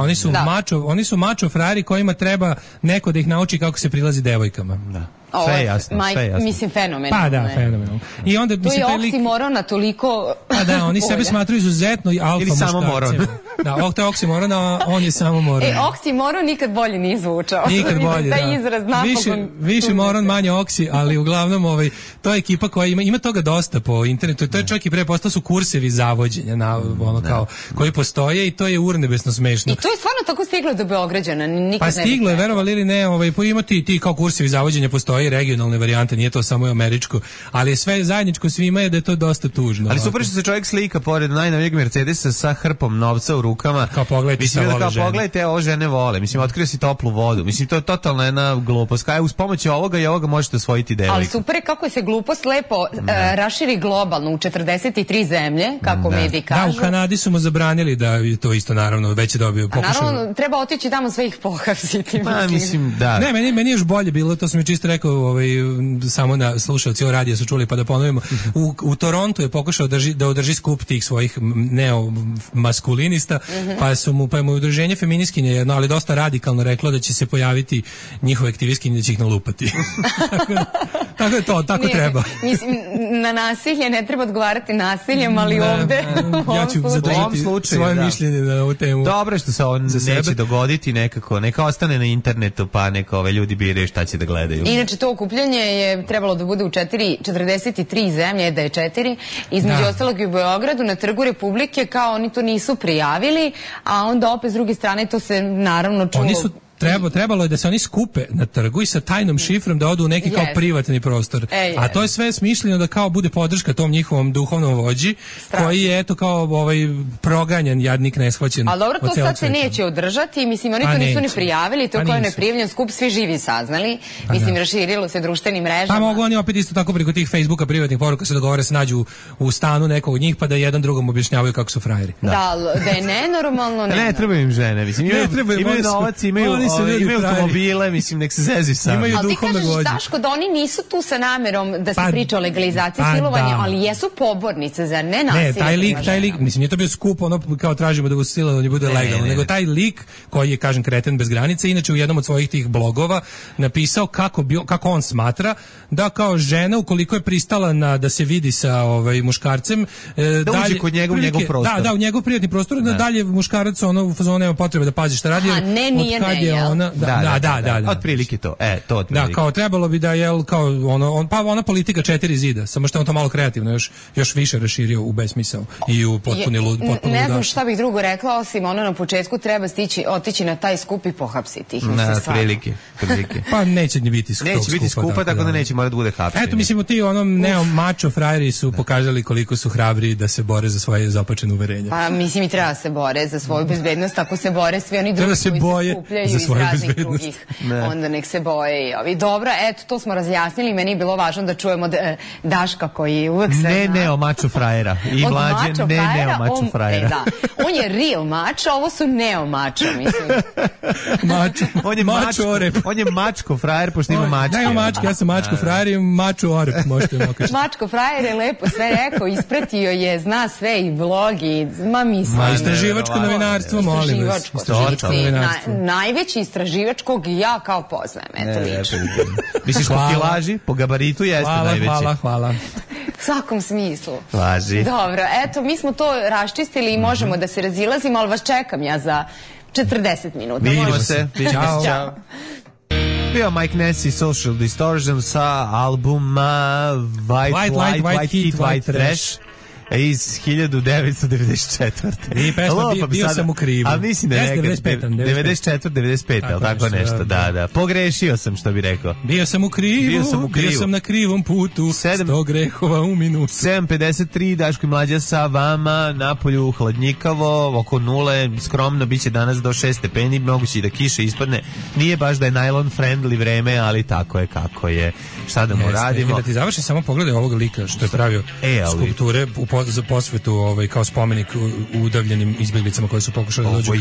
oni su mačo frajeri kojima treba neko da ih nauči kako se prilazi devojkama. Da. Sve jasno. Mislim, fenomenalno. Pa da, fenomenalno. I onda, to je oksimorona toliko... Pa da, oni sebe smatruju izuzetno i alfa muškarcima. Ili samo moron. Da, to je oksimoron, a on je samo moron. Oksimoron nikad bolje nije zvučao. Nikad bolje, da. Taj izraz napokon... Više moron, manje oksi, ali uglavnom to je ekipa koja ima toga dosta po internetu. To je čak i pre postao su kursevi zavođenja koji postoje i to je urnebesno smešno. I to je stvarno tako stiglo do Beograđana. Pa stiglo je, verovali ili ne, ima ti kao kursevi zavođenja postoje postoje regionalne varijante, nije to samo američko, ali sve zajedničko svima je da je to dosta tužno. Ali super što se čovjek slika pored najnovijeg Mercedesa sa hrpom novca u rukama. Kao pogledajte, mislim, vole žene. Pogledajte, ovo žene vole. Mislim, otkrio si toplu vodu. Mislim, to je totalna jedna glupost. Kaj uz pomoć ovoga i ovoga možete osvojiti devojku. Ali super je kako se glupost lepo raširi globalno u 43 zemlje, kako mediji kažu. Da, u Kanadi su mu zabranili da to isto naravno već je dobio pokušao. Naravno, treba otići tamo sve ih pohapsiti. Mislim, da. Ne, meni je još bolje bilo, to sam mi čisto rekao, samo na slušalci o radija su čuli, pa da ponovimo. U Torontu je pokušao da održi skup tih svojih neomaskulinista, pa je mu udruženje feministkinje jedno, ali dosta radikalno reklo da će se pojaviti njihove aktivistkinje da će ih nalupati. Tako je to, tako treba. Mislim, na nasilje ne treba odgovarati nasiljem, ali ovde ja ću zadržati svoje mišljenje na ovu temu. Dobro što se ovo neće dogoditi nekako, neka ostane na internetu, pa neka ove ljudi biraju šta će da gledaju. Inače, to okupljanje je trebalo da bude u 43 zemlje, da je 4, između ostalog i u Beogradu, na Trgu Republike, kao oni to nisu prijavili, a onda opet s druge strane to se naravno čulo. Oni su trebalo je da se oni skupe na trgu i sa tajnom šifrom da odu u neki kao privatni prostor. A to je sve smišljeno da kao bude podrška tom njihovom duhovnom vođi, koji je eto kao proganjan, jadnik, neshvaćen. Ali dobro, to sad se neće održati, mislim, oni to nisu ni prijavili, to kao je neprijavljen skup, svi živi saznali, mislim, raširilo se društvenim mrežama. Pa mogu oni opet isto tako preko tih Facebooka privatnih poruka se dogovore, se nađu u stanu nekog od njih, pa da jedan drugom objašnjavaju kako su frajeri. Da je nenormalno. Ne trebaju im žene, mislim, imaju novac, imaju automobile, mislim, nek se zezi sami. Ali ti kažeš, Daško, da oni nisu tu sa namerom da se priča o legalizaciji silovanja, ali jesu pobornice, zar ne nasilje? Ne, taj lik, mislim, nije to bio skup, ono kao tražimo da silovanje bude legalno, nego taj lik koji je, kažem, kreten bez granice, inače u jednom od svojih tih blogova napisao kako on smatra da kao žena, ukoliko je pristala da se vidi sa muškarcem, da uđe kod njegov prostor. Da, u njegov privatni prostor, da dalje muškarac u fazonu nema potrebe da pazi šta radi. Da. Otprilike to. To otprilike. Da, kao trebalo bi da je kao ona politika 4 zida, samo što on to malo kreativno još više raširio u besmisao i u potpuni lud. Ne znam šta bih drugo rekla, osim ono na početku treba otići na taj skup i pohapsiti ih. Prilike. Pa neće ni biti skupa. Neće biti skupa, tako da neće morati da bude hapšenje. Eto, mislim, ti mačo frajeri su pokazali koliko su hrabri da se bore za svoje zapačene uverenja. Pa mislim i treba se bore za svoju bezbednost, ako se bore svi oni drugi koji se skupljaju iz raznih drugih, onda nek se boje i ovi. Dobro, eto, to smo razjasnili, meni je bilo važno da čujemo Daška koji uvek sve neo mačo frajera i Mlađe neo mačo frajera. On je real mačo, ovo su neo mačo, mislim. On je mačko frajer, pošto ima mačke. Ne, mačke, ja sam mačko frajer i mačo orep, možete mi okažiti. Mačko frajer je lepo sve rekao, ispratio je, zna sve i blog i, istraživačko novinarstvo, molim vas. Istraživačko novinarstvo. Najveći istraživačkog ja kao poznajem, eto lično. Misliš po kilaži, po gabaritu jeste najveći. Hvala. U svakom smislu. Važi. Dobro, eto, mi smo to raščistili i možemo da se razilazimo, ali vas čekam ja za 40 minuta. Vidimo se. Ćao. Bio Mike Ness i Social Distortion sa albuma White Heat, White Trash iz 1994. I pesma bio sam u krivu. A mislim da je 94, 95, ali tako nešto, da. Pogrešio sam, što bi rekao. Bio sam u krivu, bio sam na krivom putu, 100 grehova u minutu. 7:53, Daško i Mlađa sa vama, napolju hladnjikavo, oko nule, skromno, bit će danas do 6 stepeni, moguće i da kiše ispadne. Nije baš da je nylon friendly vreme, ali tako je kako je. Šta da mu radimo? Da ti završi, samo pogledaj ovog lika što je pravio skulpture za posvetu kao spomenik udavljenim izbjeglicama koje su pokušali da dođu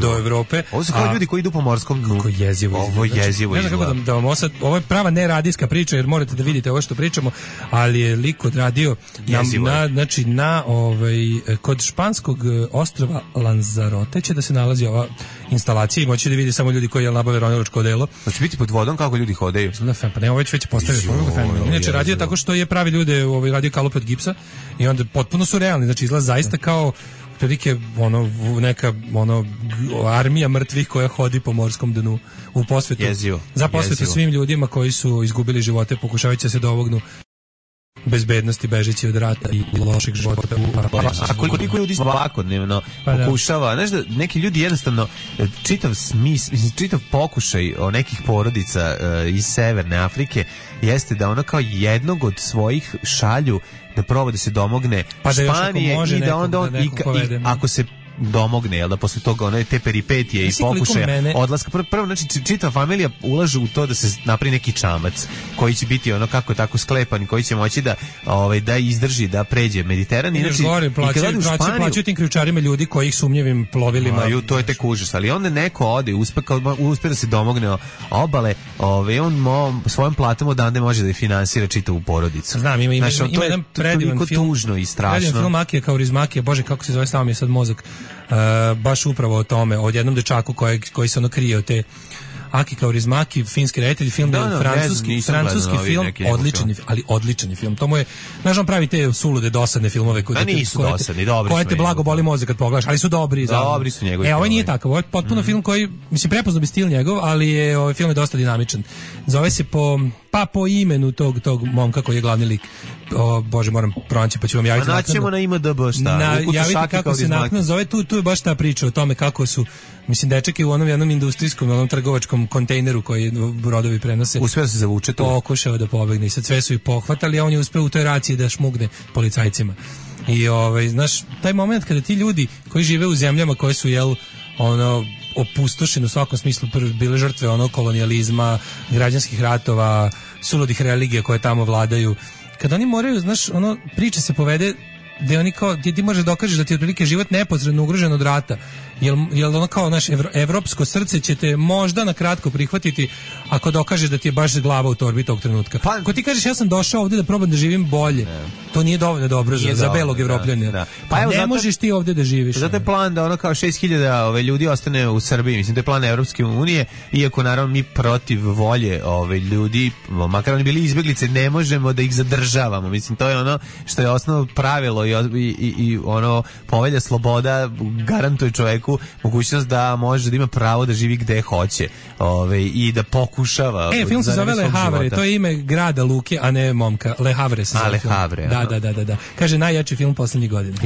do Evrope. Ovo su kao ljudi koji idu po morskom dnu. Kako jezivo. Ovo jezivo izgleda. Ne znam kako da vam ovo je prava neradijska priča, jer morate da vidite ovo što pričamo, ali je lik odradio kod španskog ostrva Lanzarote će da se nalazi ova instalacija i moći da vidi samo ljudi koji nabave ronilačko odelo. Hoće biti pod vodom kako ljudi hodaju. Pa ne, ovo već postavio. Inače radio tako što je pravi ljude radio kalupe od gipsa i onda potpuno su realni, znači izgleda zaista kao prilike neka armija mrtvih koja hodi po morskom dnu u posvetu. Jezivo. Za posvetu svim ljudima koji su izgubili živote pokušavajući da se dovognu bezbednosti bežeći od rata i lošeg života. A koliko ljudi svakodnevno pokušava, znaš da neki ljudi jednostavno čitav pokušaj o nekih porodica iz Severne Afrike jeste da ono kao jednog od svojih šalju da proba da se domogne Španije i da onda ako se domogne, jel da posle toga one te peripetije i pokušaje odlaska. Prvo, znači, čitava familija ulaže u to da se napravi neki čamac koji će biti ono kako tako sklepan, koji će moći da izdrži, da pređe Mediteran. I znači, gore, plaćaju tim ključarima ljudi koji ih sumnjivim plovilima. To je tek užas, ali onda neko ode, uspe da se domogne obale, on svojom platom odande može da je finansira čitavu porodicu. Znam, ima jedan predivan film, tužno i strašno. Predivan film Akija Kaurismäkija, bože kako se zove, stavio mi je sad mozak. Baš upravo o tome, o jednom dečaku koji se ono krije od te Aki Kaurismäki, finski reditelj, film francuski film, odličan je film. To mu je, znaš, on pravi te sulude, dosadne filmove koje te blago boli mozak kad pogledaš, ali su dobri. Dobri su njegovi. Ovaj nije takav, ovo je potpuno film koji, mislim, prepoznao bi stil njegov, ali ovaj film je dosta dinamičan. Zove se po imenu tog momka koji je glavni lik. Bože, moram pronaći, pa ću vam javiti. Naćemo na IMDb, šta? Javiti kako se naknadno zove, tu je baš ta priča o tome kako su, mislim, dečak je u onom jednom industrijskom, onom trgovačkom kontejneru koji brodovi prenose. Uspeo se zavuče to. Pokušao da pobegne i sad sve su ih pohvatali, a on je uspeo u toj raciji da šmugne policajcima. I znaš, taj moment kada ti ljudi koji žive u zemljama koje su, opustošene u svakom smislu, bile žrtve kolonijalizma, građanskih ratova, suludih religija koje tamo vladaju, kada oni moraju, znaš, priča se povede gde oni kao, gdje ti možeš dokažeš da ti je otprilike život neposredno ugrožen od rata. Jel ono kao naš evropsko srce će te možda na kratko prihvatiti ako dokažeš da ti je baš glava u torbi tog trenutka. Ako ti kažeš ja sam došao ovdje da probam da živim bolje, to nije dovoljno dobro za belog Evropljanina. Pa ne možeš ti ovdje da živiš. Zato je plan da kao 6.000 ljudi ostane u Srbiji. Mislim, to je plan Evropske unije, iako naravno mi protiv volje ljudi, makar oni bili izbjeglice, ne možemo da ih zadržavamo. Mislim, to je ono što je osnovno pravilo i povelja sloboda garantuje čoveku mogućnost da može da ima pravo da živi gde hoće i da pokušava. Film se zove Le Havre, to je ime grada Luke, a ne momka. Le Havre se zove. Le Havre. Da. Kaže, najjači film poslednjih godina.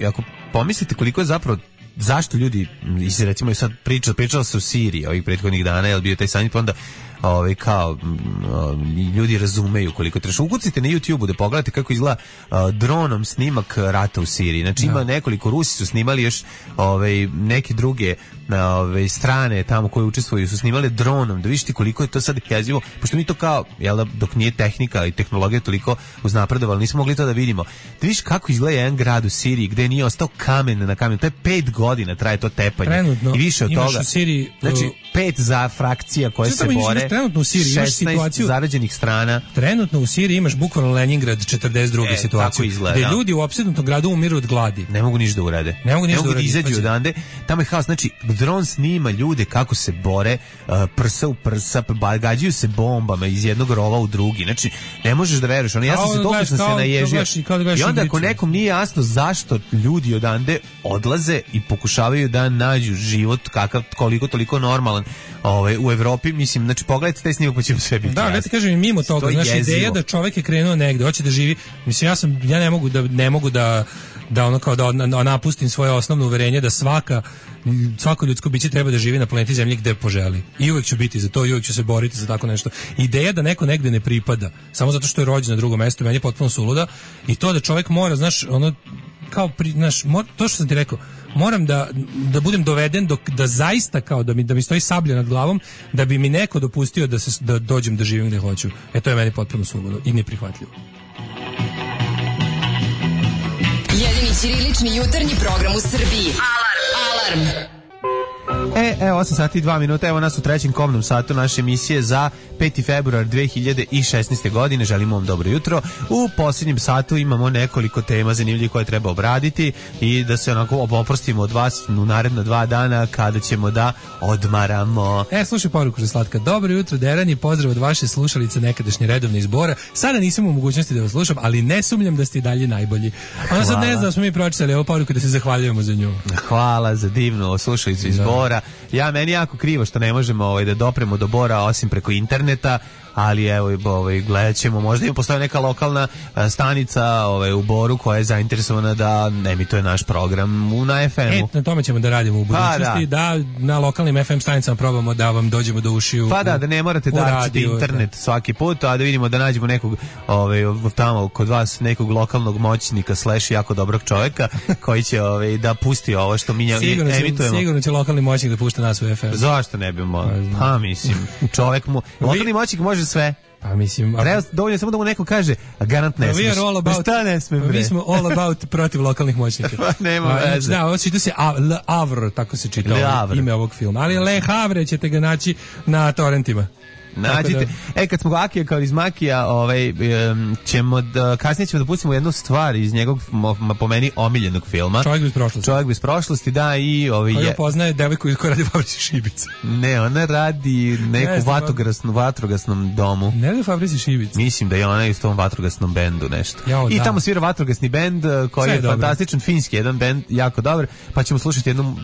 Ako pomislite koliko je zapravo, zašto ljudi, recimo sad pričalo se o Siriji ovih prethodnih dana, je li bio taj samit, pa onda ljudi razumeju koliko treba. Ukucite na YouTube-u da pogledate kako izgleda dronom snimak rata u Siriji. Znači ima nekoliko, Rusi su snimali još neke druge strane tamo koje učestvuju su snimali dronom, da vidite koliko je to sad jezivo, pošto mi to kao, dok nije tehnika i tehnologija toliko uznapredovala, nismo mogli to da vidimo. Da vidiš kako izgleda jedan grad u Siriji gde nije ostao kamen na kamenu. To je 5 godina traje to tepanje. Trenutno, i više od toga. U Siriji, znači 5 za frakcija koje se bore. Trenutno u Siriji imaš 16 zarađenih strana. Trenutno u Siriji imaš bukvalno Leningrad 42. situaciju. Izgleda, gde ljudi u opsednutom gradu umiru od gladi. Ne mogu ništa da urade. Ne mogu da izađu odande. Tamo je haos. Znači, dron snima ljude kako se bore, prsa u prsa, gađaju se bombama iz jednog rova u drugi. Znači, ne možeš da veruješ. Ja sam se toliko se naježio. I onda ako nekom nije jasno zašto ljudi odande odlaze i pokušavaju da nađu život kakav koliko toliko normalan u Evropi, mislim, znači pogledajte taj snimak pa će sve biti. Da, ja ti kažem, mimo toga, znači ideja da čovjek je krenuo negde, hoće da živi, mislim, ja ne mogu da napustim svoje osnovno uverenje da svako ljudsko biće treba da živi na planeti Zemlji gde poželi. I uvek ću biti za to, i uvek ću se boriti za tako nešto. Ideja da neko negde ne pripada, samo zato što je rođen na drugom mestu, meni je potpuno suluda, i to da čovjek mora, znaš, to što sam ti rekao, moram da budem doveden da zaista kao da mi stoji sablja nad glavom da bi mi neko dopustio da dođem da živim gde hoću. To je meni potpuno suludo i neprihvatljivo. Jedini ćirilični jutarnji program u Srbiji. Alarm! 8 sati i 2 minuta, evo nas u trećem kobnom satu naše emisije za 5. februar 2016. godine. Želimo vam dobro jutro. U posljednjem satu imamo nekoliko tema zanimljivih koje treba obraditi i da se onako oprostimo od vas u naredna 2 dana kada ćemo da odmaramo. Slušaj poruku za slatka. Dobro jutro, Derani, pozdrav od vaše slušalice nekadašnje redovne izbora. Sada nisam u mogućnosti da vas slušam, ali ne sumnjam da ste i dalje najbolji. Ona sad ne zna da smo mi pročitali ovu poruku da se zahvaljujemo za nju. Hvala za divnu slušalicu iz Bora. Meni jako krivo što ne možemo da dopremo do Bora osim preko interneta. ali evo, gledat ćemo, možda im postoji neka lokalna stanica u Boru koja je zainteresovana da emituje naš program na FM-u. Na tome ćemo da radimo u budućnosti, da na lokalnim FM stanicama probamo da vam dođemo do ušiju. Pa da ne morate darčiti internet svaki put, a da vidimo da nađemo nekog tamo kod vas nekog lokalnog moćnika / jako dobrog čovjeka koji će da pusti ovo što mi emitujemo. Sigurno će lokalni moćnik da pušta nas u FM. Zašto ne bi Pa mislim, čovjek lokalni moćnik može sve. Pa mislim, dovoljno samo da mu neko kaže, garant ne smiješ. Šta ne smije, bre? Mi smo all about protiv lokalnih moćnika. Pa nema veze. Da, ovo čita se Le Havre, tako se čita ime ovog filma. Ali Le Havre ćete ga naći na torrentima. Nađite. Kad smo Akija kao iz Makija, kasnije ćemo da pustimo jednu stvar iz njegovog, po meni, omiljenog filma. Čovjek bez prošlosti, da, i Koja poznaje devojku koja radi u fabrici šibica. Ne, ona radi neku vatrogasnom domu. Ne radi u fabrici šibica. Mislim da je ona u tom vatrogasnom bendu nešto. I tamo svira vatrogasni bend koji je fantastičan, finski jedan bend, jako dobar, pa ćemo slušati jednu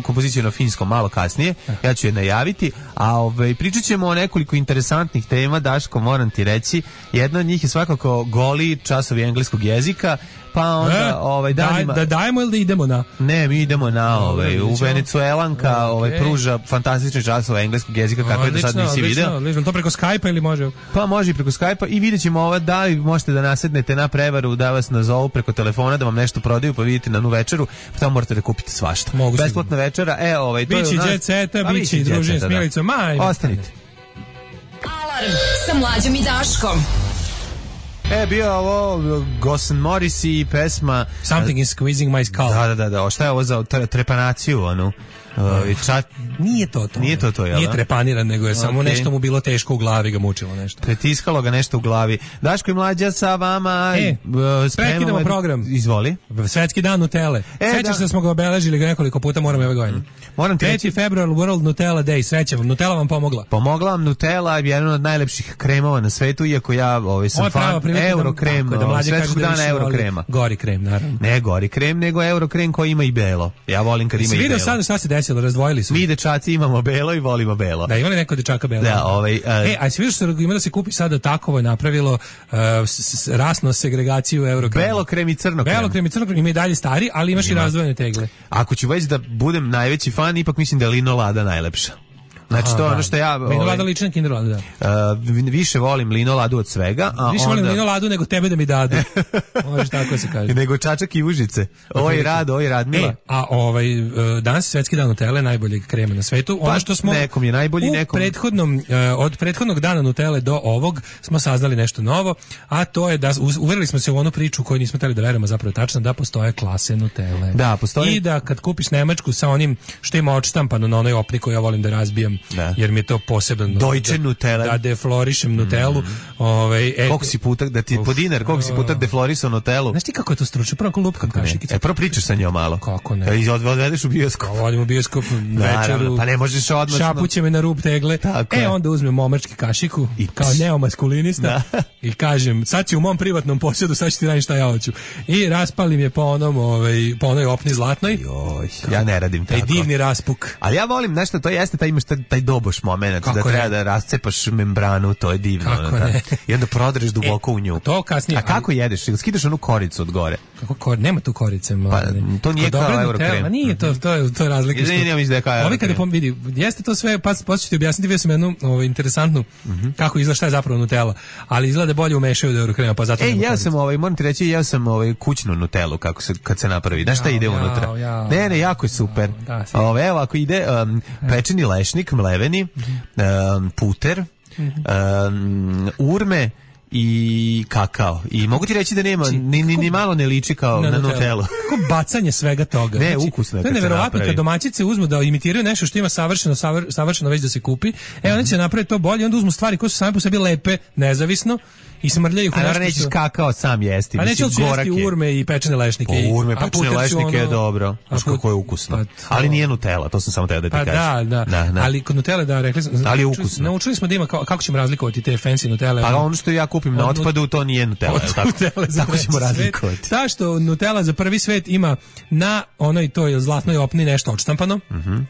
kompoziciju na finskom malo kasnije. Ja ću je najaviti, a pričat ćemo o nekoliko interesantnih tema, Daško, moram ti reći. Jedna od njih je svakako goli časovi engleskog jezika, pa onda da dajemo ili da idemo na? Ne, mi idemo na u Venecuelanka pruža fantastične časove engleskog jezika kako je do sad nisi video. To preko Skype-a ili može? Pa može i preko Skype-a i vidjet ćemo da li možete da nasednete na prevaru, da vas nazovu preko telefona, da vam nešto prodaju, pa vidite na nu večeru, pa tamo morate da kupite svašta. Besplatna večera, biće Jet Seta, biće i druženje s Milicom. Ostanite. Alarm sa Mlađom i Daškom. Bio ovo Gosen Morris i pesma Something is squeezing my skull. Da. Šta je ovo za trepanaciju, Nije to. Jel? Nije trepaniran, nego je samo nešto mu bilo teško u glavi, ga mučilo nešto. Pretiskalo ga nešto u glavi. Daško i Mlađa sa vama. Prekidamo program. Izvoli. Svetski dan Nutele. Sećaš da smo ga obeležili nekoliko puta, moramo ove godine. 3. februar, World Nutella Day. Sreća vam, Nutella vam pomogla. Pomogla vam Nutella, jedan od najlepših kremova na svetu, iako ja sam fan Eurokrem, svetskog dana Eurokrema. Gori krem, naravno. Ne gori krem, nego Eurokrem koji ima i belo. Ja volim kad ima i belo. Vidio sad šta se desilo, razdvojili su. Mi dečaci imamo belo i volimo belo. Da, ima li neko dečaka belo? Da, a si vidio što ima da se kupi sada takovo je napravilo rasnu segregaciju Eurokrema. Belo krem i crno krem. Belo krem i crno krem, ima i dalje stari, ali imaš i razdvojene tegle. Ako ću već da budem najveći fan, ipak mislim da je Lino Lada najlepša. Znači to je ono što ja... Lino Lada liči na Kinder Ladu, da. Više volim Lino Ladu od svega. Više volim Lino Ladu nego tebe da mi dadu. Može tako se kaže. Nego čačak i užice. Oj Radmila. Danas je Svetski dan Nutelle, najboljeg krema na svetu. Ono što smo nekom je najbolji, nekom... od prethodnog dana Nutelle do ovog smo saznali nešto novo, a to je da uverili smo se u onu priču koju nismo hteli da verujemo, zapravo tačno, da postoje klase Nutelle. Da, postoje. I da kad kupiš nemačku sa onim što ima odštampano na onoj opni koju ja volim da razbijam, jer mi je to posebno Deutsche Nutella, da deflorišem Nutellu. Koliko si puta da ti po dinar, koliko si puta deflorisao Nutellu? Znaš ti kako je to stručno, prvo lupkam kašikicu. Prvo pričaš sa njom malo. Kako ne? Odvedeš u bioskop. Vodim u bioskop večeru. Pa ne možeš odmah. Šapuće me na rub tegle. Onda uzmem momački kašiku kao neomaskulinista i kažem, sad si u mom privatnom posjedu, sad ću ti raditi šta ja hoću. I raspalim je po onoj opni zlatnoj. Ja ne radim tako. Taj divni raspuk. Ali ja volim, nešto, to jeste, taj imaš taj doboš moment, da treba da rascepaš membranu, to je divno. I onda prodreš duboko u nju. To kasnije. A kako jedeš? Skidaš onu koricu od gore? Kako nema tu korice, mladene. Pa, to nije kao Eurokrem. Nije, to je razlika. Ne mislim da je kao Eurokrem. Ovi kada vidi, jeste to sve, pa ću ti objasniti, vidio sam jednu interesantnu, kako izgleda šta je zapravo Nutella, ali izgleda bolje umešaju od Eurokrema, pa zato ja sam, moram ti reći, ja sam kućnu Nutellu, kad se napravi. Znaš šta ide unutra? Ne, jako je super. Evo, ako ide pečeni lešnik, mleveni, puter, urme i kakao. I mogu ti reći da nema, ni malo ne liči kao na Nutellu. Kako bacanje svega toga. Ne, ukusno je. To je neverovatno kad domaćice uzmu da imitiraju nešto što ima savršeno već da se kupi. Oni će napraviti to bolje, onda uzmu stvari koje su same po sebi lepe, nezavisno, i smrljaju ih u nešto. A nećeš kakao sam jesti. A neće jesti urme i pečene lešnike. Urme, pečene lešnike je dobro. Znaš kako je ukusno. Ali nije Nutella, to sam samo teo da ti kažem. Da. Ali kod Nutelle, da, rekli smo. Ali je ukusno. Naučili smo da ima, kako ćemo razlikovati te fancy Nutelle. Pa ono što ja kupim kupim na otpadu, to nije Nutella. Tako ćemo razlikovati. Ta što Nutella za prvi svet ima na onoj toj zlatnoj opni nešto odštampano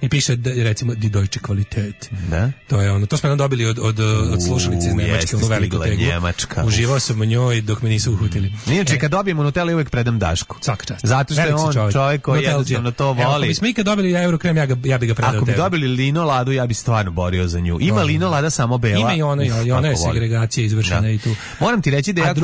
i piše recimo Die Deutsche Qualität. Da. To je ono, to smo nam dobili od slušalice iz Nemačke, ono veliko teglo. Uživao sam u njoj dok me nisu uhutili. Inače, kad dobijemo Nutella, uvek predam Dašku. Svaka čast. Zato što je on čovjek koji jednostavno to voli. Ako bismo ikad dobili Eurokrem, ja bi ga predao. Ako bi dobili Lino Ladu, ja bi stvarno borio za nju. Ima Lino Lada samo bela. Ima i ona je segregacija izvršena i tu. Moram ti reći da ja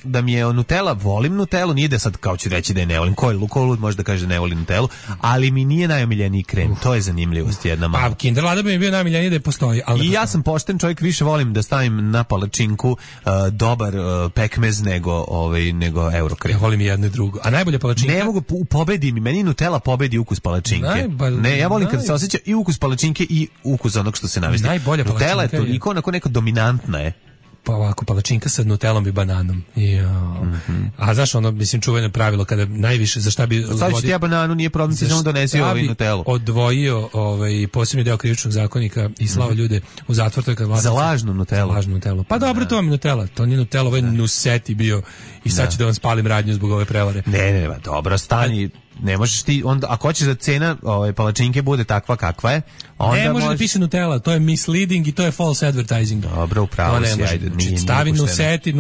da mi je Nutella, volim Nutellu, nije da sad kao ću reći da je ne volim. Ko lud može da kaže da ne volim Nutellu, ali mi nije najomiljeniji krem. To je zanimljivost jedna mala. Pa Kinder Lada bi mi bio najomiljeniji da je postoji. I ja sam pošten čovjek, više volim da stavim na palačinku dobar pekmez nego Eurokrem. Ja volim i jedno i drugo. A najbolja palačinka? Ne mogu, pobedi mi, meni Nutella pobedi ukus palačinke. Ne, ja volim kad se osjeća i ukus palačinke i ukus onog što se navesti. Najbolja palačinka Nutella je toliko onako neka dominantna je. Pa ovako, palačinka sa Nutellom i bananom. A znaš ono, mislim, čuveno pravilo kada najviše, za šta bi... Sad ću ti ja bananu, nije problem, ti samo donesi Nutellu. Odvojio posebni deo krivičnog zakonika i slao ljude u zatvor, to je kad vlasnici... Za lažnu Nutellu. Pa dobro, to vam je Nutella, to nije Nutella, ovo je Nuseti bio i sad ću da vam spalim radnju zbog ove prevare. Ne, dobro, stani... Ne možeš ti onda, ako hoćeš da cena palačinke bude takva kakva je, onda ne može da piše Nutella, to je misleading i to je false advertising. Dobro, upravo si, ajde, nije stavi Nuseti,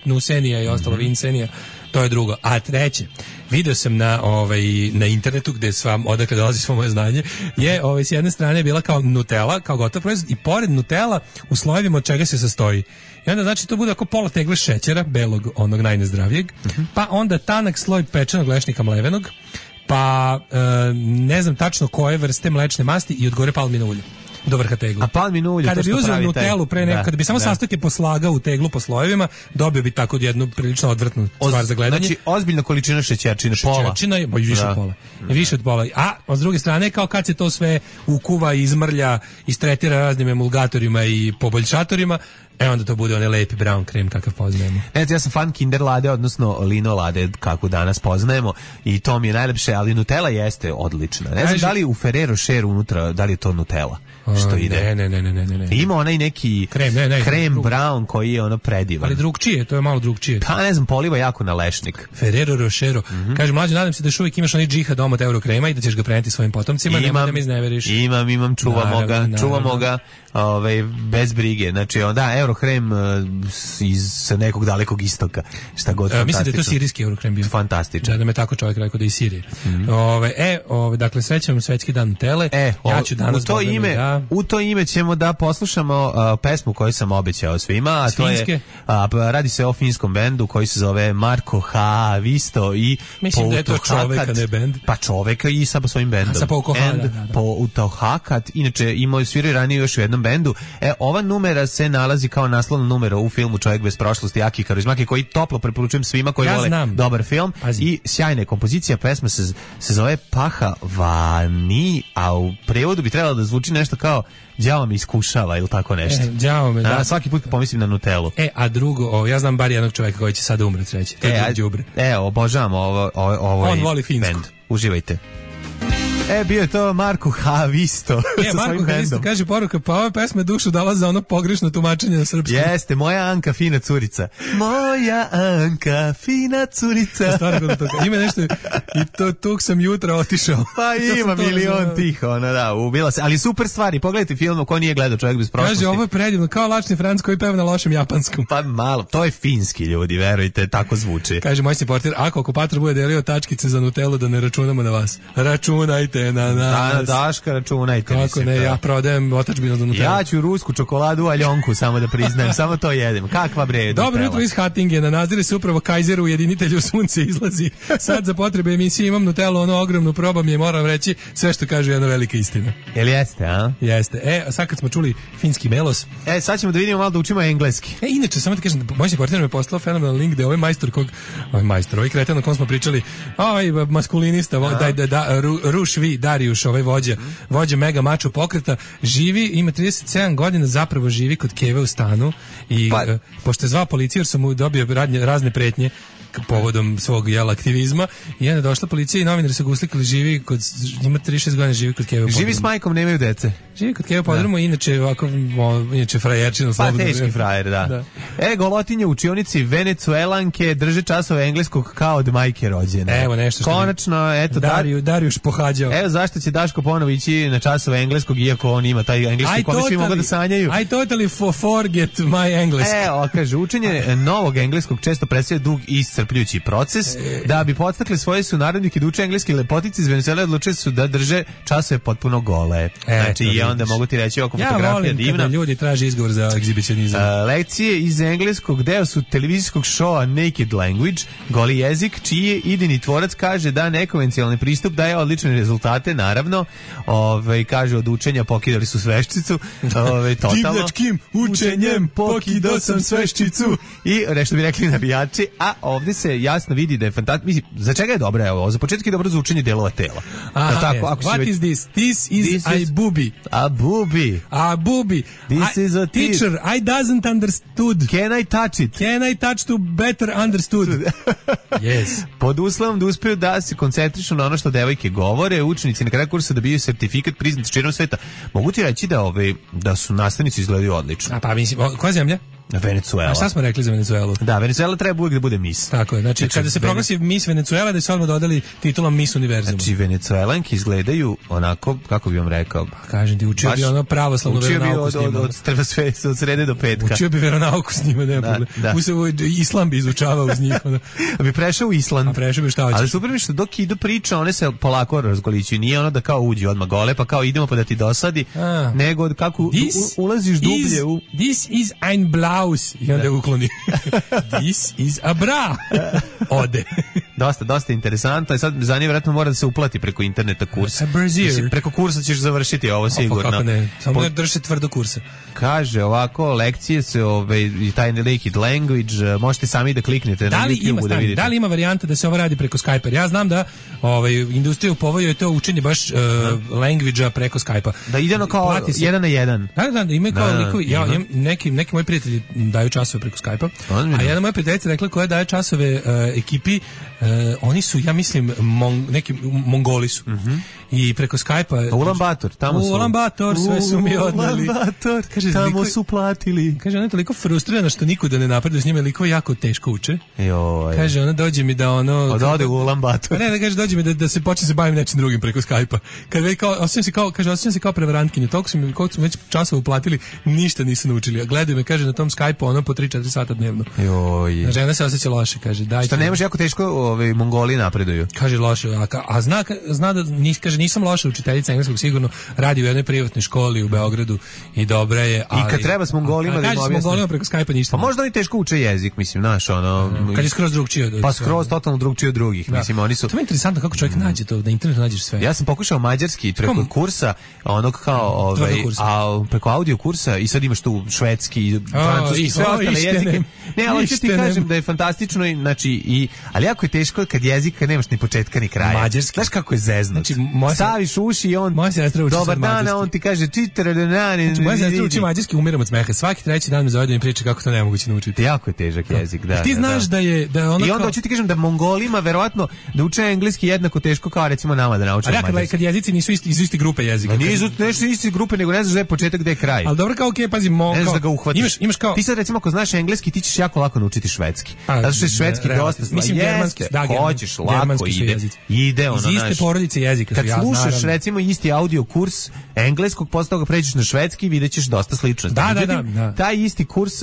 Nusenija i ostalo Vinsenija, to je drugo. A treće, video sam na internetu gde odakle dolazi svo moje znanje, je s jedne strane bila kao Nutella, kao gotov proizvod i pored Nutella u slojevima od čega se sastoji. I onda znači to bude ako pola tegle šećera, belog, onog najnezdravijeg, pa onda tanak sloj pečenog lešnika mlevenog, pa ne znam tačno koje vrste mlečne masti i od gore palmino ulje. Do vrha tegla. A palmino ulje, kada bi uzeo Nutellu kada bi samo sastojke poslagao u teglu po slojevima, dobio bi tako jednu prilično odvratnu stvar za gledanje. Znači, ozbiljna količina šećerčine, pola. Šećerčina je više od pola. Više od pola. A s druge strane, kao kad se to sve ukuva, izmrlja, istretira raznim emulgatorima i poboljšatorima, onda to bude onaj lepi brown krem kakav poznajemo. Ja sam fan Kinder Lade, odnosno Lino Lade, kako danas poznajemo, i to mi je najlepše, ali Nutella jeste odlična. Ne znam da li u Ferrero Rocher unutra, da li je to Nutella što ide. Ne. Ima onaj neki krem brown koji je ono predivan. Ali drugčije, to je malo drugčije. Pa ne znam, poliva jako na lešnik. Ferrero Rocher. Kaže, mlađe, nadam se da još uvijek imaš onaj džihad omot Eurokrema i da ćeš ga preneti svojim potomcima, nemoj da me izneveriš. Imam, čuvamo ga bez brige. Znači, Eurokrem iz nekog dalekog istoka. Šta god fantastično. Mislim da je to sirijski Eurokrem bio. Fantastično. Da me tako čovjek rekao da je iz Sirije. Dakle, srećam svetski dan Nutelle. Ja ću danas u to ime ćemo da poslušamo pesmu koju sam obećao svima, a to je radi se o finskom bendu koji se zove Marko Haavisto i mislim da je to čovek, a ne bend. Pa čoveka i sa svojim bendom. Sa Poutohakat. Inače, sviraju ranije još u jednom bendu. Ova numera se nalazi kao naslovna numera u filmu Čovjek bez prošlosti, Aki Karizmaki, koji toplo preporučujem svima koji vole dobar film. I sjajna je kompozicija, pesma se zove Paha Vani, a u prevodu bi trebalo da zvuči nešto kao đavo me iskušava ili tako nešto. Đavo me, da. Svaki put pomislim na Nutellu. A drugo, ja znam bar jednog čovjeka koji će sada umreti, reći. Obožavam ovo on voli finsku. Band. Uživajte. Bio je to Marko Haavisto. Marko Haavisto kaže poruka, pa ova pesma dušu dala za ono pogrešno tumačenje na srpskom. Jeste, moja Anka fina curica. Moja Anka fina curica. Stvarno to. Ima nešto i tog sam jutra otišao. Pa ima milion tih, ubila se. Ali super stvari, pogledajte film ko nije gledao Čovjek bez prošlosti. Kaže, ovo je predivno, kao lačni Franc koji peva na lošem japanskom. Pa malo, to je finski ljudi, verujte, tako zvuči. Kaže moj portir, ako okupator bude delio tačkice za Nutellu, da ne računamo na vas. Računajte na nas. Daška, računajte. Kako ne, ja prodajem otadžbinu do Nutella. Ja ću rusku čokoladu aljonku, samo da priznajem, samo to jedem. Kakva bre? Dobro jutro iz Hatingena, nazire se upravo Kaizeru, ujedinitelju sunce izlazi. Sad za potrebe emisije imam Nutellu, ono ogromnu, probam je, moram reći, sve što kaže jedna velika istina. Jel jeste, a? Jeste. Sad kad smo čuli finski melos. Sad ćemo da vidimo malo da učimo engleski. Inače, samo ti kažem, moj portir me poslao fenomenal link gde ovaj kreten o kom smo pričali, maskulinista, Rušvi Darijuš, ovaj vođa mega mačo pokreta, živi, ima 37 godina, zapravo živi kod Keve u stanu i pošto je zvao policiju jer sam mu dobio razne pretnje, povodom svog aktivizma i onda je došla policija i novinari su ga uslikali, živi kod, ima 36 godina, živi kod Keve u podrumu. Živi s majkom, nemaju dece. Živi kod Keve u podrumu, inače ovako, inače frajerčino. Pa teški frajer, da. Golotinje u učionici Venecuelanke drže časove engleskog kao od majke rođene. Evo nešto što konačno, eto, Darijuš pohađao. Evo zašto će Daško ponovo ići na časove engleskog, iako on ima taj engleski koji svi mogu da sanjaju. I totally forget my English. Evo, kaže, učenje novog engleskog često predstavlja dug i iscrpljujući proces. Da bi podstakli svoje sunarodnike da uče engleski, lepotice iz Venezuele odlučili su da drže časove potpuno gole. Znači, i onda mogu ti reći oko fotografija divna. Ja volim kada ljudi traže izgovor za egzibicionizam. Lekcije iz engleskog deo su televizijskog šoa Naked Language, goli jezik, čiji je idejni tvorac kaže da nekonvencionalni pristup daje odlične rezultate, naravno. Kaže, od učenja pokidali su sveščicu. Totalno. Divljačkim učenjem pokidao sam sveščicu. I nešto bi rekli navijači, a ovdje se jasno vidi da je fantastično. Mislim, za čega je dobro? Evo, za početak je dobro za učenje delova tela. What is this? This is a booby. A booby. A booby. This is a teacher. I doesn't understood. Can I touch it? Can I touch to better understood? Yes. Pod uslovom da uspeju da se koncentrišu na ono što devojke govore, učenici na kraju kursa dobiju sertifikat priznat širom sveta. Mogu ti reći da su nastavnici izgledaju odlično. A pa mislim, koja zemlja? Venezuela. A šta smo rekli za Venezuelu? Da, Venezuela treba uvijek da bude Miss. Tako je, znači kada se proglasi Miss Venezuela, da se odmah dodali titulom Miss Univerzum. Znači Venezuelanki izgledaju onako, kako bi vam rekao. Pa kažem ti, učio bi ono pravoslavnu veronauku s njima. Od srede do petka. Učio bi veronauku s njima, ne problem. Islam bi izučavao uz njih. A bi prešao u Island. A prešao bi šta hoćeš. Ali super mi što dok idu priča, one se polako razgolićuju. Nije ono da kao uđe odmah gole, pa kao idemo pa da ti dosadi, nego kako ulaziš dublje u... This is ein Blaus. I onda ukloni. This is a bra. Ode. Dosta interesantno. I sad za nje vjerojatno mora da se uplati preko interneta kurs. Mislim, preko kursa ćeš završiti ovo sigurno. Kako ne? Samo drži tvrdo kursa. Kaže ovako, lekcije se i taj naked language, možete sami da kliknete na YouTube da vidite. Da li ima varijanta da se ovo radi preko Skype-a? Ja znam da industrija u povoju je to učenje baš language-a preko Skype-a. Da ide ono kao 1 na 1. Da, ima kao liko. Neki moji prijatelji daju časove preko Skype-a, a jedna moja prijateljica rekla koja daje časove ekipi, oni su, ja mislim, neki Mongoli su. I preko Skype-a... Ulaanbaatar, tamo su. Ulaanbaatar, sve su mi odneli. Ulaanbaatar, tamo su platili. Kaže, ona je toliko frustrirana što nikuda ne napreduje s njima, liko jako teško uče. Kaže, ona dođe mi da ono... Da ode u Ulaanbaatar. Ne, da kaže, dođe mi da se počne se bavim nečim drugim preko Skype-a. Kad već kao, osjećam se kao prevarantkinje. Toliko su mi već časova uplatili, ništa nisu naučili. A gledaju me, kaže, na tom Skype-u ono po 3-4 sata dnevno. Žena se osjeća loše, kaže. Što ne može jako teško Mongoli napreduju. Kaže loše, a zna da kaže nisam loša učiteljica engleskog, sigurno radi u jednoj privatnoj školi u Beogradu i dobra je, ali... I kad treba s Mongolima da im objasnim. S Mongolima preko Skype-a ništa. Pa možda oni teško uče jezik, mislim, znaš, ono... Kad je skroz drugčije. Pa skroz totalno drugčije od drugih, mislim, oni su... To je interesantno kako čovjek nađe to, na internetu nađeš sve. Ja sam pokušao mađarski preko kursa, onog kao, preko audio kursa i sad imaš tu švedski, francuski, sve ostale jezike. Ne, ali ću ti kažem da je fantastično, znači, ali jako je teško kad jezika nemaš ni početka ni kraja. Mađarski. Znaš kako je zeznut? Znači, staviš uši i on... Moja sestra uči dobar dan, a on ti kaže znači, moja sestra uči mađarski, umiram od smeha. Svaki treći dan me zove da mi priča kako to nemoguće naučiti. Jako je težak jezik, da. Ti znaš da je ono. I onda hoću ti kažem da Mongolima verovatno da uče engleski jednako teško kao recimo nama da naučimo mađarski. Kad jezici nisu iz iste grupe jezika. Nisu iste grupe, nego ne znaš da je početak, gde je kraj. Al dobro, kao okej, pazi, ne znaš da ga uhvatiš. Imaš kao ti sad recimo ako znaš engleski, ti ćeš jako lako naučiti švedski. Zato što je švedski dosta, mislim germanski, da, hoćeš lako ide ono iz iste porodice jezika. Kad slušaš recimo isti audio kurs engleskog, posle toga pređeš na švedski i videćeš dosta sličnosti. Da. Taj isti kurs,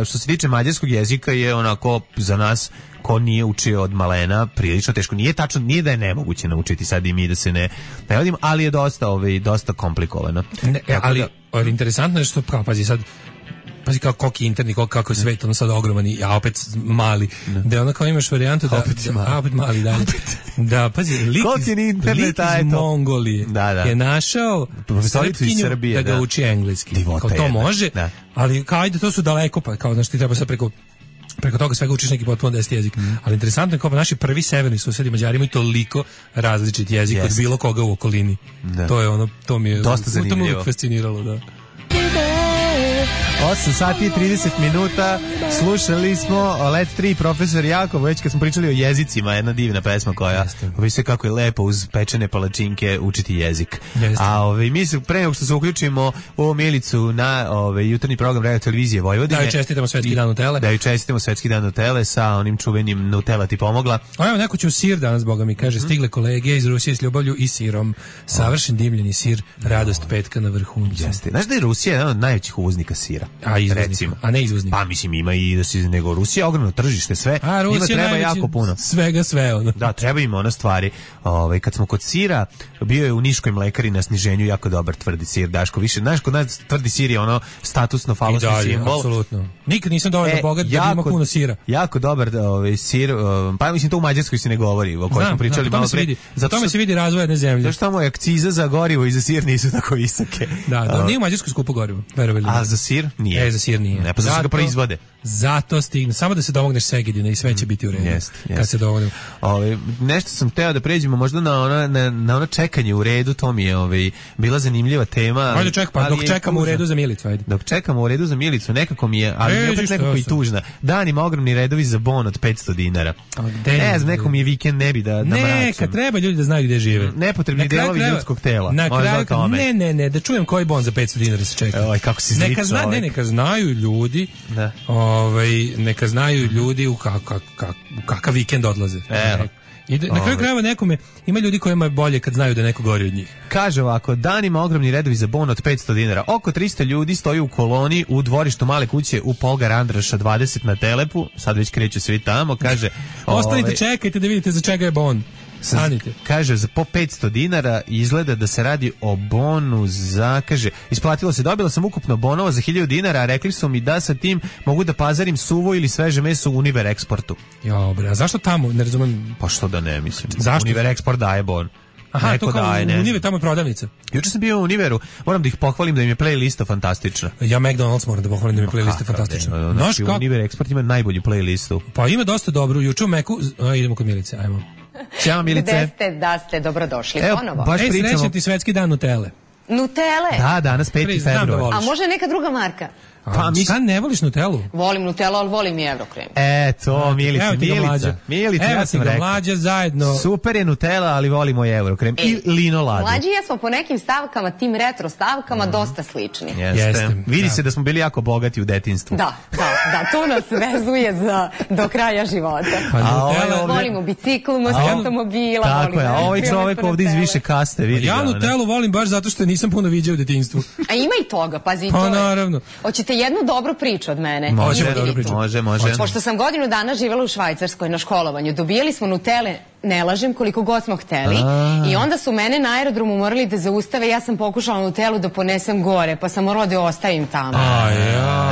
što se tiče mađarskog jezika, je onako za nas ko nije učio od malena prilično teško. Nije tačno, nije da je nemoguće naučiti sad i mi da se ne vodimo, ali je dosta komplikovano. Ali interesantno je što, pazi kao koliki interni, kako je svet, ono sad ogroman, a opet mali. Da ono kao imaš varijantu da... Opet mali, dalje. Da, pazi, lik iz Mongolije je našao Srpkinju da ga uči engleski. Kao to može, ali kao ajde, to su daleko, pa kao znaš ti treba sad preko toga svega učiš neki potpuno 10 jezik. Ali interesantno je kao naši prvi severni susedi Mađari imaju toliko različit jezik od bilo koga u okolini. To je ono, to mi je dosta zanimljivo. To me uvijek fasciniralo, da. 8 sati i 30 minuta. Slušali smo Let 3, profesor Jakov, već kad smo pričali o jezicima, jedna divna pesma koja ovisuje kako je lepo uz pečene palačinke učiti jezik. Jeste. A mi se pre nego što se uključimo u Milicu na jutarnji program Radio Televizije Vojvodine. Da joj čestitamo Svetski dan Nutele. Da joj čestitamo Svetski dan Nutele sa onim čuvenim Nutella ti pomogla. A evo neko će u sir danas, boga mi kaže, stigle kolege iz Rusije s ljubavlju i sirom. Savršen dimljeni sir, radost petka na vrhuncu. Jeste. Znaš da je Rusija jedan od najvećih uvoznika sira? A izvoznika, a ne izvoznika. Pa mislim ima i da se nego Rusija ogromno tržište sve. A Rusija treba najveći, jako puno. Svega sve ono. Da, treba im ona stvari. Kad smo kod sira, bio je u Niškoj mlekari na sniženju jako dobar tvrdi sir, Daško. Više, znaš, kod nas tvrdi sir je ono statusno falosni simbol. Apsolutno. Nikad nisam dovoljno bogat da ima puno sira. Jako dobar sir, pa mislim to u Mađarskoj se ne govori, o kojoj smo pričali malo pre. Zato me se vidi razvoj jedne zemlje. Zato što tamo je akciza za gorivo i za sir nisu tako visoke. Da, nije u Mađarskoj skupo gorivo, verovali. A za sir nije. Za sir nije. Ne, pa zato ga proizvode. Zato stigne, samo da se domogneš Segedina i sve će biti u redu. Kad se domognemo. Nešto sam teo da pređemo možda na ono čekanje u redu, to mi je bila zanimljiva tema. Ajde dok čekamo u redu za Milicu, ajde. Dok čekamo u redu za Milicu, nekako mi je, ali opet nekako i tužna. Danima ogromni redovi za bon od 500 dinara. Ne znam, nekom je vikend ne bi da mračam. Neka treba ljudi da znaju gde žive. Nepotrebni delovi ljudskog tela. Na kraju, ne, da čujem koji bon za 500 dinara se čeka. Oj, kako si zličao. Neka znaju ljudi, neka znaju ljudi u kakav vikend odlaze. I na kraju krajeva nekome, ima ljudi kojima je bolje kad znaju da neko gori od njih. Kaže ovako, danima ogromni redovi za bon od 500 dinara. Oko 300 ljudi stoji u koloni u dvorištu male kuće u Polgar Andraša 20 na Telepu. Sad već kreću svi tamo, kaže... Ostanite, čekajte da vidite za čega je bon. Sanite. Kaže, za po 500 dinara izgleda da se radi o bonu za, kaže, isplatilo se, dobila sam ukupno bonova za 1000 dinara, a rekli su mi da sa tim mogu da pazarim suvo ili sveže meso u Univer Eksportu. Jo, bre, a zašto tamo? Ne razumem. Pa što da ne, mislim. Zašto? Univer Eksport daje bon. Aha, neko to kao daje, Univer, tamo je prodavnica. Juče sam bio u Univeru, moram da ih pohvalim da im je playlista fantastična. Ja McDonald's moram da pohvalim da im je playlista fantastična. Znači, Univer Eksport ima najbolju playlistu. Pa ima dosta dobru. Juče u Meku, idemo kod Milice, ajmo. Ćao Milice. Gde ste, da ste dobrodošli ponovo. Baš pričamo. Srećan ti Svetski dan Nutele. Nutele? Da, danas 5. februar. A može neka druga marka? Pa šta ne voliš Nutellu? Volim Nutellu, ali volim i Eurokrem. Eto, Milica, ja sam rekao. Mlađa zajedno. Super je Nutella, ali volimo i Eurokrem. I Lino Ladu. Mlađi ja smo po nekim stavkama, tim retro stavkama, dosta slični. Jeste. Vidi se da smo bili jako bogati u detinjstvu. Da, to nas vezuje do kraja života. Volimo bicikl, automobila. Tako je, a ovaj čovek ovdje iz više kaste, vidi. Ja Nutellu volim baš zato što nisam puno viđao u detinjstvu. A ima i toga, pazi, to je. Pa naravno. Hoćete jednu dobru priču od mene? Može. Pošto sam godinu dana živjela u Švajcarskoj na školovanju, dobijali smo Nutele, ne lažem, koliko god smo hteli, i onda su mene na aerodromu morali da zaustave, ja sam pokušala Nutellu da ponesem gore, pa sam morala da je ostavim tamo.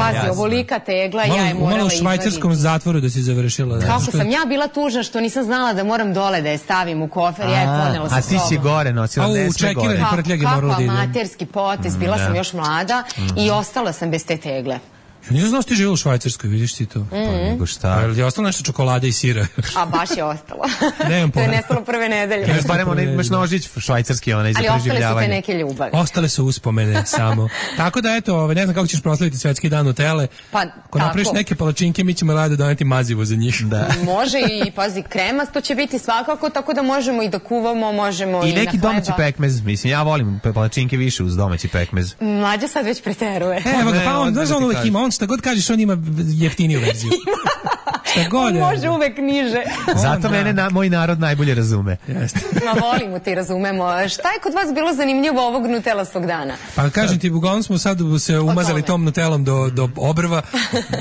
Pazi, ovolika tegla, ja je morala malo u švajcarskom zatvoru da si završila. Kako sam ja bila tužna što nisam znala da moram dole da je stavim u kofer, ja je ponela sa sobom. A ti si gore nosila, ne sve gore. Kako amaterski potez, bila sam još mlada i ostala sam bez te tegle. Nisam znao što ti živjela u Švajcarskoj, vidiš ti to? Pa nego šta? Ali je ostalo nešto čokolade i sira? A baš je ostalo. Nemam pojma. To je nestalo prve nedelje. Barem imaš nožić švajcarski, onaj za preživljavanje. Ali ostale su te neke ljubavi. Ostale su uspomene samo. Tako da eto, ne znam kako ćeš proslaviti Svetski dan Nutele. Pa ako napraviš neke palačinke, mi ćemo rado doneti mazivo za njih. Da. Može i, pazi, kremasto će biti svakako, tako da možemo i da kuvamo, možemo i na hleba. I neki domaći pekmez, mislim, ja volim palačinke više uz domaći pekmez. Mlađa sad već preteruje. Evo ga, pa on, znaš on uvek ima, on šta god kažeš, on ima jeftiniju verziju. Šta god. On može uvek niže. Zato mene moj narod najbolje razume. Ma volimo ti, razumemo. Šta je kod vas bilo zanimljivo ovog Nutelastog dana? Pa kažem ti, uglavnom smo sad se umazali tom Nutellom do obrva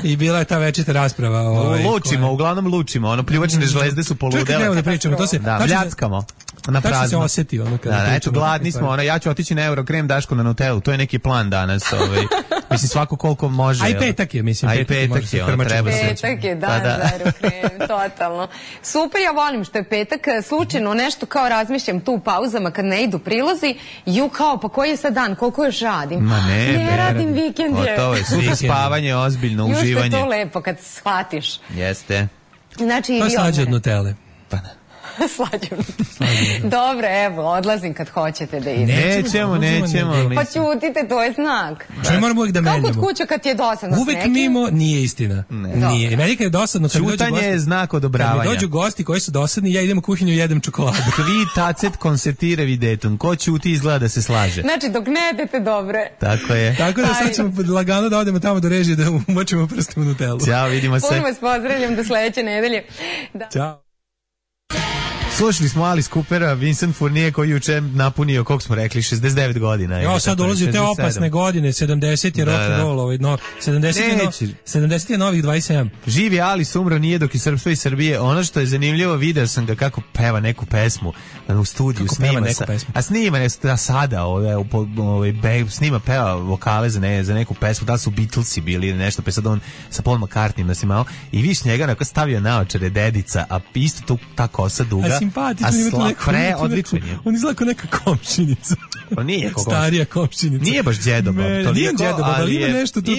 i bila je ta večita rasprava. Uglavnom lučimo. Ono, pljuvačne žlezde su poludele. Čekaj, evo da pričamo, to se... Bljackamo. Na prazno. Tako se osjeti ono kada pričamo. Eto, gladni smo, ja ću otići na Eurokrem, Daško na Nutellu, to je neki plan danas. Mislim, svako koliko može. A i petak je, mislim. A i petak je, ono treba se. Petak je, dan za Eurokrem, totalno. Super, ja volim što je petak, slučajno nešto kao razmišljam tu u pauzama kad ne idu prilozi, kao, pa koji je sad dan, koliko još radim? Ma ne radim, vikend je. Gotovo je, sutra spavanje, ozbiljno uživanje. Još je to lepo kad shvatiš. Jeste. Znači, to je slađe od Nutelle. Pa da. Slađem. Dobro, evo, odlazim kad hoćete da idem. Nećemo. Pa ćutite, to je znak. Što moramo uvijek da menjamo. Kako kod kuća kad ti je dosadno s uvijek nekim? mimo nije istina. Nije. Meni kad je dosadno, kad mi dođu Čutanje je znak odobravanja. Kad mi dođu gosti koji su dosadni, ja idem u kuhinju i jedem čokoladu. Kvi tacet konsetire videtum. Ko ćuti izgleda da se slaže. Znači, dok ne jedete dobre. Tako je. Tako da sad ćemo lagano da odemo tamo do režije da umočimo prstom u Nutellu. Ćao, vidimo se. Puno vas pozdravljam do sledeće nedelje. Da. Ćao. Slušali smo Alice Coopera, Vincent Fournier koji juče napunio, koliko smo rekli, 69 godina. Jo, sad dolazi u te opasne godine, 70 je rock and roll, 70 je novih 27. Živi Alice, umro nije dok i srpstvo i Srbije. Ono što je zanimljivo, video sam ga kako peva neku pesmu u studiju, kako snima neku pesmu? A snima sada, snima, peva vokale za neku pesmu, da su Beatlesi bili ili nešto, pa sad on sa Paul McCartneyem da si malo, i viš njega onako stavio naočare dedica, a isto tu ta kosa duga. Simpatično, odličan je. On izgleda kao neka komšinica. Pa nije starija komšinica. Nije baš djedoba. Nije djedoba, ali ima nešto tu.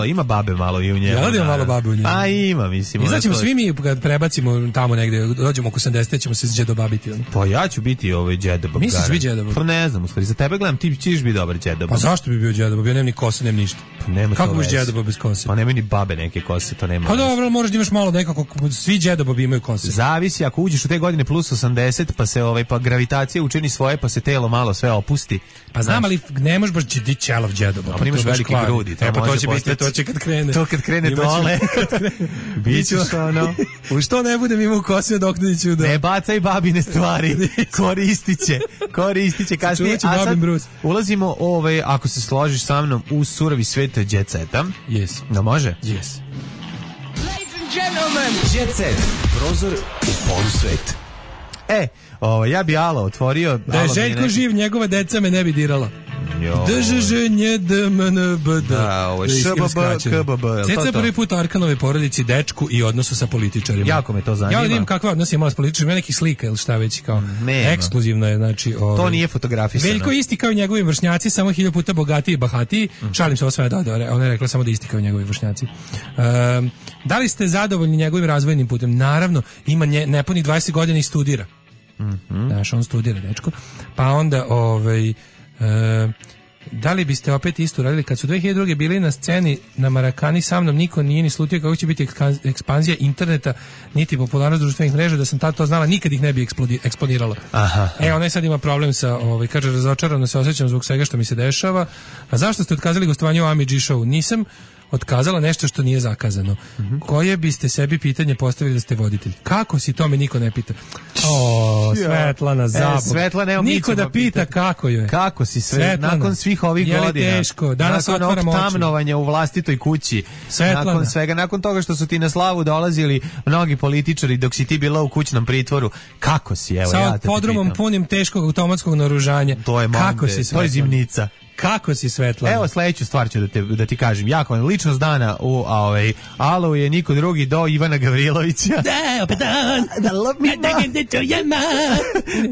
Ima babe malo i u njemu. Ja da ima malo babe u njemu. A ima, mislim. Izaćemo svi mi kad prebacimo tamo negde, dođemo oko 80, ćemo se džedobabiti. Pa ja ću biti džedoba. Misliš biti džedoba? Pa ne znam, u stvari, za tebe gledam, ti ćeš biti dobar džedoba. Pa zašto bi bio džedoba? Ja nemam ni kose, nemam ništa. Kako biš džedoba bez kose? Pa nema ni babe neke kose, to nema. Pa dobro, možeš da imaš malo nekako, svi džedobobi imaju kose. Zavisi, ako uđeš u te godine plus 80, pa se pa gravitacija učini svoje, pa se telo malo sve opusti. Pa znam, ali ne možeš baš ti čelov džedoba. Pa imaš velike grudi, to će biti, to će kad krene. To kad krene dole. Bićeš ono. U što ne budem imao kose dok neću da. Ne bacaj babine stvari. Koristiće kasnije. A sad ulazimo, ako se složiš sa mnom, u surovi svet Jet Seta. Yes. Da može? Yes. Ladies and gentlemen, Jet Set, prozor u polusvet. Ja bi Alo otvorio. Da je Željko živ, njegova deca me ne bi dirala. DŽŽNJDMNBD. Ceca prvi put Arkanovoj porodici, dečku i odnosu sa političarima. Jako me to zanima. Ja vidim kakva odnos imala s političarima, nekih slika ili šta već, kao ekskluzivno je, znači. To nije fotografisano. Veljko isti kao i njegovi vršnjaci, samo 1000 puta bogatiji i bahatiji. Šalim se, ovo sve ona je rekla samo da isti kao i njegovi vršnjaci. Da li ste zadovoljni njegovim razvojnim putem? Naravno, ima nepunih 20 godina i studira. Znaš, on studira, dečko. Pa onda, da li biste opet isto radili kad su 2002. bili na sceni na Marakani sa mnom, niko nije ni slutio kako će biti ekspanzija interneta niti popularnost društvenih mreža, da sam tad to znala, nikad ih ne bi eksponirala. Ona je sad ima problem sa, kaže, razočarano se osjećam zbog svega što mi se dešava. A zašto ste otkazali gostovanje u Ami G Show? Nisam otkazala nešto što nije zakazano. Koje biste sebi pitanje postavili da ste voditelj? Kako si, to me niko ne pita. Svetlana, zabog. Svetlana, niko da pita kako je. Kako si, Svetlana, nakon svih ovih godina. Je li teško? Danas otvaram oči. Nakon tamnovanja u vlastitoj kući. Svetlana. Nakon svega, nakon toga što su ti na slavu dolazili mnogi političari dok si ti bila u kućnom pritvoru. Kako si, evo, ja te pitam. Sa podrumom punim teškog automatskog naoružanja. To je kako si, to je zimnica. Kako si, Svetlana? Evo, sledeću stvar ću da ti kažem. Jako vam ličnost dana u Alo je niko drugi do Ivana Gavrilovića.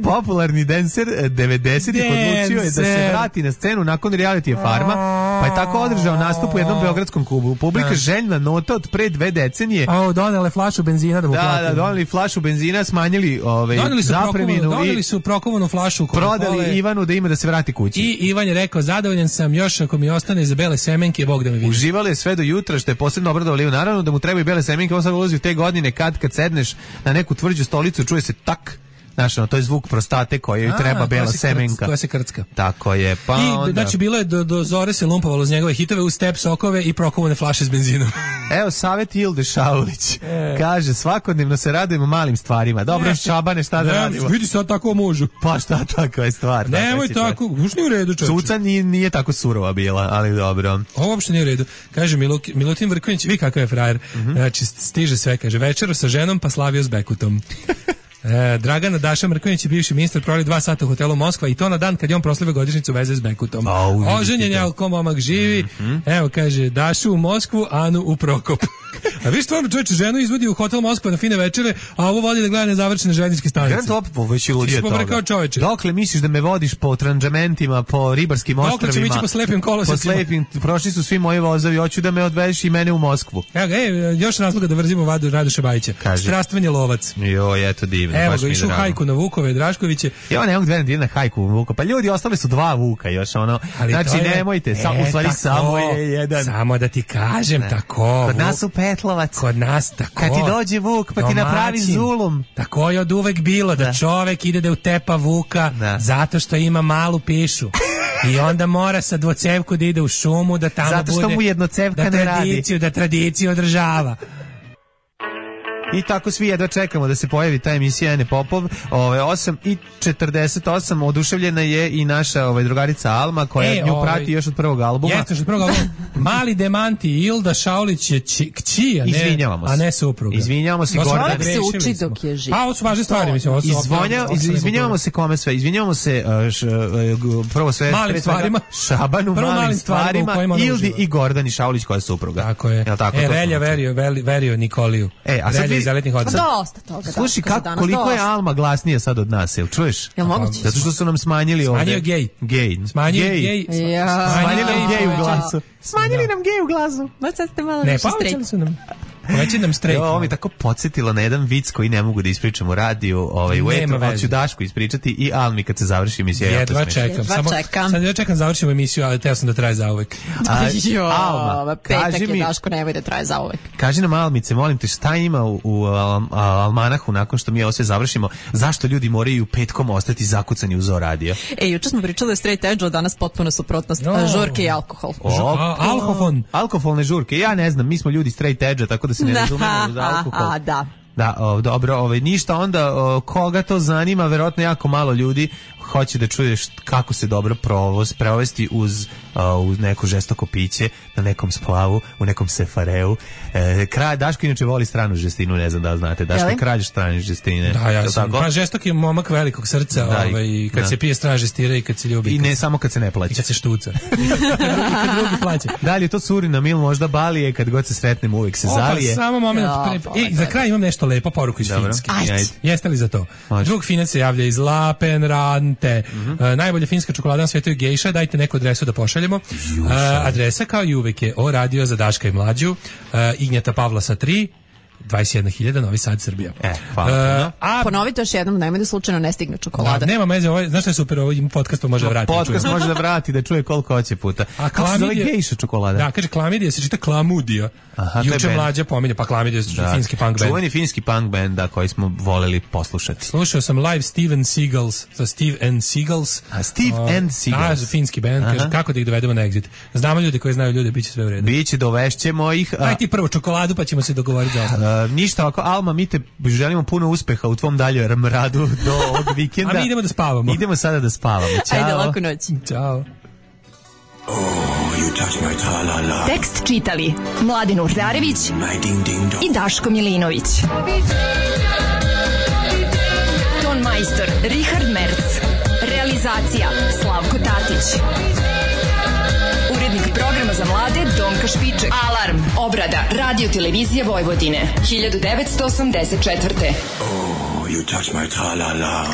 Popularni dancer 90-ih odlučio je da se vrati na scenu nakon realitija Farma, pa je tako održao nastup u jednom beogradskom klubu. Publika željna nota od pre 2 decenije. Donele flašu benzina da mu plati. Da, doneli flašu benzina, smanjili zapreminu. Doneli su prokovanu flašu. Prodali Ivanu da ima da se vrati kući. I Ivan je rekao, zadovoljan sam, još ako mi ostane za bele semenke, Bog da me vidi. Uživali je sve do jutra, što je posebno obradovali. Naravno da mu trebaju bele semenke, on sad ulazi u te godine kad sedneš na neku tvrđu stolicu, čuje se tak. Znaš, to je zvuk prostate kojoj treba bela semenka. Koja se krcka. Tako je. Pa onda... Znači, bilo je do zore se lumpovalo uz njegove hitove u step sokove i prokovane flaše s benzinom. Evo, savjet Ilde Šaulić. Kaže, svakodnevno se radujemo malim stvarima. Dobro, Šabane, šta da radimo? Vidi sad tako možu. Pa šta takva je stvar? Nemoj tako, už nije u redu, čovječe. Cuca nije tako surova bila, ali dobro. Ovo uopšte nije u redu. Kaže Milutin Vrković, vi kakav je frajer. Znači, stiže sve, kaže, večeru sa ženom pa slavio s Bekutom. Dragana Daša Mrkonjić je bivši ministar, proveli 2 sata u hotelu Moskva i to na dan kad je on proslavio godišnjicu veze s Bekutom. Oženjen je, ali ko momak živi. Evo, kaže, Dašu u Moskvu, Anu u Prokop. A vi stvarno čovječe, ženu izvodi u hotel Moskva na fine večere, a ovo vodi da gleda nezavršene željezničke stanice. Grand Top, već je ludije toga. Dokle misliš da me vodiš po tranđamentima, po ribarskim ostrvima? Dokle ćemo ići po slepim kolosecima? Po slepim, prošli su svi moji vozovi, hoću da me odvedeš i mene u Moskvu. Evo ga, još razloga da vrzimo Radoša Bajića. Strastveni lovac. Joj, eto divno. Evo ga, išao hajku na Vukove, Draškoviće. Ja ne mogu da na hajku Vuka. Pa ljudi, ostali su 2 Vuka još, ono. Ali znači, nemojte, u stvari samo je jedan. Samo da ti kažem, tako. Kod nas u Petlovac. Kod nas, tako. Kad ti dođe Vuk, pa ti napravi zulum. Tako je od uvek bilo, da čovek ide da utepa Vuka zato što ima malu pišu. I onda mora sa dvocevku da ide u šumu, da tamo zato što bude, mu jednocevka ne radi. Da tradiciju održava. I tako svi jedva čekamo da se pojavi ta emisija Ene Popov. 8:48 oduševljena je i naša drugarica Alma koja nju prati još od prvog albuma. Jeste, još od prvog albuma. Mali demanti, Ilda Šaulić je kći, a ne supruga. Izvinjavamo se Gordane. Čovjek se uči dok je živ. Pa ovo su važne stvari, mislim. Izvinjavamo se kome sve. Izvinjavamo se prvo sve malim stvarima. Šabanu, malim stvarima, Ildi i Gordani Šaulić koja je supruga. Tako je. Relja verio Nikoliju. A sad iz Elitnih odnosa. Dosta toga. Slušaj, koliko je Alma glasnija sad od nas, jel čuješ? Jel moguće? Zato što su nam smanjili ovde. Smanjio gej. Smanjili nam gej u glasu. Smanjili nam gej u glasu. Ma sad ste malo više strejk. Poveći nam strejk. Ovo mi tako podsjetilo na jedan vic koji ne mogu da ispričam u radiju, u etru, ali ću Dašku ispričati i Almi kad se završi emisija. Jedva čekam. Sad ja čekam završimo emisiju, ali teo sam da traje zauvek. Alma, petak je Daško, nemoj da traje zauvek. Kaži nam, Almice, molim te, šta ima u almanahu nakon što mi ovo sve završimo? Zašto ljudi moraju petkom ostati zakucani u Zoo radio? Juče smo pričali o straight edge-u, danas potpuno suprotnost. Žurke i alkohol. Alkoholne žurke. Ja ne znam, mi smo ljudi straight edge-a, tako da se ne razumemo za alkohol. Da, dobro, ništa, onda koga to zanima, verovatno jako malo ljudi hoće da čuješ kako se dobro provesti uz neko žestoko piće, na nekom splavu, u nekom sefareu. Daško inače voli stranu žestinu, ne znam da znate. Daško je kralj strane žestine. Da, ja sam. Pa žestok je momak velikog srca, kad se pije strana žestira i kad se ljubi. I ne samo kad se ne plaća. I kad se štuca. I kad drugi plaća. Da li je to Surinam ili možda Balije, kad god se sretnemo uvek se zalije. Samo moment. Za kraj imam nešto lepo, poruku iz Finjske. Jeste li za to? Drug Finac se javlja iz Lapenrante. Najbolja finska čokolada na svijetu je gejša, dajte neku adresu da pošaljemo. Adresa kao i uvek je O radio za Daška i Mlađu, Ignjata Pavlasa 3, 21.000, Novi Sad, Srbija. Ponovite još jednom, nemoj da slučajno ne stigne čokolada. Nema meze, znaš što je super, ovim podcastom može vratiti. Podcast može da vrati, da čuje koliko hoće puta. A kako se zove gejša čokolada? Da, kaže klamidija, se čita klamudija. Juče Mlađa pominje, pa klamidija je finski punk band. Čuveni finski punk band, koji smo voleli poslušati. Slušao sam live Steve and Seagulls. Steve and Seagulls. Finski band, kaže kako da ih dovedemo na Exit. Znamo ljudi koji znaju ljude, biće sve u redu. Biće, dovešćemo ih. Daj ti prvo čokoladu, pa ćemo se dogovoriti za ništa, ovako, Alma, mi te želimo puno uspeha u tvom daljem radu do ovog vikenda. A mi idemo da spavamo. Idemo sada da spavamo. Ćao. Ajde, laku noć. Ćao. Tekst čitali Mladin Urdarević i Daško Milinović. Ton majstor Richard Merc. Realizacija Slavko Tatić. Urednik programa za mlade Donka Špiček. Alarm, obrada, radio televizija Vojvodine, 1984. Oh, you touch my tra-la-la.